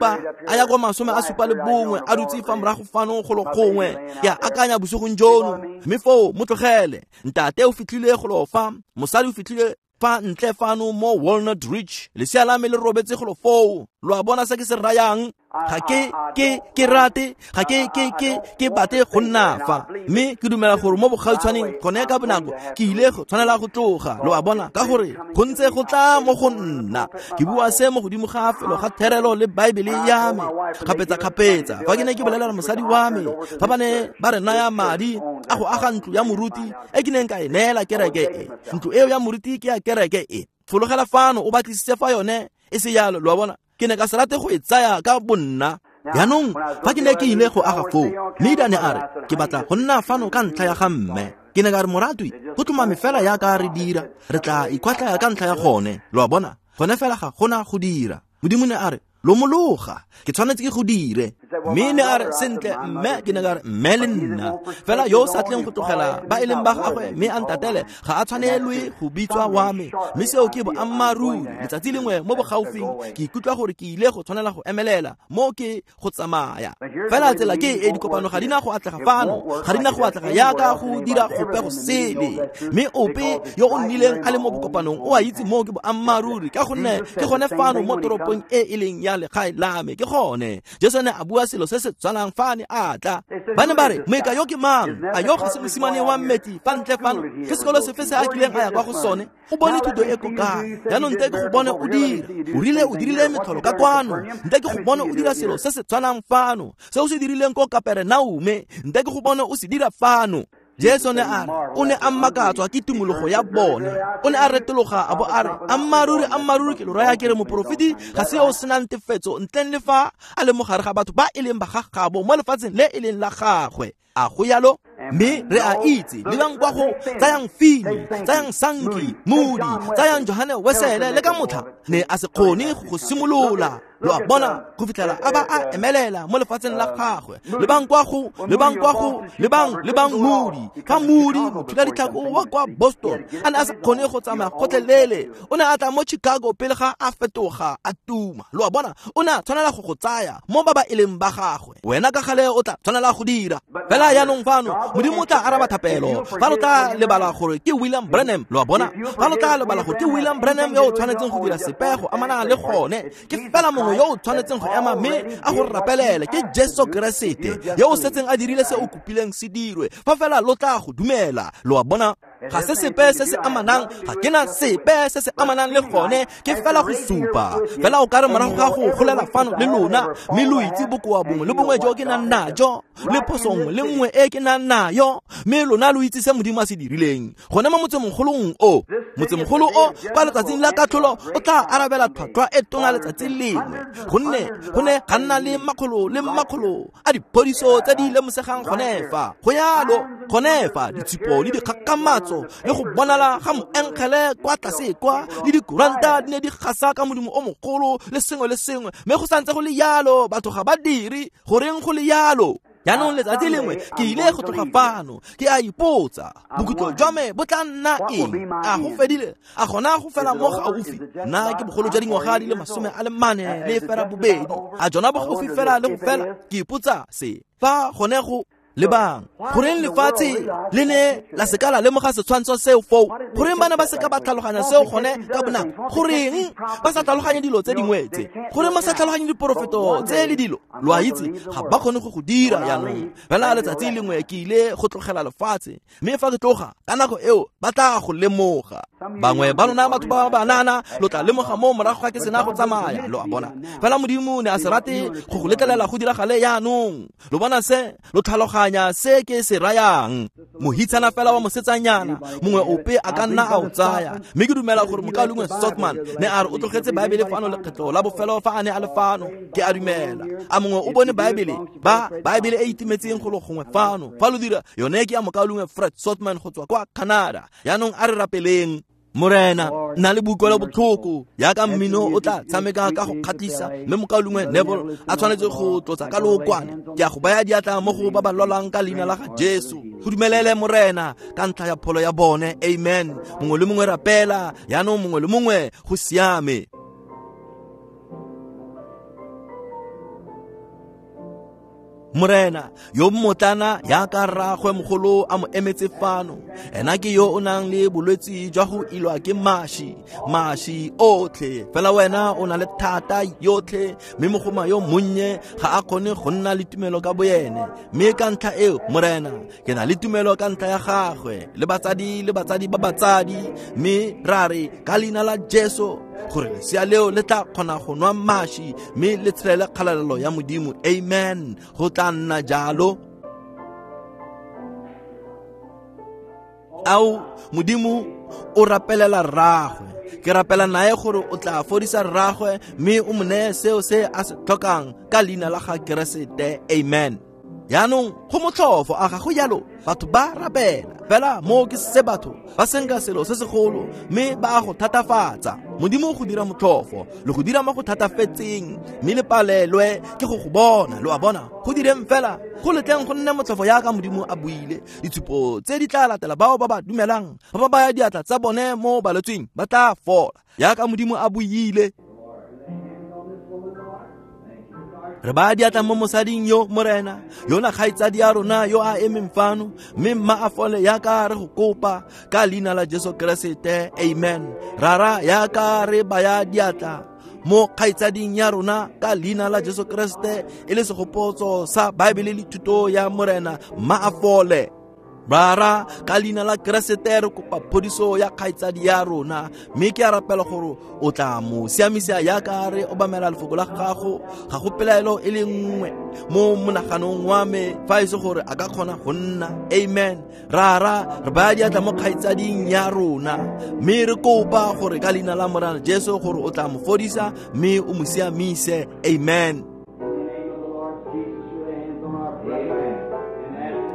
a ya kwa 71 a dutse fa morago fano golo gongwe. Ke a akanya bosigong jono, mme foo mo tlogele. Ntate o fitlhile golo fa, mosadi o fitlhile fa ntle fano mo Walnut Ridge, lesea la me le robetse golo foo. Lo a bona se ke se rayang? Ga ke rate, ga ke batle go nna fa, mme ke dumela gore mo bogautshwaneng gone ka bonako ke ile go tshwanela go tloga. Lo a bona, ka gore go ntse go tla mo go nna. Ke bua se mo godimo ga felo ga therelo le Baebele ya me kgapetsa-kgapetsa. Fa ke ne ke bolelela mosadi wa me, fa ba ne ba re naya madi a go aga ntlo ya moruti e ke neng ka e neela kereke e, ntlo eo ya moruti ke ya kereke e, fologela fano o batlisise fa yone e se jalo. Lo a bona, ke ne ka se rate go e tsaya ka bonna. Jaanong fa ke ne ke ile go aga foo, mme ne a re ke batla go nna fano ka ntlha ya ga mme. Ke ne ka re, moratwi, go tlhomame fela yaka re dira, re tla ikwatlaya ka ntlha ya gone. Lo a bona, gone fela ga gona go dira. Modimo ne a re, lomologa, ke tshwanetse ke go dire. Mme ne a re, sentle mme. Ke ne ka re, mme le nna fela yo o sa tleng go tlogela ba e leng ba gagwe mme a ntatele ga a tshwanelwe go bitswa wa me. Mme seo ke boammaaruri. Letsatsi lengwe mo bogaufing ke ikutlwa gore ke ile go tshwanela go emelela mo ke go tsamaya. Fela tsela ke e, dikopano ga di na go atlega fano, ga di na go atlega yaka go dira gope go sele. Mme ope yo o nnileng a le mo bokopanong o a itse mo ke boammaaruri, ka gonne ke gone fano mo toropong e e leng ya legae la me. Ke gone Jesu ne a bua selo se se tshwanang fa ne a tla. Ba ne ba re, moeka yo ke mang? A yo ga se mosimane wa mmetli fa ntle fano? Ke sekolo sefe se a kileng a ya kwa go sone? O bone thuto e ko kae? Jaanong nte ke go bone o dira. O rile o dirile metlholo ka kwano, nte ke go bone o dira selo se se tshwanang fano. Se o se dirileng ko Kaperenaume, nte ke go bone o se dira fano. Jesu ne a re, o ne a mmakatswa ke tumologo ya bone. O ne a retologa a bo a re, ammaaruri ammaaruri ke lo raya ke re, moporofeti ga se yo o senang tefetso ntleng le fa a le mogare ga batho ba e leng ba gagabo mo lefatsheng le e leng la gagwe. A go yalo? Mme re a itse, lebang kwa go tsayang Fini, tsayang Sankey, Moody, tsayang Johane Wesele, le ka motlha ne a se kgone go simolola. Lo a bona, go fitlhela a ba a emelela mo lefatsheng la gagwe. Lebang kwa go, lebang kwa go, lebang Moody. Fa Moody, mothula ditlhako wa kwa Boston, a ne a se kgone go tsamaya gotlhelele, o ne a tla mo Chicago pele ga a fetoga a tuma. Lo a bona, o ne a tshwanela go tsaya mo ba ba e leng ba gagwe. Wena ka gale o tla tshwanela go dira. Fela jaanong fano Modimo o tla araba thapelo. Fa lo tla lebala gore ke William Branham, lo a bona, fa lo tla lebala gore ke William Branham yo o tshwanetseng go dira sepe go amana le gone, ke fela mongwe yo o tshwanetseng go ema mme a go rapelele, ke Jesu Keresete yo o setseng a dirile se o kopileng se dirwe, fa fela lo tla go dumela. Lo a bona, ga se sepe se se amanang, ga ke na sepe se se amanang le gone, ke fela go supa. Fela o ka re morago ga go golela fano le lona, mme lo itse bokoa bongwe le bongwe jo ke nang najo, le phoso nngwe le nngwe e ke nang nayo, mme lona lo itse se Modimo a se dirileng gone mo motsemogolong o. Motsemogolo o kwa letsatsing la katlholo o tla arabela tlhwatlhwa e tona letsatsi lengwe, gonne go ne ga nna le makgolo le makgolo a diphodiso tse di lemosegang gone fa. Go yalo gone fa, ditshupo le dikgakgamatso le go bonala ga moengele kwa tlase kwa, le dikuranta di ne di gasa ka modimo o mogolo le sengwe le sengwe, mme go santse go le yalo batho ga ba dire. Goreng go le yalo? Jaanong letsatsi lengwe ke ile go tloga fano, ke a ipotsa, bokhutlo jwa me bo tla nna eng? A go fedile? A gona go fela mo gaufi? Nna ke bogolo jwa dingwaga di le 48, a jona bo gaufi fela le go fela? Ke ipotsa se fa gone go lebang. Goreng lefatshe le ne la se ka la lemoga setshwantsho seo foo? Goreng ba ne ba se ka ba tlhaloganya seo gone ka bonako? Goreng ba sa tlhaloganye dilo tse dingwe tse? Goreng ba sa tlhaloganye diporofeto tse le dilo? Lo a itse, ga ba kgone go go dira jaanong. Fela letsatsi lengwe ke ile go tlogela lefatshe, mme fa ke tloga ka nako eo ba tla go lemoga. Bangwe ba lona batho ba banana lo tla lemoga mo morago ga ke sena go tsamaya. Lo a bona, fela Modimo ne a se rate go go letlelela go diragale jaanong. Lo bona se, lo tlhaloganya se ke se rayang. Mohitshana fela wa mosetsanyana mongwe ope a ka nna a o tsaya, mme ke dumela gore mokaulengwe Sotman ne a re o tlogetse Baebele fano lekgetlo la bofelo fa a ne a le fano. Ke a dumela a mongwe o bone Baebele, ba Baebele e itimetseng golo gongwe fano. Fa lo dira, yone ke ya mokaulengwe Fred Sotman go tswa kwa Canada. Jaanong a re rapeleng. Morena nna le boikuelo botlhoko yaka mmino o tla tshameka ka go kgatlhisa mme mokaulengwe Neville a tshwanetse go tlotsa ka lookwane. Ke a go baya diatla mo go ba ba lwalang ka leina la ga Jesu. Go dumelele Morena ka ntlha ya pholo ya bone. Amen. Mongwe le mongwe rapela yaanong, mongwe le mongwe go siame. Morena yo mmotlana yaka rraagwe mogolo a mo emetse fano, ena ke yo o nang le bolwetsi jwa go ilwa ke mashi otlhe. Fela wena o na le thata yotlhe, mme mogoma yo monnye ga a kgone go nna le tumelo ka boyene. Mme ka ntlha eo Morena ke na le tumelo ka ntlha ya gagwe le batsadi ba batsadi, mme ra re ka leina la Jesu gore lesea leo le tla kgona go nwa mashi mme le tshelele kgalalelo ya Modimo. Amen. Go tla nna jalo. Ao Modimo o rapelela rraagwe. Ke rapela nae gore o tla fodisa rraagwe mme o mo neye seo se a se tlhokang ka leina la ga Keresete. Amen. Yaanong go motlhofo a ga go jalo, batho ba rapela fela mo ke se batho ba senka selo se segolo mme ba a go thatafatsa. Modimo go dira motlhofo le go dira mo go thatafetseng mme le palelwe ke go go bona. Lo a bona, go direng fela go letleng go nne motlhofo yaka Modimo a buile. Ditshupo tse di tla latela bao ba ba dumelang, ba ba baya diatla tsa bone mo balwetseng ba tla fola yaka Modimo a buile. Re baya diatla mo mosading yo Morena, yona kgaitsadi ya rona yo a emeng fano, mme mma a fole yaka re go kopa ka leina la Jesu Keresete. Amen. Rara yaka re baya diatla mo kgaitsading ya rona ka leina la Jesu Keresete e le segopotso sa Baebele le thuto ya Morena, mma a fole. Rara ka leina la Keresete re kopa phodiso ya kgaitsadi ya rona, mme ke a rapela gore o tla mo siamisa yaka re obamela lefoko la gago. Ga go pelaelo e le nngwe mo monaganong wa me fa e se gore a ka kgona go nna. Amen. Rara re baya diatla mo kgaitsading ya rona mme re kopa gore ka leina la Morena Jesu gore o tla mo fodisa mme o mo siamise. Amen.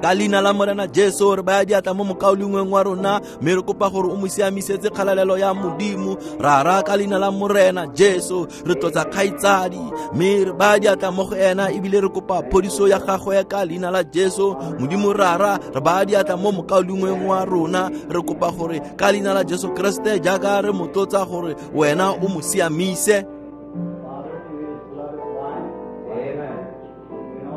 Ka leina la Morena Jesu re baya diatla mo mokaulengweng wa rona mme re kopa gore o mo siamisetse kgalalelo ya Modimo. Rara ka leina la Morena Jesu re tlotsa kgaitsadi mme re baya diatla mo go ena ebile re kopa phodiso ya gagwe ka leina la Jesu. Modimo Rara re baya diatla mo mokaulengweng wa rona, re kopa gore ka leina la Jesu Keresete jaaka re mo tlotsa gore wena o mo siamise.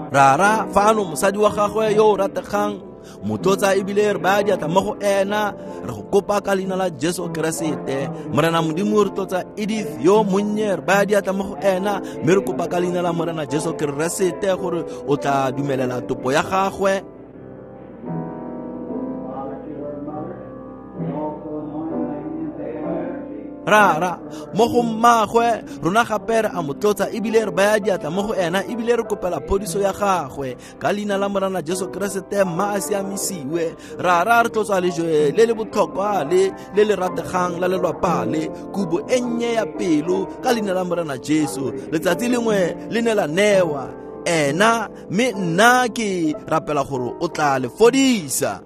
Rara fano mosadi wa gagwe yo o rategang motlotsa ebile re baya diatla mo go ena, re go kopa ka leina la Jesu Keresete. Morena Modimo re tlotsa Edith yo monnye, re baya diatla mo go ena mme re kopa ka leina la Morena Jesu Keresete gore o tla dumelela topo ya gagwe. Rara mo go mmagwe rona gape re a mo tlotsa ebile re baya diatla mo go ena ebile re kopela phodiso ya gagwe ka leina la Morena Jesu Keresete, mma a siamisiwe. Rara re tlotsa lejwe le le botlhokwa le le le rategang la lelwapa le kubo e nnye ya pelo ka leina la Morena Jesu. Letsatsi lengwe le ne la newa ena, mme nna ke rapela gore o tla le fodisa.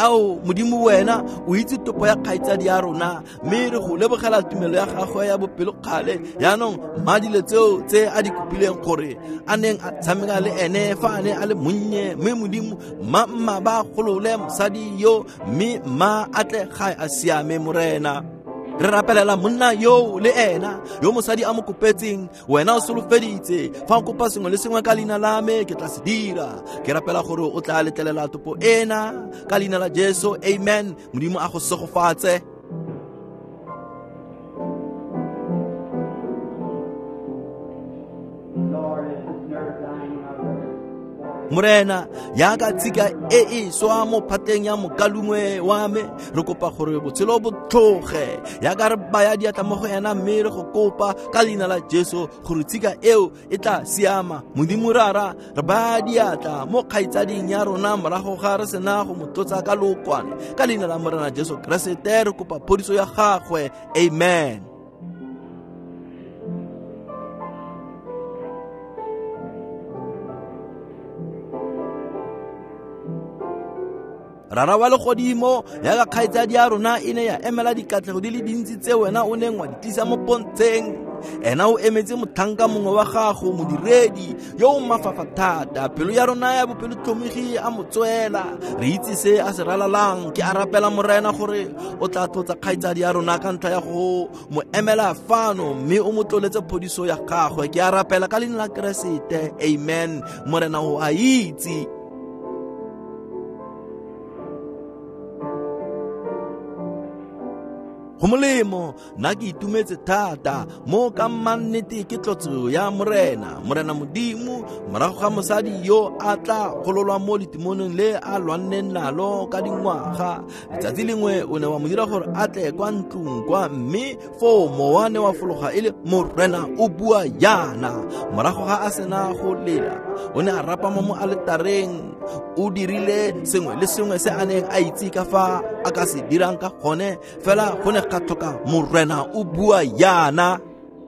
Ao Modimo wena o itse topo ya kgaitsadi ya rona mme re go lebogela tumelo ya gagwe ya bopelokgale. Yaanong mma dilo tseo tse a di kopileng gore a neng a tshameka le ene fa a ne a le monnye, mme Modimo mma ba golole mosadi yo mme mma a tle gae a siame. Morena re rapelela monna yo le ena yo mosadi a mo kopetseng. Wena o solofeditse fa o kopa sengwe le sengwe ka leina la me ke tla se dira. Ke rapela gore o tla letlelela topo ena ka leina la Jesu. Amen. Modimo a go segofatse. Morena yaka tshika e e swa mo phatleng ya mokalungwe wa me, re kopa gore botshelo bo tlhoge yaka re baya diatla mo go ena mme re go kopa ka leina la Jesu gore tshika eo e tla siama. Modimo Rara re baya diatla mo kgaitsading ya rona morago ga re sena go mo tlotsa ka lookwane ka leina la Morena Jesu Keresete re kopa phodiso ya gagwe. Amen. Rara wa legodimo, yaka kgaitsadi ya rona e ne ya emela dikatlego di le dintsi tse wena o neng wa di tlisa mo pontsheng. Ena o emetse motlhanka mongwe wa gago, modiredi yo o mafafa thata. Pelo ya rona ya bopelotlhomogi a mo tswela. Re itse se a se ralalang. Ke a rapela Morena gore o tla tlotsa kgaitsadi ya rona ka ntlha ya go mo emela fano, mme o mo tloletse phodiso ya gagwe. Ke a rapela ka leina la Keresete, amen. Morena o a itse. Go molemo, nna ke itumetse thata mo ka mannete ke tlotso ya Morena. Morena Modimo, morago ga mosadi yo a tla gololwa mo letimonong le a lwanneng nalo ka dingwaga, letsatsi lengwe o ne wa mo dira gore a tle kwa ntlong kwa, mme foo mowa ne wa fologa e le Morena o bua yana. Morago ga a sena go lela, o ne a rapama mo aletareng. O dirile sengwe le sengwe se a neng a itse ka fa a ka se dirang ka gone, fela go ne ga tlhoka Morena o bua yana.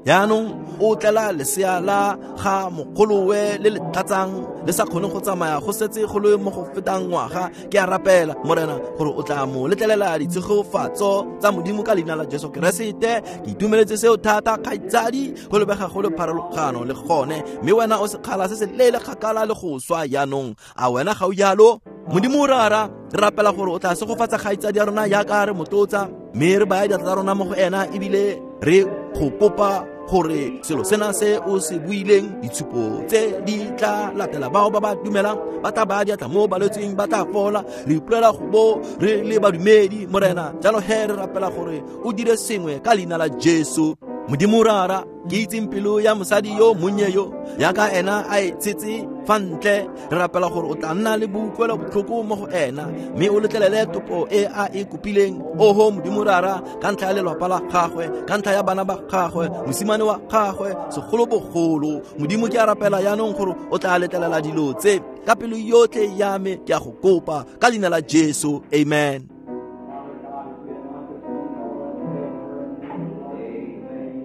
Yaanong o tlela lesea la ga mogolowe le le tlatsang le sa kgone go tsamaya, go setse go le mo go fetang ngwaga. Ke a rapela Morena gore o tla mo letlelela ditshegofatso tsa Modimo ka leina la Jesu Keresete. Ke itumeletse seo thata, kgaitsadi. Go lebega go le pharologano le gone, mme wena o sekgala se se leele kgakala le go swa yaanong. A wena ga o jalo? Modimo Rara, re rapela gore o tla segofatsa kgaitsadi ya rona yaka re motlotsa, mme re baya diatla tsa rona mo go ena, ebile re go kopa gore selo sena se o se buileng, ditshupo tse di tla latela bao ba ba dumelang, ba tla baya diatla mo balwetseng, ba tla fola. Re ipolela go bo re le badumedi, Morena. Jalo he re rapela gore o dire sengwe ka leina la Jesu. Modimo Rara, ke itseng pelo ya mosadi yo monnye yo yaka ena a e tshetse fa ntle, re rapela gore o tla nna le boutlwelo botlhoko mo go ena, mme o letlelele topo e a e kopileng. Oho Modimo Rara, ka ntlha ya lelapa la gagwe, ka ntlha ya bana ba gagwe, mosimane wa gagwe segolobogolo, Modimo ke a rapela yaanong gore o tla letlelela dilo tse ka pelo yotlhe ya me. Ke a go kopa ka leina la Jesu, amen.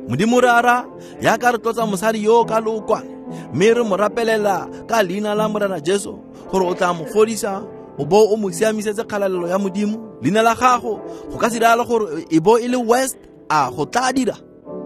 Modimo Rara, yaka re tlotsa mosadi yo ka lookwane, mme re mo rapelela ka leina la Morena Jesu gore o tla mo fodisa, o bo o mo siamisetse kgalalelo ya Modimo. Leina la gago go ka se diragala gore e bo e le West, a go tla dira?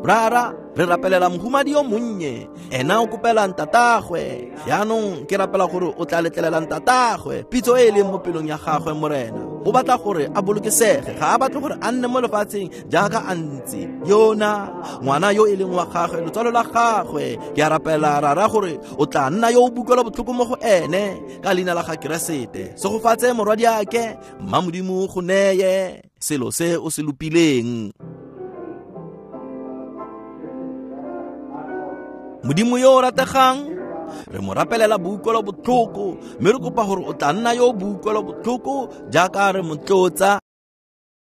Rara, re rapelela mohumadi yo monnye, ena o kopela ntatagwe. Yaanong ke rapela gore o tla letlelela ntatagwe pitso e e leng mo pelong ya gagwe. Morena o batla gore a bolokesege, ga a batle gore a nne mo lefatsheng jaaka a ntse yona ngwana yo e leng wa gagwe, lotswalo la gagwe. Ke a rapela Rara gore o tla nna yo o bukelwa botlhoko mo go ene ka leina la ga Keresete. Segofatse morwadiake, mma Modimo go neye selo se o se lopileng. Modimo yo o rategang, re mo rapelela boutlwelo botlhoko, mme re kopa gore o tla nna yo boutlwelo botlhoko jaaka re mo tlotsa.